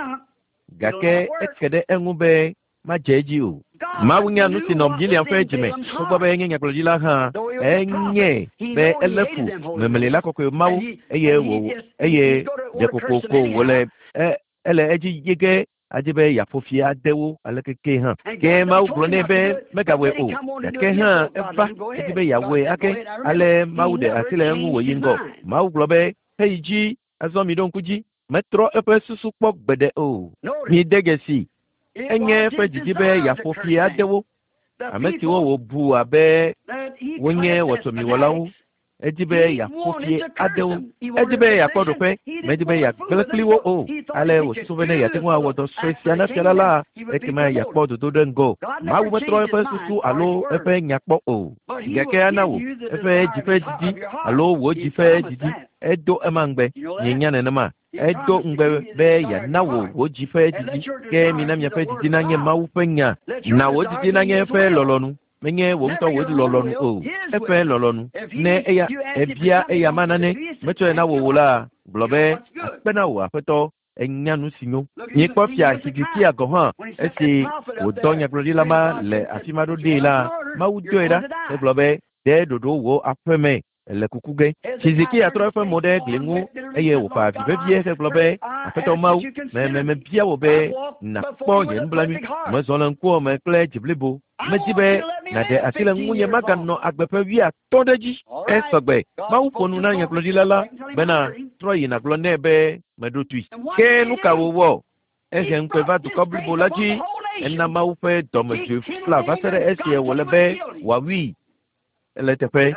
gake eke ɖe eŋu be madze edzi o. Mawu nya nu si nɔ Biliam ƒe dzime togbɔ be enye nyagblɔɖila hã enye be elé fu memelila kɔkɔe Mawu eye wò eye ɖekokoko wòle e ele edzi ye ge adi be yeaƒo fi ade wo ale keke hã. Ke Mawu gblɔ nɛ be megawɔe o gake hã eva edi be yeawɔe ake. Ale Mawu ɖe asi le eŋu wòyi ŋgɔ. Mawu gblɔ be heyi dzi azɔ mi ɖo ŋku dzi. Metrɔ eƒe susu kpɔ gbeɖe o. Mide dzesi. Enye eƒe didi be yeaƒo fi ade wo. Ame siwo wòbu abe wonye wɔtɔmiwɔlawo. Edi be yeaƒo fi ade wo. Edi be yeakpɔ ɖoƒe, medi be yeagblẽ kpli wo o. Ale wòsusu be ne yeate ŋu awɔ dɔ sue sia na fia la la, ekema yeakpɔ dodo ɖe ŋgɔ. Mawu metrɔ eƒe susu alo eƒe nya kpɔ o. Gake ana wò eƒe dzi ƒe didi alo wò dzi ƒe didi. Edo ema ŋugbe. Mienya nenema. Edo ŋugbe be yeana wò wò dzi ƒe didi. Ke mina miaƒe didi nanye Mawu ƒe nya. Na wò didi nanye eƒe lɔlɔ̃nu. Menye wò ŋutɔ wò lɔlɔ̃nu o. Eƒe lɔlɔ̃nu. Ne eya ebia eya ma nane metsɔe na wò o la, gblɔ be akpe na wò aƒetɔ enya nu si nyo. Mikpɔ fia Hezekia gɔ̃ hã esi wòdɔ nyagblɔɖila ma le afi ma ɖo ɖee la, Mawu dɔe ɖa hegblɔ be ɖe ɖoɖo wò aƒeme le kuku ge. Hezekia trɔ eƒe mo ɖe gli ŋu eye wòfa avi vevie hegblɔ be aƒetɔ Mawu, me me mebia wò be nàkpɔ nye nublanui. Mezɔ le ŋkuwò me kple dzi blibo. Medi be nàɖe asi le ŋunye maganɔ agbe ƒe wuiatɔ̃ ɖe edzi. Esɔgbe. Mawu ƒo nu na nyagblɔɖila la bena trɔ yi nàgblɔ nɛ be meɖo toe. Ke nu ka wòwɔ? Ehe ŋukpe va dukɔ blibo la dzi. Ena Mawu ƒe dɔmedzoe fla va se ɖe esie wòle be wòawui. Ele teƒe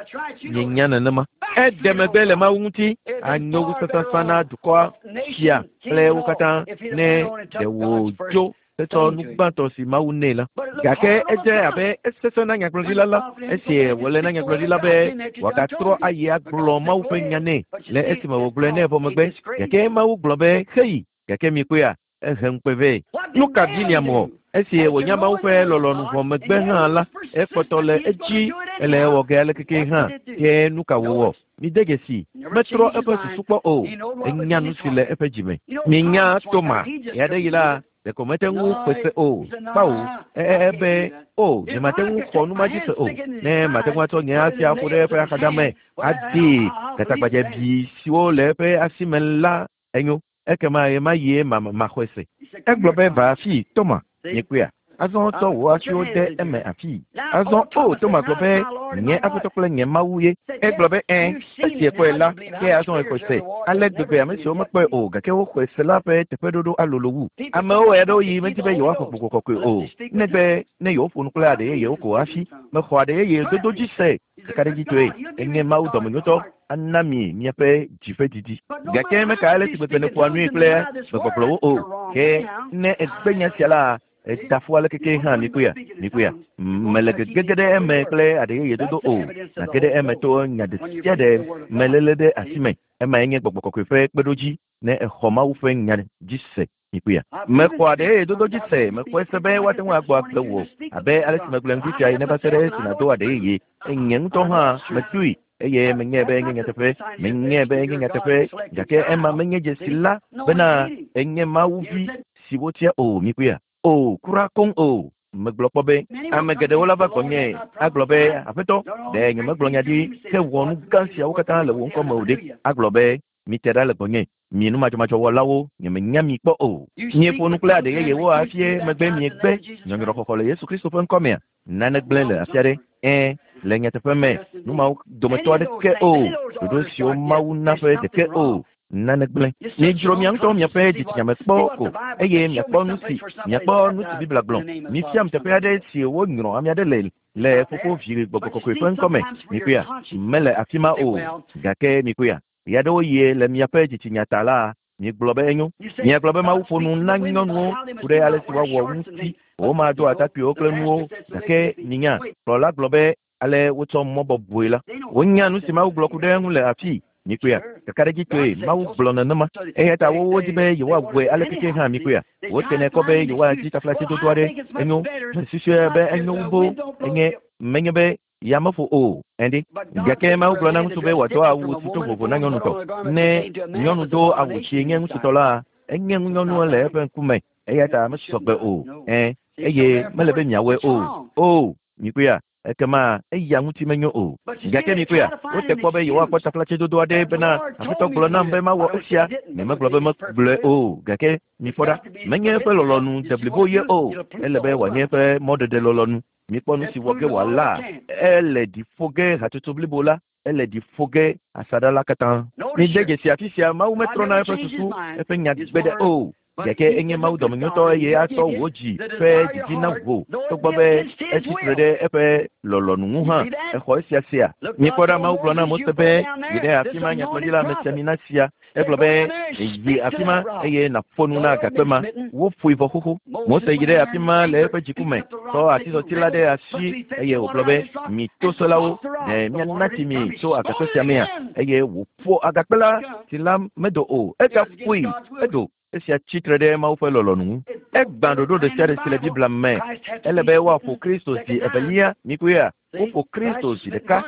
mienya nenema. Eɖe megbe le Mawu ŋuti anyo wu sasasã na dukɔa fia kple wo katã ne ɖe wòdzo Etsɔ nu gbãtɔ si Mawu nɛ la. Gake edze abe esesẽ na nyagblɔɖila la esi wòle na nyagblɔɖila be wòagatrɔ ayi agblɔ Mawu ƒe nya nɛ le esime wògblɔe nɛ vɔ megbe. Gake Mawu gblɔ be heyi. Gake mikpɔea ehe ŋukpe vɛ. Nu ka Biliam wɔ? Esi wònya Mawu ƒe lɔlɔ̃nu vɔ megbe hã la, ekpɔtɔ le edzi ele ewɔ ge alekeke hã. Ke nu ka wòwɔ? Mide dzesi, metrɔ eƒe susu kpɔ o. Enya nu si le eƒe dzime. Minya Toma ɣe aɖe yi la, ɖeko mete ŋu xɔe se o. Kpawo, ebe o, nyemate ŋu xɔ nu ma dzi se o. Ne mate ŋu atsɔ nye asi aƒo ɖe eƒe axadame adee gatagbadzɛbi siwo le eƒe asi me la enyo. Ekema ɣe ma ɣie maxɔe se. Egblɔ be va afii, Toma, miekpɔea? Azɔ tsɔ wò asiwo de eme afii. Azɔ o, Toma gblɔ be nye Aƒetɔ kple nye Mawu ye. Egblɔ be ẽ, esi ekpɔe la, ke azɔ exɔe se. Ale gbegbe ame siwo mekpɔe o gake woxɔe se la ƒe teƒeɖoɖo alolo wu. Amewo ɣe aɖewo yi medi be yewoaxɔ Gbɔgbɔ Kɔkɔe o, negbe ne yewoƒo nu kple aɖe yeyewo ko hafi. Mexɔ aɖe yeye dodo dzi se. Kakaɖedzitɔe enye Mawu dɔmenyotɔ ana mi miaƒe dzi ƒe didi. Gake meka ale si gbegbe nèƒoa nui kple gbegbɔgblɔwo o. Ke ne ègbe nya sia la, edafu alekeke hã mikpɔea? Mikpɔea? Mele gegege ɖe eme kple aɖe yeye dodo o. Nage ɖe eme to nya ɖe sia ɖe meléle ɖe asi me. Emae nye Gbɔgbɔ Kɔkɔe ƒe kpeɖodzi ne exɔ Mawu ƒe nya dzi se. Mikpɔea? Mexɔ aɖe yeye dodo dzi se. Mexɔe se be woate ŋu agbɔ agbe wò abe ale si megblɔe ŋdi sia ene va se ɖe esi nàdo aɖe yeye. Nye ŋutɔ hã medoe eye menyae be enye nyateƒe. Menyae be enye nyateƒe gake ema menye dzesi la bena enye Mawu vi si wotia o. Mikpɔea? O, kura koŋ o. Megblɔ kpɔ be ame geɖewo la va gbɔnye agblɔ be Aƒetɔ, ɖe nyemegblɔ nya ɖi hewɔ nu gã siawo katã le wò ŋkɔ me o ɖe? Agblɔ be mite ɖa le gbɔnye, mi numadzɔmadzɔwɔlawo, nyemenya mi kpɔ o. Mieƒo nu kple aɖe yeyewo hafi megbe miegbe nyɔnyrɔxɔxɔ le Yesu Kristo ƒe ŋkɔ mea? Nane gblẽ le afi aɖe. Ẽ, le nyateƒe me, nu mawo dometɔ aɖeke o. Ɖoɖo siwo Mawu na ƒe ɖeke o. Nane gblẽ. Miedzro mia ŋutɔ miaƒe dzitsinya me kpɔ ko eye miakpɔ nu si miakpɔ nu si Biblia gblɔ. Mifiam teƒe aɖe si wonyrɔ ame aɖe le le Fofo, Vi, Gbɔgbɔ Kɔkɔe ƒe ŋkɔ me. Mikpɔea? Mele afi ma o. Gake mikpɔea? Ɣe aɖewo yie le miaƒe dzitsinya ta la, miegblɔ be enyo. Miagblɔ be Mawu ƒo nu na nyɔnuwo ku ɖe ale si woawɔ ŋuti. Womado atakpuiwo kple nuwo gake minya. Kplɔla gblɔ be ale wotsɔ mɔ bɔbɔe la. Wonya nu si Mawu gblɔ ku ɖe eŋu le afii. Mikpɔea? Kakaɖedzitɔe Mawu gblɔ nenema. Eya ta wowo di be yewoawɔe alekeke hã mikpɔea? Wotenɛ kɔ be yewoadzi taflatsedodo aɖe. Enyo. Mesusue be enyo wu boo. Enye menye be yameƒo o. Ɛnɖi. Gake Mawu gblɔ na ŋutsu be wòado awu si to vovo na nyɔnutɔ. Ne nyɔnu do awu si nye ŋutsutɔ la, enye ŋunyɔnu le eƒe ŋkume. Eya ta mesɔgbe o. Ẽ, eye mele be miawɔe o. O, mikpɔea? Ekema eya ŋuti menyo o. Gake mikpɔea? Wote kpɔ be yewoakpɔ taflatsedodo aɖe bena Aƒetɔ gblɔ nam be mawɔ esia. Nyemegblɔ be megblɔe o. Gake mikpɔ ɖa, menye eƒe lɔlɔ̃nu deblibo ye o. Ele be wòanye eƒe mɔɖeɖe lɔlɔ̃nu. Mikpɔ nu si wɔ ge wòala. Ele ɖi ƒo ge hatsotso blibo la. Ele ɖi ƒo ge asaɖa la katã. Mide dzesi afi sia, Mawu metrɔna eƒe susu, eƒe nya gbeɖe o. Gake enye Mawu dɔmenyotɔ eye atsɔ wò dzi ƒe didi na wò togbɔ be etsi tre ɖe eƒe lɔlɔ̃nu ŋu hã. Exɔ esia sia. Mikpɔ ɖa, Mawu gblɔ na Mose be yi ɖe afi ma nyagblɔɖila amesiamina sia. Egblɔ be yi afi ma eye nàƒo nu na agakpe ma. Woƒoe vɔ xoxo. Mose yi ɖe afi ma le eƒe dziku me, tsɔ atizɔti la ɖe asi eye wògblɔ be mi toselawo, ɖe miana tsi mi tso agakpe sia mea? Eye wòƒo agakpe la, tsi la medo o. Egaƒoe, edo. Esia tsi tre ɖe Mawu ƒe lɔlɔ̃nu ŋu. Egbã ɖoɖo ɖe sia ɖe si le Biblia me. Ele be woaƒo Kristo zi evelia. Mikpɔea? Woƒo Kristo zi ɖeka.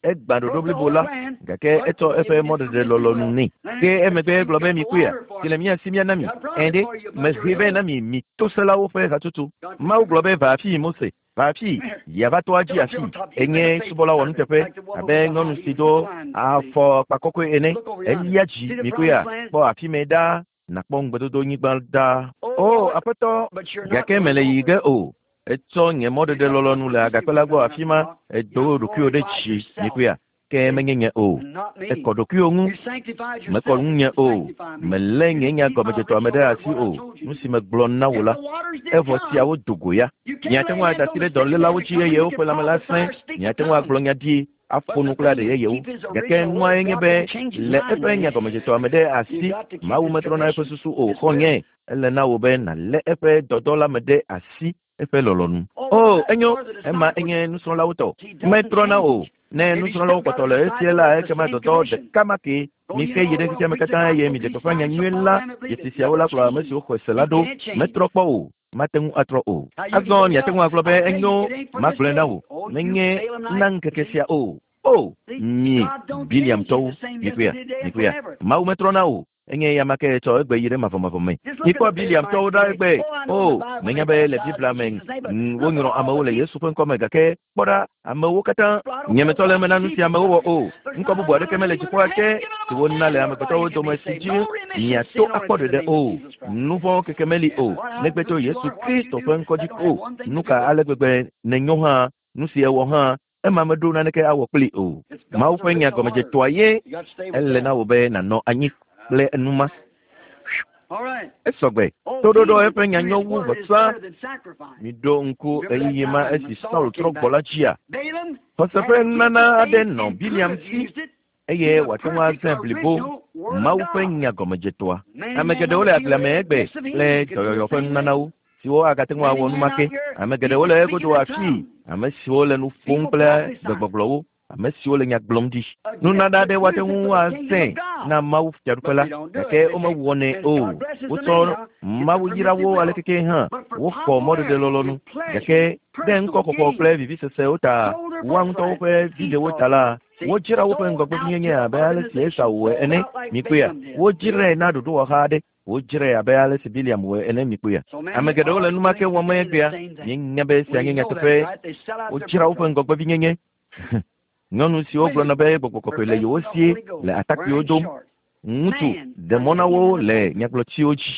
Egbã ɖoɖo blibo la gake etsɔ eƒe mɔɖeɖe lɔlɔ̃nu nɛ. Ke emegbe egblɔ be mikpɔea? Si le mia si miana mi. Ẽ ɖe, mehe vɛ na mi mi toselawo ƒe hatsotso. Mawu gblɔ be va afii Mose. Va afii, yava toa dzi afii. Enye subɔla wɔnuteƒe abe nyɔnu si do afɔkpa kɔkɔe ene. Elia dzi mikpɔea? Kpɔ afi mɛ ɖaa. Nakpɔ ŋugbedodo nyigba ɖaa. O Aƒetɔ, gake mele yi ge o. Etsɔ nye mɔɖeɖe lɔlɔ̃nu le agakpe la gbɔ afi ma. Edo ɖokuiwò ɖe dzi mikpɔea? Ke menye nye o. Ekɔ ɖokuiwò ŋu. Mekɔ ŋunye o. Melé nye nya gɔmedzetɔa me ɖe asi o. Nu si megblɔ na wò la, evɔ siawo do go ya. Miate ŋu ada asi ɖe dɔlélawo dzi eye woƒe lãme la sẽ. Miate ŋu agblɔ nya ɖi aƒo nu kple aɖe yeyewo. Gake nua nye be le eƒe nyagɔmedzetɔa me ɖe asi, Mawu metrɔna eƒe susu o. Xɔ̃nye, ele na wò be nàlé eƒe dɔdɔ la me ɖe asi eƒe lɔlɔ̃nu. O, enyo, ema enye nusrɔ̃lawo tɔ. Metrɔna o. Ne nusrɔ̃lawo kpɔtɔ le esia la, ekema dɔdɔ ɖeka ma ke. Mike yi ɖe xexea me katã eye miɖe gbeƒã nyanyui la. Dzesi siawo la kplɔ ame siwo xɔe se la ɖo. Metrɔ kpɔ o. Mate ŋu atrɔ o. Azɔ miate ŋu agblɔ be enyo, magblɔe na wò. Menye na ŋkeke sia o. O, mi Biliamtɔwo, mikpɔea, mikpɔea. Mawu metrɔna o. Enye ya ma ke tsɔ egbe yi ɖe mavɔmavɔ me. Mikpɔ Biliamtɔwo ɖa egbe. O, menya be le Biblia me wonyrɔ amewo le Yesu ƒe ŋkɔ me gake kpɔ ɖa amewo katã nyemetɔ le eme na nu si amewo wɔ o. Ŋkɔ bubu aɖeke mele dziƒoa te si wona le amegbetɔwo dome si dzi miato akpɔ ɖeɖe o. Nu vɔ̃ keke meli o negbe tso Yesu Kristo ƒe ŋkɔ dzi o. Nu ka ale gbegbe nenyo hã, nu si ewɔ hã, ema meɖo naneke awɔ kpli o. Mawu ƒe nya gɔmedzetɔa ye ele na wò be nànɔ anyi kple enuma. Esɔgbe. Toɖoɖo eƒe nya nyo wu vɔsa. Miɖo ŋku ɣeyiɣi ma esi Saul trɔ gbɔ la dzia. Xɔse ƒe nunana aɖe nɔ Biliam si eye wòate ŋu azãe blibo Mawu ƒe nya gɔmedzetɔa. Ame geɖewo le agblea me egbe kple dɔyɔyɔ ƒe nunanawo siwo agate ŋu awɔ numake. Ame geɖewo le egodo afii, ame siwo le nu ƒom kple gbegbɔgblɔwo, ame siwo le nya gblɔm ɖi. Nunana aɖe woate ŋu azãe na Mawu fiaɖuƒe la, gake womewɔnɛ o. Wotsɔ Mawu yra wo ale keke hã, woxɔ mɔɖeɖe lɔlɔ̃nu. Gake ɖe ŋkɔxɔxɔ kple vivisesewo ta, woa ŋutɔwo ƒe viɖewo ta la, wodzra woƒe ŋgɔgbevinyenye abe ale si Esau wɔe ene. Mikpɔea, wodzrae na ɖoɖowɔha aɖe. Wodzrae abe ale si Biliam wɔe ene. Mikpɔea, ame geɖewo le numake wɔm egbea. Míenya be esia nye nyateƒe. Wodzra woƒe ŋgɔgbevinyenye. Nyɔnu siwo gblɔna be gbɔgbɔ kɔkɔe le yewo sie le atakpuiwo dom. Ŋutsu ɖe mɔ na wo le nyagblɔtiwo dzi.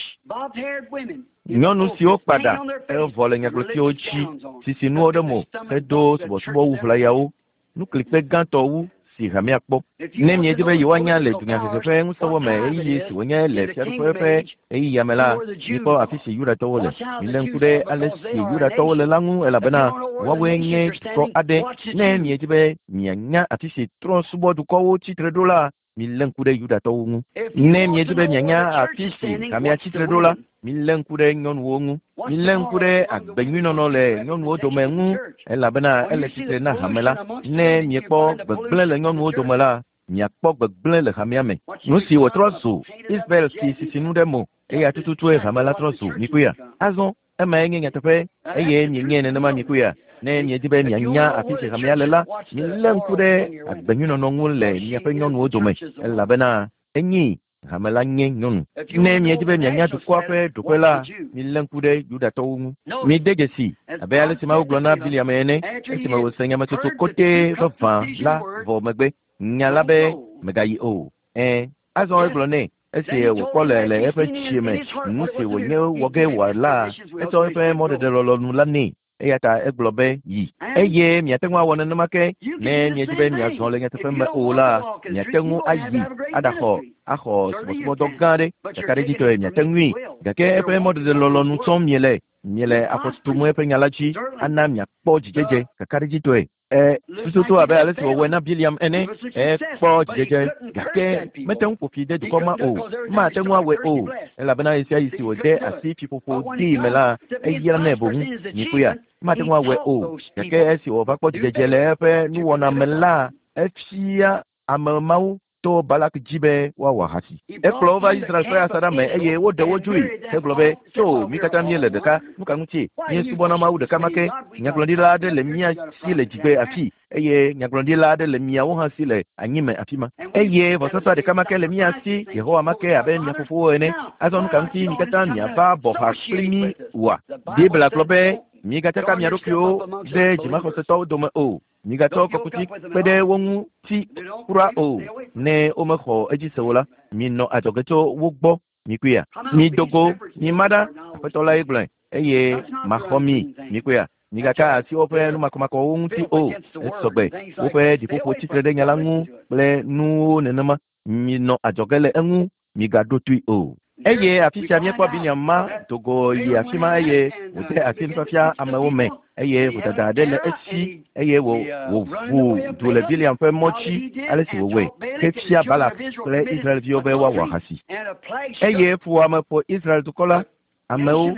Nyɔnu siwo kpa ɖa evɔ le nyagblɔtiwo dzi, sisi nuwo ɖe mo hedo subɔsubɔwu ʋlayawo. Nuklikpe gãtɔ wu si hamea kpɔ. Ne miedi be yewoanya le dunyahehe ƒe ŋusẽwo me ɣeyiɣi si wònye le fiaɖuƒe ƒe ɣeyiɣia me la, mikpɔ afi si Yudatɔwo le. Milé ŋku ɖe ale si Yudatɔwo le la ŋu elabena woawoe nye dukɔ aɖe. Ne miedi be mianya afi si trɔ̃subɔdukɔwo tsitre ɖo la, milé ŋku ɖe Yudatɔwo ŋu. Ne miedi be mianya afi si hamea tsitre ɖo la, milé ŋku ɖe nyɔnuwo ŋu. Milé ŋku ɖe agbenyuinɔnɔ le nyɔnuwo dome ŋu elabena ele tsitre na hame la. Ne miekpɔ gbegblẽ le nyɔnuwo dome la, miakpɔ gbegblẽ le hamea me. Nu si wòtrɔ zu Israel si sisinu ɖe mo eya tututue hame la trɔ zu. Mikpɔea? Azɔ emae nye nyateƒe eye mienye nenema. Mikpɔea? Ne miedi be mianya afi si hamea le la, milé ŋku ɖe agbenyuinɔnɔ ŋu le miaƒe nyɔnuwo dome elabena enyi hame la nye nyɔnu. Ne miedi be mianya dukɔa ƒe ɖoƒe la, milé ŋku ɖe Yudatɔwo ŋu. Mide dzesi abe ale si Mawu gblɔ na Biliam ene esime wòse nyametsotso kɔtɛ vavã la vɔ megbe. Nya la be megayi o. Ẽ, azɔ egblɔ nɛ esi wòkpɔ le le eƒe tsie me nu si wònye wɔ ge wòala, etsɔ eƒe mɔɖeɖe lɔlɔ̃nu la nɛ. Eya ta egblɔ be yi. Eye miate ŋu awɔ nenema ke ne miedi be miazɔ le nyateƒe me o la, miate ŋu ayi aɖaxɔ axɔ subɔsubɔdɔ gã aɖe. Kakaɖedzitɔe miate ŋui. Gake eƒe mɔɖeɖe lɔlɔ̃nu tsɔm miele. Miele afɔ tutum eƒe nya la dzi ana miakpɔ dzidzedze kakaɖedzitɔe. Ɛ tututu abe ale si wòwɔe na Biliam ene, ekpɔ dzidzedze gake mete ŋu ƒo fi de dukɔ ma o. Mate ŋu awɔe o elabena ɣesiaɣi si wòde asi fiƒoƒo dii me la, eyranɛ boŋ. Mikpɔea? Mate ŋu awɔe o. Gake esi wòva kpɔ dzidzedze le eƒe nuwɔna me la, efia ame mawo to Balak dzi be woawɔ ahasi. Ekplɔ wo va Israel ƒe asaɖa me eye woɖe wo dzoe hegblɔ be, tso mi katã míele ɖeka, nu ka ŋuti míesubɔna Mawu ɖeka ma ke. Nyagblɔɖila aɖe le mía si le dzigbe afi eye nyagblɔɖila aɖe le miawo hã si le anyime afi ma. Eye vɔsasa ɖeka ma ke le mía si, Yehowa ma ke abe mia fofowo ene. Azɔ nu ka ŋuti mi katã miava bɔ ha kpli mí oa? Biblia gblɔ be migatsaka mia ɖokuiwo ɖe dzimaxɔsetɔwo dome o. Migatsɔ kɔkuti kpe ɖe wo ŋu ti kura o. Ne womexɔ edzi se o la, minɔ adzɔge tso wo gbɔ. Mikpɔea? Mido go, mima ɖa, Aƒetɔ lae gblɔe, eye maxɔ mi. Mikpɔea? Migaka asi woƒe numakɔmakɔwo ŋuti o. Esɔgbe. Woƒe ɖiƒoƒo tsitre ɖe nya la ŋu kple nuwo nenema. Minɔ adzɔge le eŋu, migaɖo toe o. Eye afi sia míekpɔ Biliam ma dogo yi afi ma eye wòde asi nufiafia amewo me eye vodada aɖe le esi eye wò wòʋu du le Biliam ƒe mɔ dzi ale si wòwɔe hefia Balak kple Israelviwo be woawɔ ahasi. Eye fuwɔame ƒo Israel dukɔ la amewo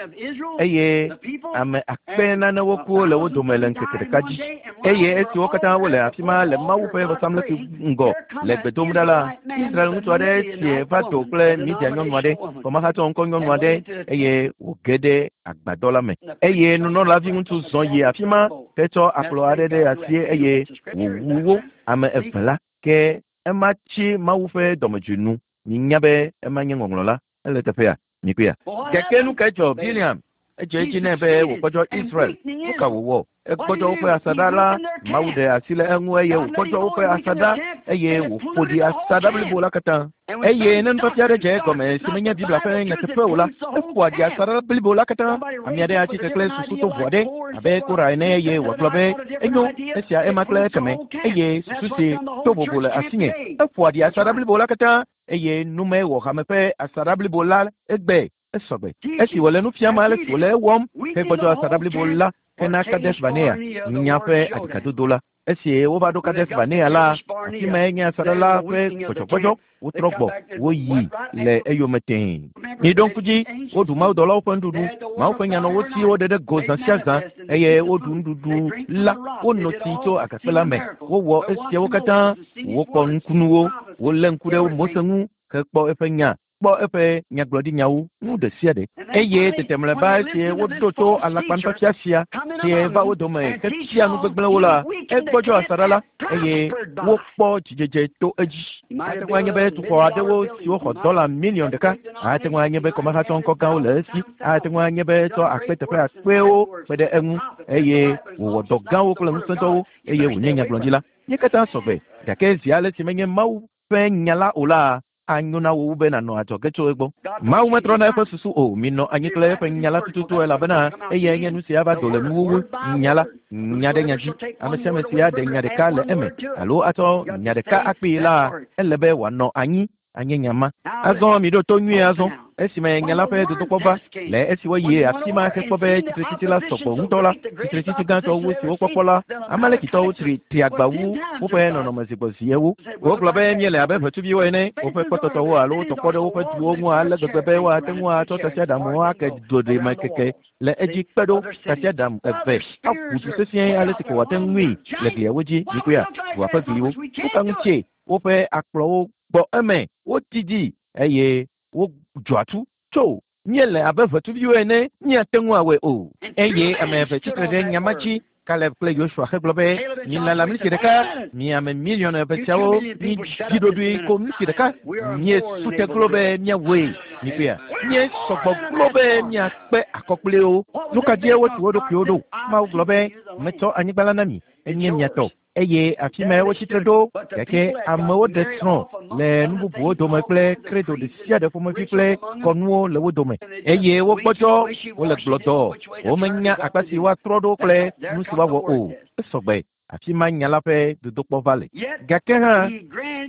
eye ame akpe nanewo ku le wo dome le ŋkeke ɖeka dzi. Eye esi wo katã wole afi ma le Mawu ƒe vɔsamlekpui ŋgɔ le gbe dom ɖa la, Israel ŋutsu aɖe sie va do kple Midia nyɔnu aɖe, kɔmahatsɔ ŋkɔ nyɔnu aɖe eye wòge ɖe agbadɔ la me. Eye nunɔlavi ŋutsu zɔ yi afi ma hetsɔ akplɔ aɖe ɖe asi eye wòwu wo ame eve la. Ke ema tsi Mawu ƒe dɔmedzoe nu. Minya be ema nye ŋɔŋlɔ la. Ele teƒea. Mikpɔea. Gake nu kae dzɔ Biliam? Edze edzi nɛ be wògbɔdzɔ Israel. Nu ka wòwɔ? Egbɔdzɔ woƒe asaɖa la. Mawu ɖe asi le eŋu eye wògbɔdzɔ woƒe asaɖa eye wòƒo ɖi asaɖa blibo la katã. Eye ne nufiafia aɖe dze egɔme si menye Biblia ƒe nyateƒe o la, eƒoa ɖi asaɖa blibo la katã. Ame aɖe atsi tre kple susu tovo aɖe abe Kora ene eye wòagblɔ be enyo esia ema kple ekeme eye susu si to vovo le asinye. Eƒoa ɖi asaɖa blibo la katã eye nume wɔ hame ƒe asaɖa blibo la egbe esɔgbe. Esi wòle nu fiam ale si wòle ewɔm hegbɔdzɔ asaɖa blibo la hena Kades Barnea nya ƒe aɖikadodo la. Esi wova ɖo Kades Barnea la, afi mae nye asaɖa la ƒe gbɔdzɔgbɔdzɔ. Wotrɔ gbɔ, woyi le eyome tẽe. Miɖo ŋku dzi, woɖu mawudɔlawo ƒe nuɖuɖu. Mawu ƒe nya nɔ wo si woɖe ɖe go zã sia zã eye woɖu nuɖuɖu la. Wono tsi tso agakpe la me. Wowɔ esiawo katã. Wokpɔ nukunuwo. Wolé ŋku ɖe Mose ŋu hekpɔ eƒe nya, kpɔ eƒe nyagblɔɖinyawo, nu ɖe sia ɖe. Eye tete mlɔeba esi woɖo to alakpanufiafia sia si va wo dome hefia nu gbegblẽwo la, egbɔdzɔ asaɖa la eye wokpɔ dzidzedze to edzi. Ate ŋu anye be tuxɔ aɖewo siwo xɔ dɔla miliɔn ɖeka. Ate ŋu anye be kɔmahatsɔ ŋkɔ gãwo le esi. Ate ŋu anye be tsɔ akpe teƒe akpewo kpe ɖe eŋu eye wòwɔ dɔ gãwo kple ŋusẽdɔwo eye wònye nyagblɔɖila. Mí katã sɔgbe gake zi ale si menye Mawu ƒe nya la o la, anyo na wò wu be nànɔ adzɔge tso egbɔ. Mawu metrɔna eƒe susu o. Minɔ anyi kple eƒe nya la tututu elabena eyae nye nu si ava do le nuwuwu. Nya la, nya ɖe nya dzi. Ame sia ame si aɖe nya ɖeka le eme alo atsɔ nya ɖeka akpee la, ele be wòanɔ anyi anye nya ma. Azɔ miɖo to nyuie azɔ. Esime nya la ƒe dodokpɔ va le esi woyi afi ma hekpɔ be tsitretsitsi la sɔgbɔ ŋutɔ la, tsitretsitsi gãtɔ wu si wokpɔkpɔ la, Amalekitɔwo tri tri agba wu woƒe nɔnɔme zi gbɔ zi ewo. Wogblɔ be míele abe ʋetsuviwo ene, woƒe kpɔtɔtɔwo alo wotɔkpɔ ɖe woƒe duwo ŋu ale gbegbe be woate ŋu atsɔ tasiaɖamwo ake doɖeme keke le edzi kpe ɖo tasiaɖam eve aƒu du sesĩe ale si ko wòate ŋui le gliawo dzi. Mikpɔea, dua ƒe gliwo. Nu ka ŋutie woƒe akplɔwo gbɔ eme wodidi eye wodzɔ atu tso míele abe ʋetsuviwo ene míate ŋu awɔe o. Eye ame eve tsitre ɖe nya ma dzi. Kaleb kple Yosua hegblɔ be milala mliti ɖeka, mi ame miliɔn eve siawo mi dzi ɖoɖoe ko mliti ɖeka. Míesu te glo be míawɔe. Mikpɔea, míesɔgbɔ glo be míakpe akɔ kpli wo. Nu ka dzie wotu wo ɖokuiwo ɖo? Mawu gblɔ be metsɔ anyigba la na mi, enye mia tɔ. Eye afi mae wotsitre ɖo gake amewo ɖe srɔ̃ le nu bubuwo dome kple kredo ɖe sia ɖe ƒomevi kple kɔnuwo le wo dome eye wogbɔdzɔ wole gblɔdɔ womenya akpa si woatrɔ ɖo kple nu si woawɔ o. Esɔgbe afi ma nya la ƒe dodokpɔ va le. Gake hã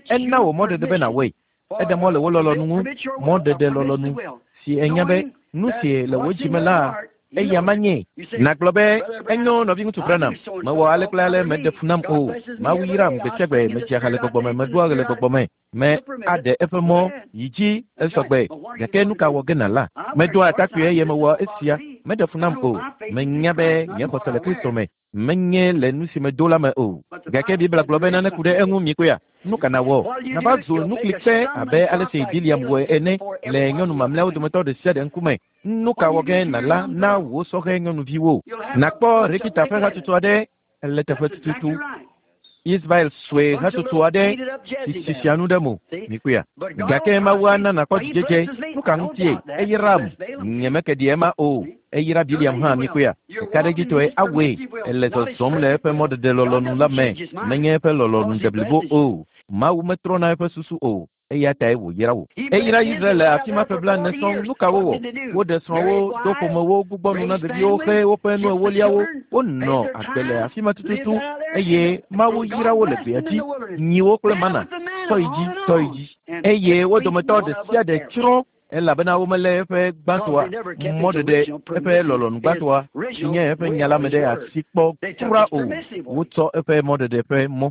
ena wò mɔɖeɖe be nàwɔe. Eɖe mɔ le wò lɔlɔ̃nu ŋu, mɔɖeɖe lɔlɔ̃nu si enya be nu si le wò dzime la eya manye. Nàgblɔ be enyo nɔviŋutsu Branham, mewɔ ale kple ale meɖe fu nam o. Mawu yram gbe sia gbe medzia ha le gbɔgbɔ me, meɖoa ɣe le gbɔgbɔ me, me aɖe eƒe mɔ yi dzi esɔgbe. Gake nu ka wɔ ge nàla? Medoa atakpui eye mewɔ esia, meɖe fu nam o. Menya be nye xɔse le Kristo me, menye le nu si medo la me o. Gake Biblia gblɔ be nane ku ɖe eŋu mikpɔea? Nu ka nàwɔ? Nàva zu nuklikpe abe ale si Biliam wɔe ene le nyɔnu mamlɛawo dometɔ ɖe sia ɖe ŋkume. Nu ka wɔ ge nàla na wò sɔhɛ nyɔnuviwo? Nàkpɔ Rekita ƒe hatsotso aɖe le teƒe tututu. Ismael sue hatsotso aɖe si sisia nu ɖe mo. Mikpɔea? Gake Mawu ana nàkpɔ dzidzedze. Nu ka ŋutie? Eyram. Nyemeke ɖi ema o. Eyra Biliam hã mikpɔea? Ɖekaɖedzitɔe awɔe. Ele zɔzɔm le eƒe mɔɖeɖe lɔlɔ̃nu la me. Menye eƒe lɔlɔ̃nu deblibo o. Mawu metrɔna eƒe susu o. Eya tae wòyra wò. Eyra Israel le afi ma ƒe blaene sɔŋ. Nu ka wowɔ? Woɖe srɔ̃wo, do ƒomewo, gbugbɔ nu na ɖeviwo xe woƒe nu ewoliawo. Wonɔ agbe le afi ma tututu eye Mawu yra wo le gbea dzi. Nyiwo kple mana, tɔ yi dzi, tɔ yi dzi. Eye wo dometɔ ɖe sia ɖe tsrɔ̃ Elabena womele eƒe gbãtɔa mɔɖeɖe eƒe lɔlɔ̃nu gbãtɔa si nye eƒe nya la me ɖe asi kpɔ kura o. Wotsɔ eƒe mɔɖeɖe ƒe mɔ.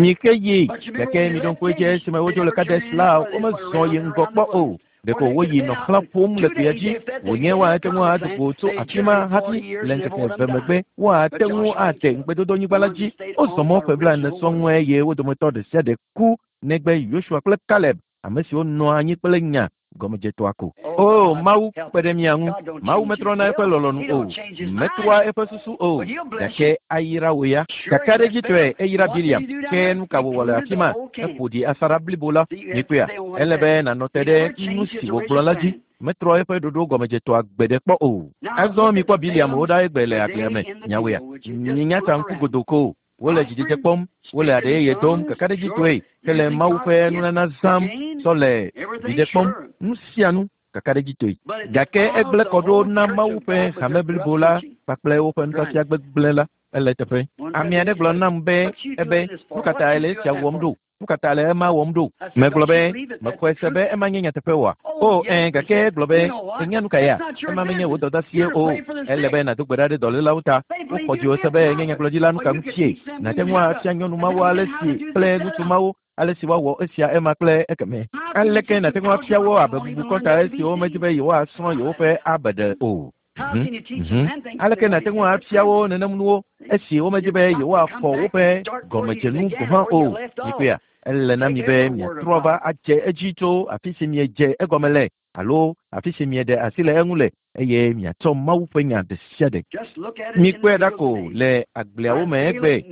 Mike yi gake miɖo ŋku edzi esime wodzo le Kades la womezɔ yi ŋgɔ kpɔ o. Ɖeko woyi nɔ xlã ƒom le gbea dzi wònye woate ŋu ado go tso afi ma hafi le ŋkeke eve megbe woate ŋu ate ŋugbedodonyigba la dzi. Wozɔ mɔ ƒe blaene sɔŋ eye wo dometɔ ɖe sia ɖe ku negbe Yosua kple Kaleb, ame siwo nɔ anyi kple nya gɔmedzetɔa ko. O Mawu kpe ɖe mia ŋu. Mawu metrɔna eƒe lɔlɔ̃nu o, metrɔa eƒe susu o, gake ayra wò ya. Kakaɖedzitɔe eyra Biliam. Ke nu ka wòwɔ le afi ma? Eƒo ɖi asaɖa blibo la. Mikpɔea, ele be nànɔ te ɖe nu si wògblɔ la dzi. Metrɔ eƒe ɖoɖo gɔmedzetɔa gbe ɖe kpɔ o. Azɔ mikpɔ Biliam wo ɖa egbe le agblea me. Nyawoea, minya ta ŋku godoko. Wole dzidzedze kpɔm, wole aɖe yeye dom kakaɖedzitɔe hele Mawu ƒe nunana zãm tsɔ le viɖe kpɔm. Nu sia nu kakaɖedzitɔe. Gake egblẽ kɔ ɖo na Mawu ƒe hame blibo la kpakple woƒe nufiafia gbegblẽ la. Ele teƒe. Ame aɖe gblɔ nam be ebe nu ka ta le esia wɔm ɖo? Nu ka ta le ema wɔm ɖo? Megblɔ be mexɔe se be ema nye nyateƒe oa? O ɛ̃ gake egblɔ be ènya nu ka ya? Ema menye wò dɔdeasie o. Ele be nàdo gbe ɖa ɖe dɔlélawo ta. Woxɔ dziwò se be enye nyagblɔɖila nu ka ŋutie? Nàte ŋu afia nyɔnu mawo ale si kple ŋutsu mawo ale si woawɔ esia ema kple ekeme. Aleke nàte ŋu afia wo abe bubu kɔnta esiwo medi be yewoasrɔ̃ yewoƒe abeɖe o? Aleke nàte ŋu afia wo nenem nuwo esi womedi be yewoaxɔ woƒe gɔmedzenu gɔ̃ hã o? Mikpɔea, ele na mi be miatrɔ va adze edzi tso afi si miedze egɔme le alo afi si mieɖe asi le eŋu le eye miatsɔ Mawu ƒe nya ɖe sia ɖe. Mikpɔe ɖa ko le agbleawo me egbe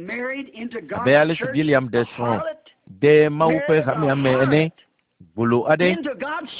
abe ale si Biliam ɖe srɔ̃ de Mawu ƒe hamea me ene. Gbolo aɖe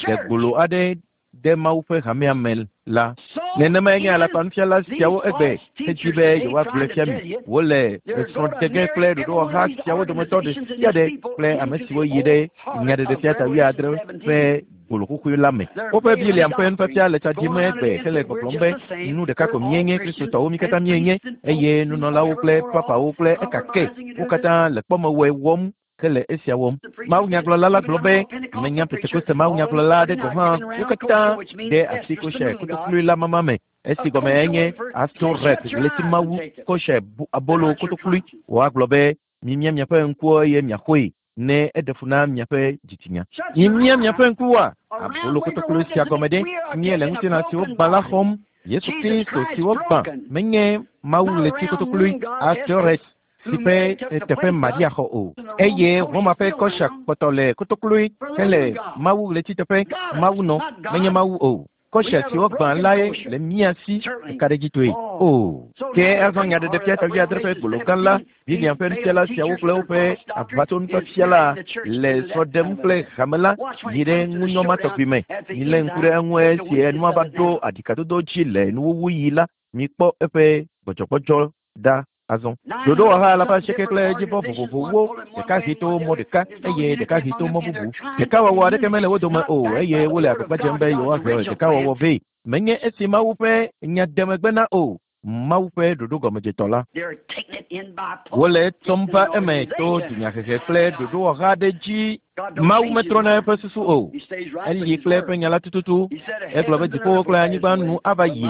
ɖe gbolo aɖe de Mawu ƒe hamea me la. Nenemae nye alakpanufiala siawo egbe hedzi be yewoagblɔe fia mi. Wole esrɔ̃ɖeɖe kple ɖoɖowɔha siawo dometɔ ɖe sia ɖe kple ame siwo yi ɖe nyaɖeɖefia ta wuiadre ƒe gbolo xoxoe la me. Woƒe Biliam ƒe nufiafia le tsa ɖim egbe hele gbɔgblɔm be nu ɖeka ko míenye Kristotɔwo mí katã míenye eye nunɔlawo kple papawo kple ekake wo katã le kpɔmewɔe wɔm hele esia wɔm. Mawunyagblɔla la gblɔ be menya Pentekoste mawunyagblɔla aɖe gɔ̃ hã wo katã de asi kosher kotokloe la mama me. Esi gɔme enye Astoret ɣleti mawu kosher abolo kotokloe. Woagblɔ be mimia miaƒe ŋkuwo eye miaxɔe ne eɖe fu na miaƒe dzitsinya. Mimia miaƒe ŋkuwoa abolo kotokloe sia gɔme ɖe míele ŋutilã siwo gbã la xɔm. Yesu Kristo si wogbã menye Mawu ɣleti kotokloe Astoret si ƒe teƒe Maria xɔ o. Eye Roma ƒe kɔsha kpɔtɔ le kotokloe hele Mawu ɣleti teƒe Mawu nɔ menye Mawu o. Kɔsha si wogbã lae le mía si kakaɖedzitɔe. O ke azɔ nyaɖeɖefia ta wuiadre ƒe gbolo gã la, Biliam ƒe nufiala siawo kple woƒe aʋatsonufiafia la le srɔ̃ ɖem kple hame la yi ɖe ŋunyɔ ma tɔgbi me. Milé ŋku ɖe eŋu esi enua va ɖo aɖikadodo dzi le nuwuwuɣi la, mikpɔ eƒe gbɔdzɔgbɔdzɔ ɖa. Azɔ ɖoɖowɔha alafa asieke kple edzivɔ vovovowo, ɖeka hɛ to mɔ ɖeka eye ɖeka hɛ to mɔ bubu. Ɖekawɔwɔ aɖeke mele wo dome o eye wole agbagba dzem be yewoahe ɖekawɔwɔ vɛ. Menye esi Mawu ƒe nya de megbe na o, Mawu ƒe ɖoɖo gɔmedzetɔ la. Wole etsɔm va eme to dunyahehe kple ɖoɖowɔha aɖe dzi. Mawu metrɔna eƒe susu o. Eli kple eƒe nya la tututu. Egblɔ be dziƒowo kple anyigba nu ava yi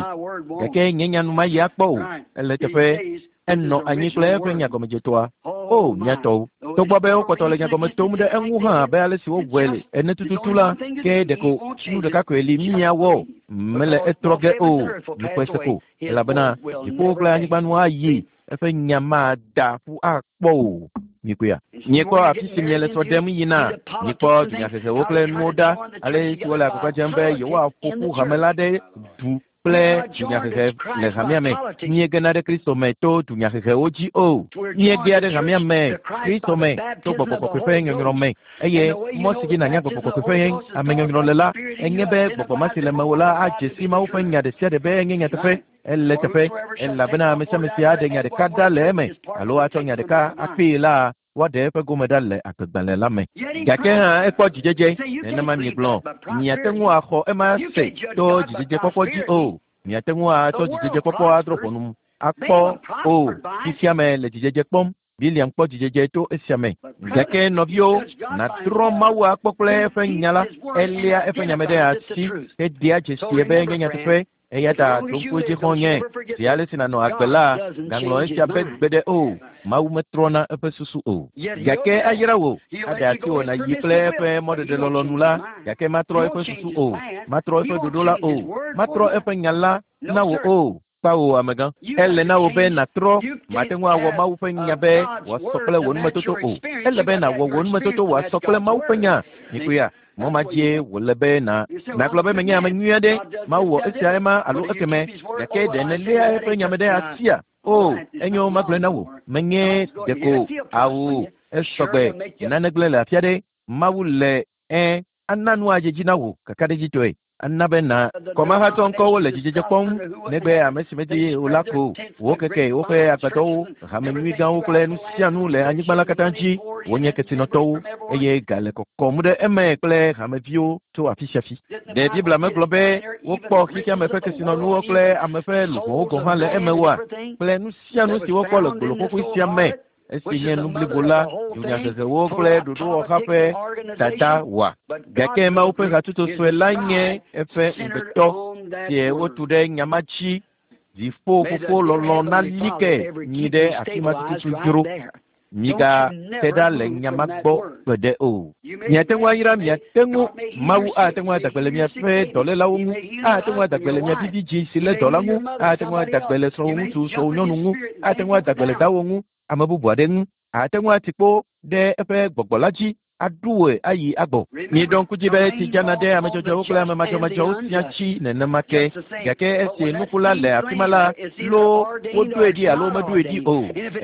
gake nye nya nu mayi akpɔ o. Ele teƒe. Enɔ anyi kple eƒe nyagɔmedzetɔa. O miatɔwo. Togbɔ be wokpɔtɔ le nyagɔme tom ɖe eŋu hã abe ale si wowɔe ene tututu la, ke ɖeko nu ɖeka koe li míawɔ. Mele etrɔ ge o. Mikpɔe se ko. Elabena dziƒowo kple anyigba nu ayi. Eƒe nya mada ƒu akpɔ o. Mikpɔea? Miekpɔ afi si miele srɔ̃ ɖem yina. Mikpɔ dunyahehewo kple nuwo ɖa. Ale si wole agbagba dzem be yewoaƒo ƒu hame la ɖe du kple dunyahehe le hamea me. Míegena ɖe Kristo me to dunyahehewo dzi o. Míegea ɖe hamea me, Kristo me, to gbɔgbɔ kɔkɔe ƒe nyɔnyrɔ me. Eye mɔ si dzi nànya gbɔgbɔ kɔkɔe ƒe amenyɔnyrɔ le la, enye be gbɔgbɔ ma si le mewò la adze si Mawu ƒe nya ɖe sia ɖe be enye nyateƒe. Ele teƒe elabena ame sia ame si aɖe nya ɖeka ɖa le eme alo atsɔ nya ɖeka akpee la, woaɖe eƒe gome ɖa le agbegbalẽ la me. Gake hã ekpɔ dzidzedze. Nenema miegblɔ, miate ŋu axɔ ema se to dzidzedzekpɔkpɔ dzi o. Miate ŋu atsɔ dzidzedzekpɔkpɔ adrɔ̃ ʋɔnu akpɔ o. Fifia me le dzidzedze kpɔm. Biliam kpɔ dzidzedze to esia me. Gake nɔviwo, nàtrɔ Mawu akpɔ kple eƒe nya la, eléa eƒe nya me ɖe asi hedea dzesi be nye nyateƒe. Eya ta ɖo ŋku edzi xɔ̃nye, zi ale si nànɔ agbe la, gaŋlɔ esia be gbeɖe o. Mawu metrɔna eƒe susu o. Gake ayra wò, aɖe asi wò nàyi kple eƒe mɔɖeɖe lɔlɔ̃nu la, gake matrɔ eƒe susu o, matrɔ eƒe ɖoɖo la o, matrɔ eƒe nya la na wò o. Kpawo amegã. Ele na wò be nàtrɔ, mate ŋu awɔ Mawu ƒe nya be wòasɔ kple wò numetoto o. Ele be nàwɔ wò numetoto wòasɔ kple Mawu ƒe nya. Mikpɔea? Mɔ ma dzie wòle be na nàgblɔ be menye ame nyui aɖe, Mawu wɔ esia ema alo ekeme, gake ɖe nèléa eƒe nya me ɖe asia? O, enyo magblɔe na wò, menye ɖeko awu esɔgbe nane gblẽ le afi aɖe. Mawu le ẽ ana nu adze dzi na wò kakaɖedzitɔe. Ana be na kɔmahatɔ ŋkɔwo le dzidzedze kpɔm negbe ame si medi o la ko. Wo keke woƒe agbadɔwo, hame nyui gãwo kple nu sia nu le anyigba la katã dzi. Wonye kesinɔtɔwo eye ga le kɔkɔm ɖe eme kple hameviwo tso afi sia afi. Ɖe Biblia megblɔ be wokpɔ xexeame ƒe kesinɔnuwo kple ame ƒe luʋɔwo gɔ̃ hã le eme oa? Kple nu sia nu si wokpɔ le gbolokɔƒe sia me, esi nye nu blibo la, dunyahehewo kple ɖoɖowɔha ƒe dada wɔa. Gake Mawu ƒe hatsotso sue la nye eƒe ŋugbetɔ si wotu ɖe nya ma dzi. Dziƒo fofo lɔlɔ̃ nali ke nyi ɖe afi ma tututu dzro. Migate ɖa le nya ma gbɔ gbeɖe o. Miate ŋu ayra, miate ŋu Mawu ate ŋu ada gbe le miaƒe dɔlélawo ŋu, ate ŋu ada gbe le mia vivi dzi si lé dɔ la ŋu, ate ŋu ada gbe le srɔ̃wò ŋutsu, srɔ̃wò nyɔnu ŋu, ate ŋu ada gbe le dawò ŋu, ame bubu aɖe ŋu, ate ŋu ati kpo ɖe eƒe gbɔgbɔ la dzi aɖu wòe ayi agbɔ. Miɖo ŋku dzi be tsi dzana ɖe ame dzɔdzɔewo kple ame madzɔmadzɔwo sia tsi nenema ke. Gake esi nuku la le afi ma la, loo woɖoe ɖi alo meɖoe ɖi o.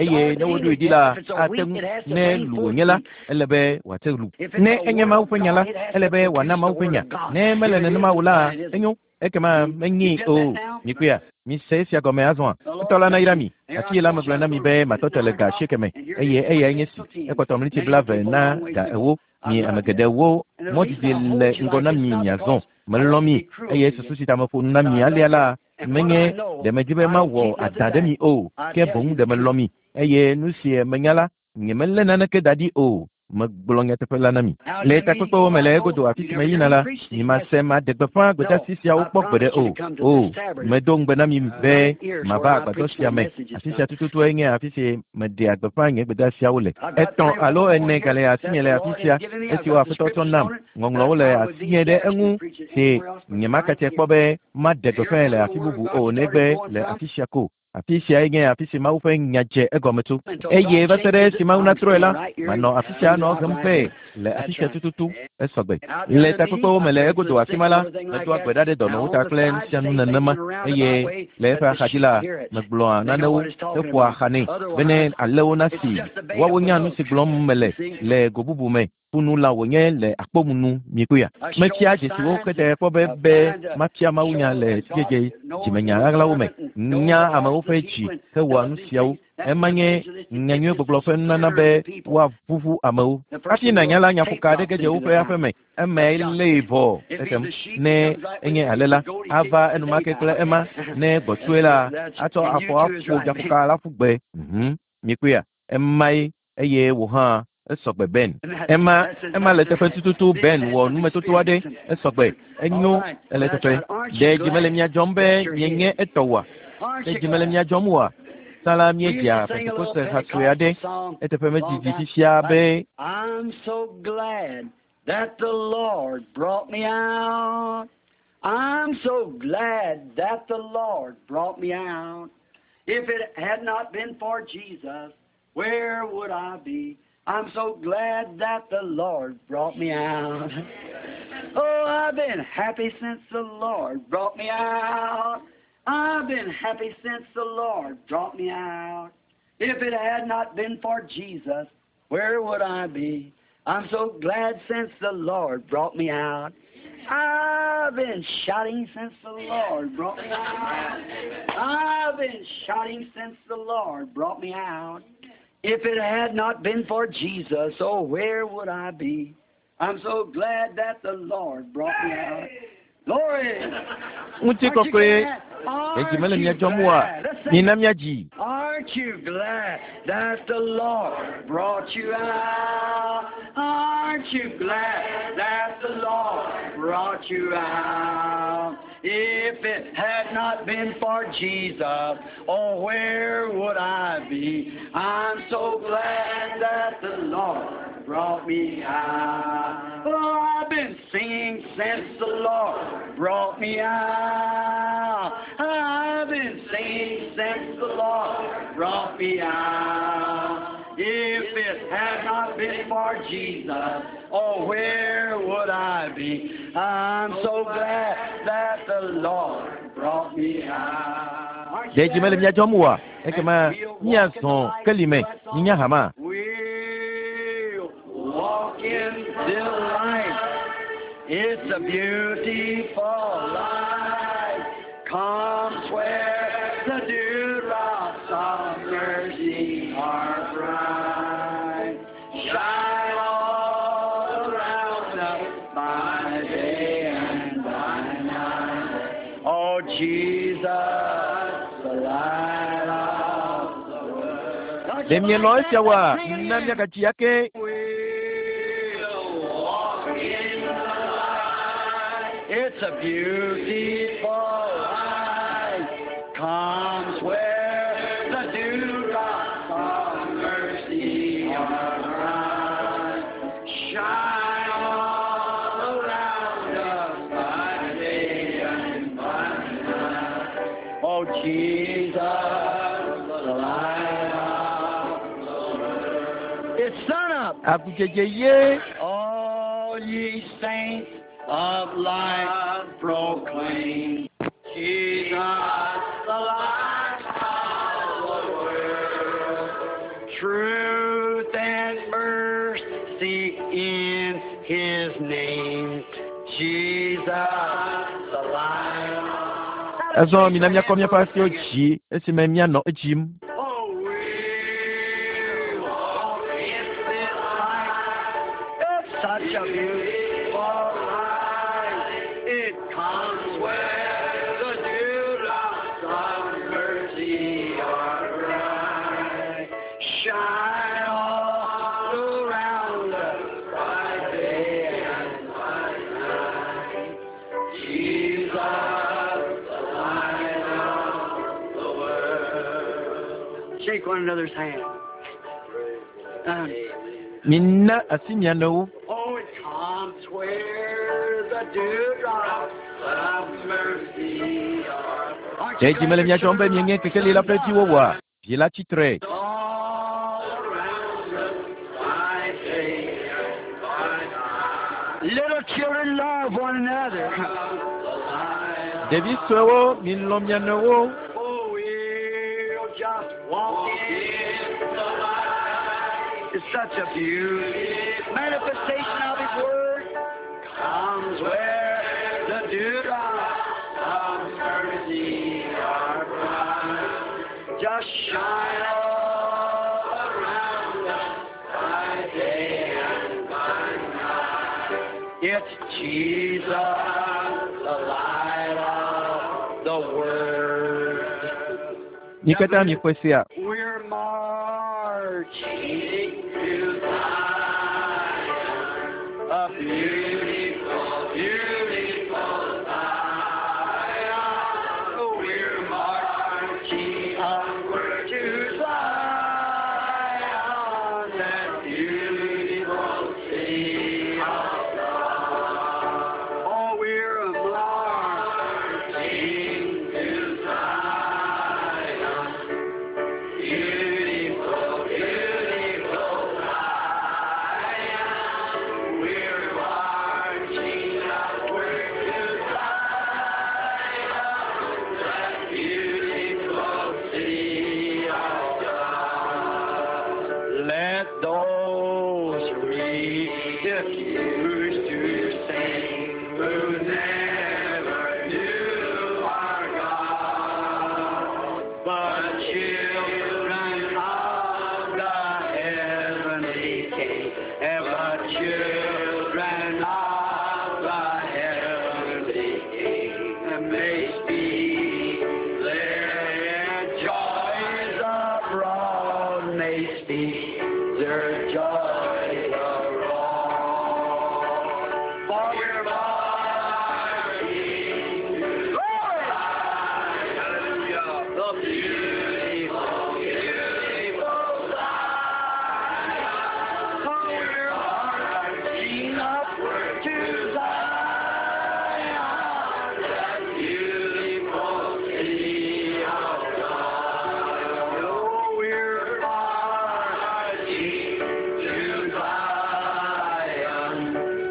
Eye ne woɖoe ɖi la, ate ŋu ne lu wònye la, ele be wòate lu. Ne enye Mawu ƒe nya la, ele be wòana Mawu ƒe nya. Ne mele nenema o la, enyo. Ekema menyi o. Mikpɔea? Mise esia gɔme azɔa. Etɔ la nayra mi. Afi la megblɔ na mi be matɔtɔ le ga asieke me eye eyae nye si. Ekpɔtɔ mliti blaeve na ga ewo. Mi ame geɖewo mɔdidi le ŋgɔ na mi miazɔ. Melɔ̃ mi eye susu si ta meƒo nu na mi alea la, menye ɖe medi be mawɔ adã ɖe mi o, ke boŋ ɖe melɔ̃ mi eye nu si menya la, nyemelé naneke da ɖi o. Megblɔ nyateƒe la na mi. Le takpekpewo me le egodo afi si meyina la, nyemase maɖe gbeƒã gbedeasi siawo kpɔ gbeɖe o. O, medo ŋugbe na mi be mava agbadɔ sia me. Afi sia tututue nye afi si meɖea gbeƒã nye gbedeasiawo le. Etɔ̃ alo ene gale asinye le afi sia esiwo Aƒetɔ tsɔ nam. Ŋɔŋlɔwo le asinye ɖe eŋu si nyemakatse kpɔ be maɖe gbeƒãe le afi bubu o negbe le afi sia ko. Afi siae nye afi si Mawu ƒe nya dze egɔme tso. Eye va se ɖe esi Mawu natrɔe la, manɔ afi sia anɔ hem vɛ le afi sia tututu esɔgbe. Le takpekpewo me le egodo afi ma la, medoa gbe ɖa ɖe dɔnɔwo ta kple nu sia nu nenema eye le eƒe axadzi la, megblɔa nanewo heƒoa xa nɛ bene alewo nasi woawo nya nu si gblɔm mele le go bubu me. Ƒunu la wònye le akpɔmunu mikpɔea. Mefia dzesiwo kete kpɔ be be mafia Mawunya le sidzedze dzimenya ɣaɣlawo me. Nya amewo ƒe dzi hewɔa nu siawo. Ema nye nyanyuigbɔgblɔ ƒe nunana be woaʋuʋu amewo. Hafi nànya la, nyaƒoka aɖe ge dze woƒe aƒe me. Emae lée vɔ ekem. Ne enye ale la, ava enumake kple ema. Ne gbɔtsoe la, atsɔ afɔ aƒo nyaƒoka la ƒu gbe. Mhm. Mikpɔea? Emae eye wò hã esɔgbe Ben. Ema ema le teƒe tututu Ben wɔ numetoto aɖe esɔgbe. Enyo ele teƒe. Ɖe dzi mele mia dzɔm be mienye etɔ oa? Ɖe dzi mele mia dzɔm oa? Tsã la míedzea Pentekoste ha sue aɖe. Eteƒe medidi fifia be I'm so glad that the Lord brought me out. I'm so glad that the Lord brought me out. If it had not been for Jesus, where would I be? I'm so glad that the Lord brought me out. Oh, I've been happy since the Lord brought me out. I've been happy since the Lord brought me out. If it had not been for Jesus, where would I be? I'm so glad since the Lord brought me out. I've been shouting since the Lord brought me out. I've been shouting since the Lord brought me out. If it had not been for Jesus, oh, where would I be? I'm so glad that the Lord brought me out. Glory! Ŋutikɔkɔe. Ɖe dzi mele mia dzɔm oa? Mina míadzi. Aren't you glad that the Lord brought you out? Aren't you glad that the Lord brought you out? If it had not been for Jesus, oh, where would I be? I'm so glad that the Lord brought me out. Oh, I've been singing since the Lord brought me out. I've been singing since the Lord brought me out. If it had not been for Jesus, oh, where would I be? I'm so glad that the Lord brought me out. Aren't you Ɖe dzi mele glad? mía dzɔm oa? Ekema míazɔ kelime mínya hama. We'll walk in the light. It's a beautiful light. Comes where the dewdrops of mercy are bright. Shine all around us by day and by night. Oh, Jesus, the light of the world. Don't Ɖe you mielɔ̃ like esia that? oa? Sing Na it. míagatsi ake. We'll walk in the light. It's a beautiful light. Comes where the dewdrops of mercy are bright. Shine all around us by day and by night. Oh, Jesus, the light of the world. It's sun up. Agudzedze ye. All ye saints of light proclaim Jesus, the light of the world. Truth and mercy in his name. Jesus, the light. Azɔ mina míakɔ míaƒe asiwo dzi esime míanɔ edzim. Oh, we walk in this light. It's such a beautiful light. It comes where the dewdrops of mercy are bright. Shine all around us by day and by night. Jesus, the light of the world. Shake one another's hand. Um, Mina asi mia nɔewo. oh, it comes where the dewdrops of mercy are. Aren't Ɖe you dzi mele glad mía your dzɔm be children mienye kekeli la ƒe viwo oa? Vi la tsitre. all around us by day and by night. Little children love one another. Ɖevi suewo, milɔ̃ mia nɔewo. Oh, we'll just walk in the light. It's such a beautiful manifestation of His Word. Comes where the dewdrops of mercy are bright. Just shine all around us by day and by night. It's Jesus, the light of the world. Mi katã miƒe sia. We're marching to Zion, a beautiful, beautiful Zion. We're marching upward to Zion, that beautiful city of God. Oh, we're marching to Zion. Beautiful, beautiful Zion. We're marching upward to Zion, that beautiful city of God. Let those refuse to sing who never knew our God, but children of the heavenly King, ever children of the heavenly King, and may speak their joys abroad. Beautiful, beautiful Zion. Oh, we're marching upward to Zion, that beautiful city of God. Oh, we're marching to Zion,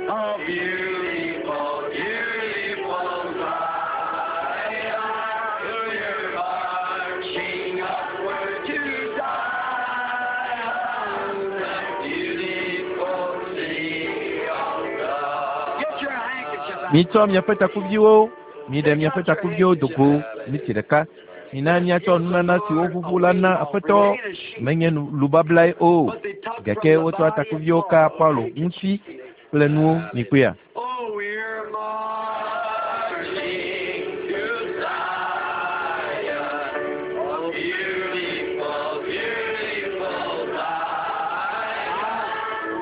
a beautiful, beautiful Zion. We're marching upward to Zion, that beautiful city of God. Get your handkerchief out. Mitsɔ miaƒe takuviwo, miɖe miaƒe takuviwo do go, miti ɖeka. Mina miatsɔ nunana siwo ʋuʋu la na Aƒetɔ. Menye nu- lubablae o. Gake wotsɔ takuviwo ka Paulo ŋuti kple nuwo mikpɔea. Oh, we're marching to Zion, oh, beautiful, beautiful Zion.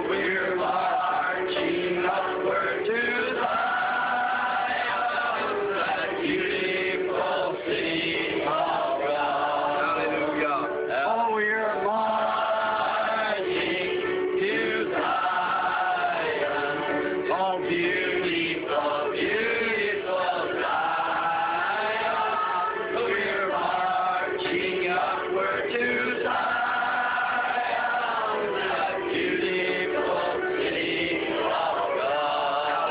We're marching upward to Zion, that beautiful city of God. Hallelujah. Oh, we're marching to Zion, oh, beautiful, beautiful Zion. We're marching upward to Zion, that beautiful city of God.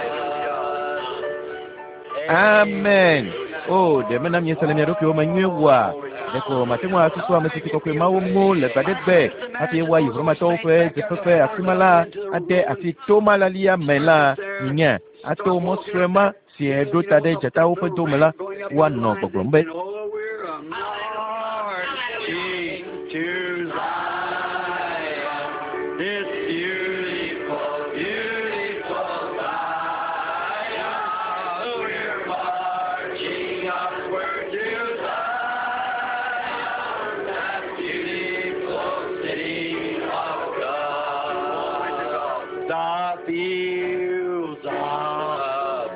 Amen. O, ɖe mena miese le mia ɖokuiwo me nyuie wua? Ɖeko mate ŋu asusu ame si kɔkɔe mawo ŋu le gbaɖegbe hafi woayi Romatɔwo ƒe dzeƒeƒe afi ma la ade asi tomalalia me la minya ato mɔ sue ma si ɖo ta ɖe dzatawo ƒe dome la woanɔ gbɔgblɔm be Oh, we're marching to Zion, this beautiful, beautiful Zion. We're marching upward to Zion, that beautiful city of God. The fields of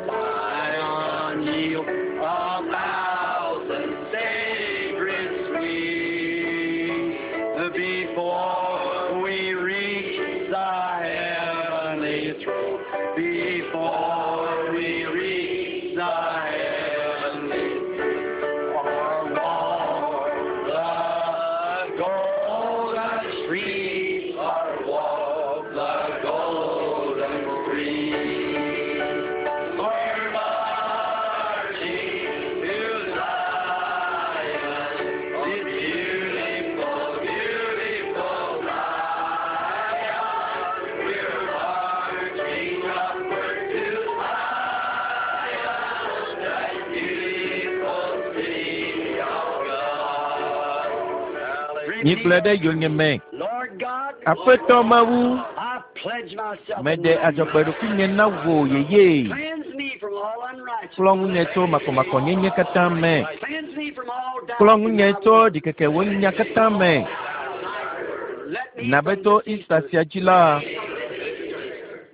Zion yield a thousand sacred sweets before we reach the heavenly throne. Before we reach the heavenly or walk the golden street, or walk the golden street. We're marching to Zion, this beautiful, beautiful Zion. We're marching upward to Zion, that beautiful city of God. Migblɔe ɖe yonyeme. Lord God, Aƒetɔ Mawu, I pledge myself meɖe adzɔgbe ɖokuinye na wò yeye. Cleanse me from all unrighteousness. Kplɔ ŋunye tso makɔmakɔnyenye katã me. Cleanse me from all doubt. Kplɔ ŋunye tso ɖikekewo nya katã me. Let me Na be from to this Easter sia dzi la,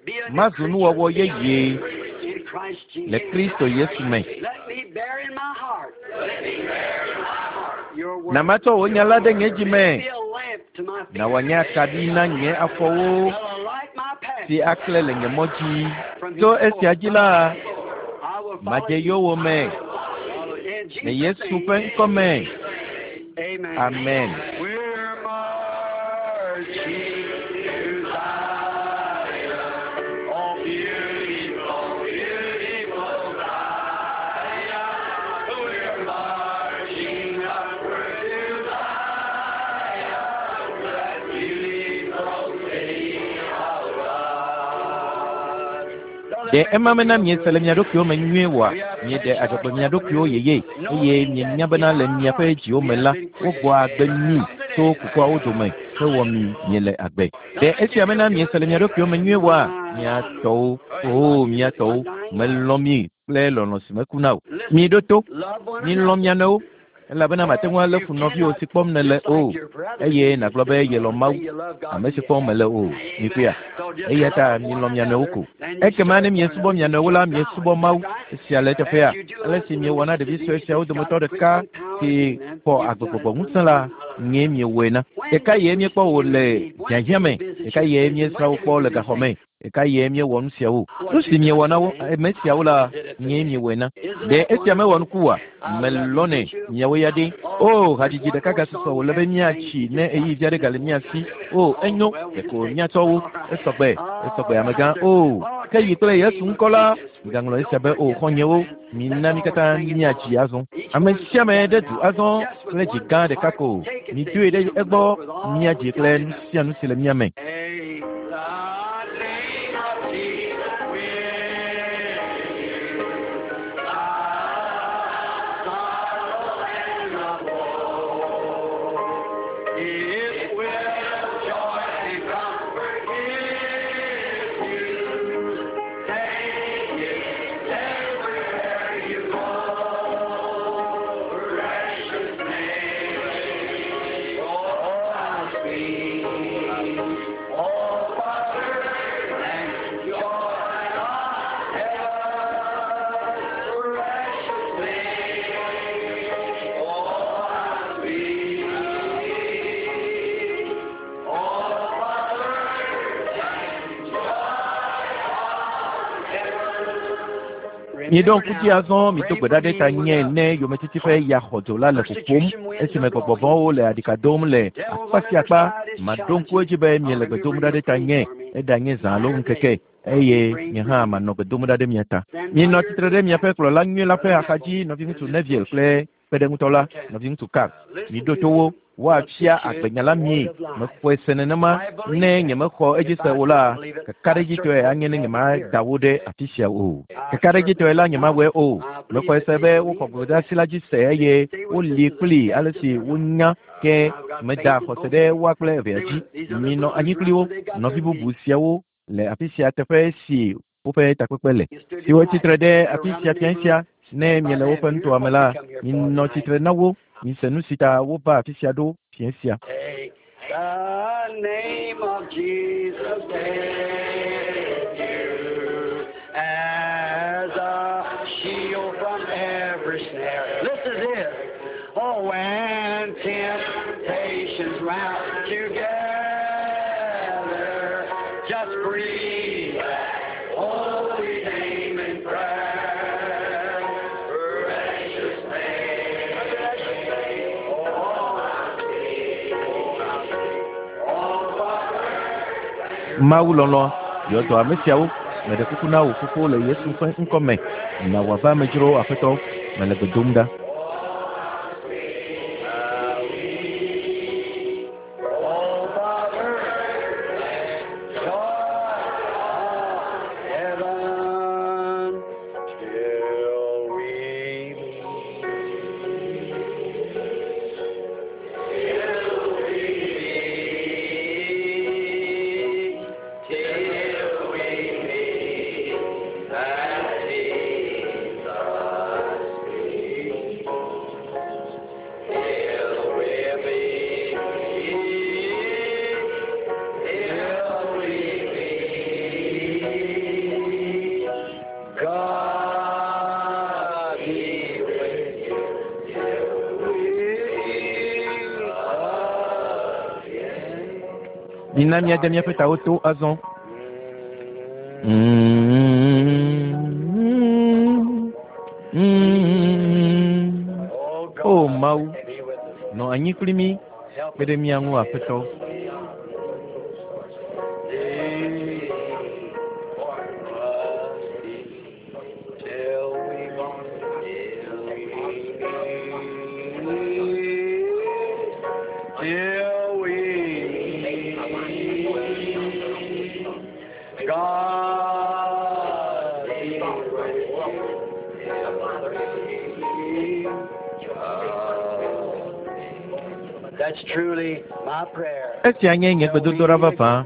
be a new mazu nuwɔwɔ yeye in Christ Jesus. le Kristo Yesu me. Let me bear in my heart. Let me bear in my heart your word. Na matsɔ wò nya la ɖe nye dzi me. Be a lamp to my feet. Na wòanye akaɖi na nye afɔwo Shall light my path. si aklẽ le nye mɔ dzi. Tso esia dzi la, I will follow madze you. yowòme In le Jesus' Yesu name. ƒe ŋkɔ me. Amen. Amen. We're marching to Zion, oh beautiful, beautiful Zion. We're marching upward to Zion, that beautiful city of God. Ɖe ema mena miese le mia ɖokuiwo me nyuie oa? Mieɖe adzɔgbe mia ɖokuiwo yeye eye mienya bena le miaƒe dziwo me la, wogbɔ agbe mi tso kukuawo dome hewɔ mi miele agbe. Ɖe esia mena miese le mia ɖokuiwo me nyuie oa? Mia tɔwo, oo mia tɔwo, melɔ̃ mi kple lɔlɔ̃ si mekuna o. Miɖo to, Love one milɔ̃ another. mia nɔewo. Elabena mate ŋu alé fu nɔviwò si kpɔm nèle o, eye nàgblɔ be yelɔ̃ Mawu, ame si kpɔm mèle o. Mikpɔea? Eya ta milɔ̃ mia nɔewo ko. Ekema ne miesubɔ mia nɔewo la, miesubɔ Mawu. Esia le eteƒea. Ale si miewɔ na ɖevi sue siawo dometɔ ɖeka si xɔ agbegbɔgbɔ ŋusẽ la, nyee miewɔe na. Ɖeka ye míekpɔ wò le hiahiã me, ɖeka ye míesrã wò kpɔ le gaxɔ me, ɖeka ye míewɔ nu siawo. Nu si miewɔ na wo ame siawo la, nyee miewɔe na. Ɖe esia mewɔ nuku oa? Melɔ̃nɛ miawo ya ɖe. O, hadzidzi ɖeka gasusɔ wòle be míatsi ne ɣeyiɣi aɖe gale mía si. O, enyo, ɖeko míatsɔ wo. Esɔgbe, esɔgbe amegã. O, ke yi kple Yesu ŋkɔ la, migaŋlɔ esia be o, xɔ̃nyewo, mina mí katã míadzi azɔ. Ame sia ame ɖe du azɔ kple dzi gã ɖeka ko. Midoe ɖe egbɔ míadzi kple nu sia nu si le mía me. Miɖo ŋku dzi azɔ mido gbe ɖa ɖe ta nye ne yometiti ƒe ya xɔdzo la le ƒoƒom esime gbɔgbɔ vɔ̃wo le aɖika dom le akpa sia akpa. Maɖo ŋku edzi be miele gbe dom ɖa ɖe ta nye, eɖanye zã alo ŋkeke, eye nye hã manɔ gbe dom ɖa ɖe mia ta. Mienɔ tsitre ɖe miaƒe kplɔla nyui la ƒe axadzi, nɔviŋutsu Neville kple kpeɖeŋutɔ la, nɔviŋutsu Carl. Miɖo to wo, woafia agbenya la mie. Mexɔe se nenema, ne nyemexɔ edzi se o la, kakaɖedzitɔe anye ne nyemada wo ɖe afi sia o. Kakaɖedzitɔe la nyemawɔe o. Mexɔe se be woxɔ gbedeasi la dzi se eye woli kpli ale si wonya ke meda xɔse ɖe woa kple evea dzi. Minɔ anyi kpli wo, nɔvi bubu siawo le afi sia teƒe si woƒe takpekpe le. Siwo tsitre ɖe afi sia fia sia, ne miele woƒe nutoa me la, minɔ tsitre na wo. Mise nu si ta wova afi sia ɖo fia sia. Take the name of Jesus with you as a shield from every snare. Listen to this. Oh, when temptations round together, just breathe that holy name in prayer. Precious name, precious name, oh, how sweet, oh, how sweet, oh, Father. Mawu lɔlɔ̃, yɔ dɔ ame siawo. Meɖe kuku na wò fofo le Yesu ƒe ŋkɔ me. Na wòava amedzro Aƒetɔ, mele gbe dom ɖa. Oh, Father, joy of heaven, till we meet. Till we meet, till we meet at Jesus' feet. Till we meet, till we meet, God be with you till we meet again. Mina míade míaƒe tawo to azɔ. Mm, mm. Oh, O God, Mawu, be with us. nɔ anyi kpli mí, Help kpe ɖe mía ŋu Aƒetɔ. Till we meet, till we meet, God be with you. That's truly my prayer. Esia nye nye gbedodoɖa vavã.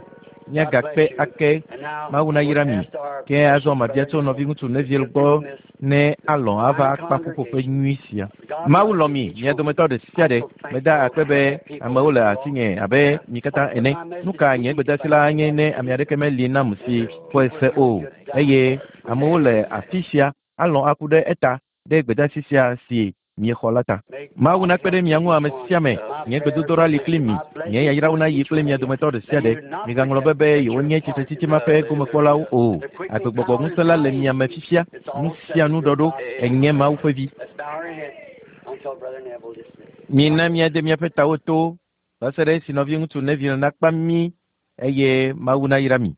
Míagakpe ake. Mawu nayra mi. Ke azɔ mabia tso nɔviŋutsu Neville gbɔ ne alɔ̃ ava akpa ƒuƒoƒe nyui sia. Mawu lɔ̃ mi, mia dometɔ ɖe sia ɖe. Meda akpe be amewo le asinye abe mi katã ene. Nu ka nye gbedeasi la nye ne ame aɖeke meli nam si xɔe se o eye amewo le afi sia alɔ̃ aku ɖe eta ɖe gbedeasi sia si miexɔ la ta. Mawu nakpe ɖe mia ŋu ame sia ame. Nye gbedodoɖa li kpli mi. Nye yayrawo nayi kple mia dometɔ ɖe sia ɖe. Migaŋlɔ be be yewonye tsitretsitsi ma ƒe gomekpɔlawo o. Agbegbɔgbɔ ŋusẽ la le mia me fifia. Nu sia nu ɖɔɖo enye Mawu ƒe vi. Mina míade míaƒe tawo to va se ɖe esi nɔviŋutsu Neville nakpa mí eye Mawu nayra mi.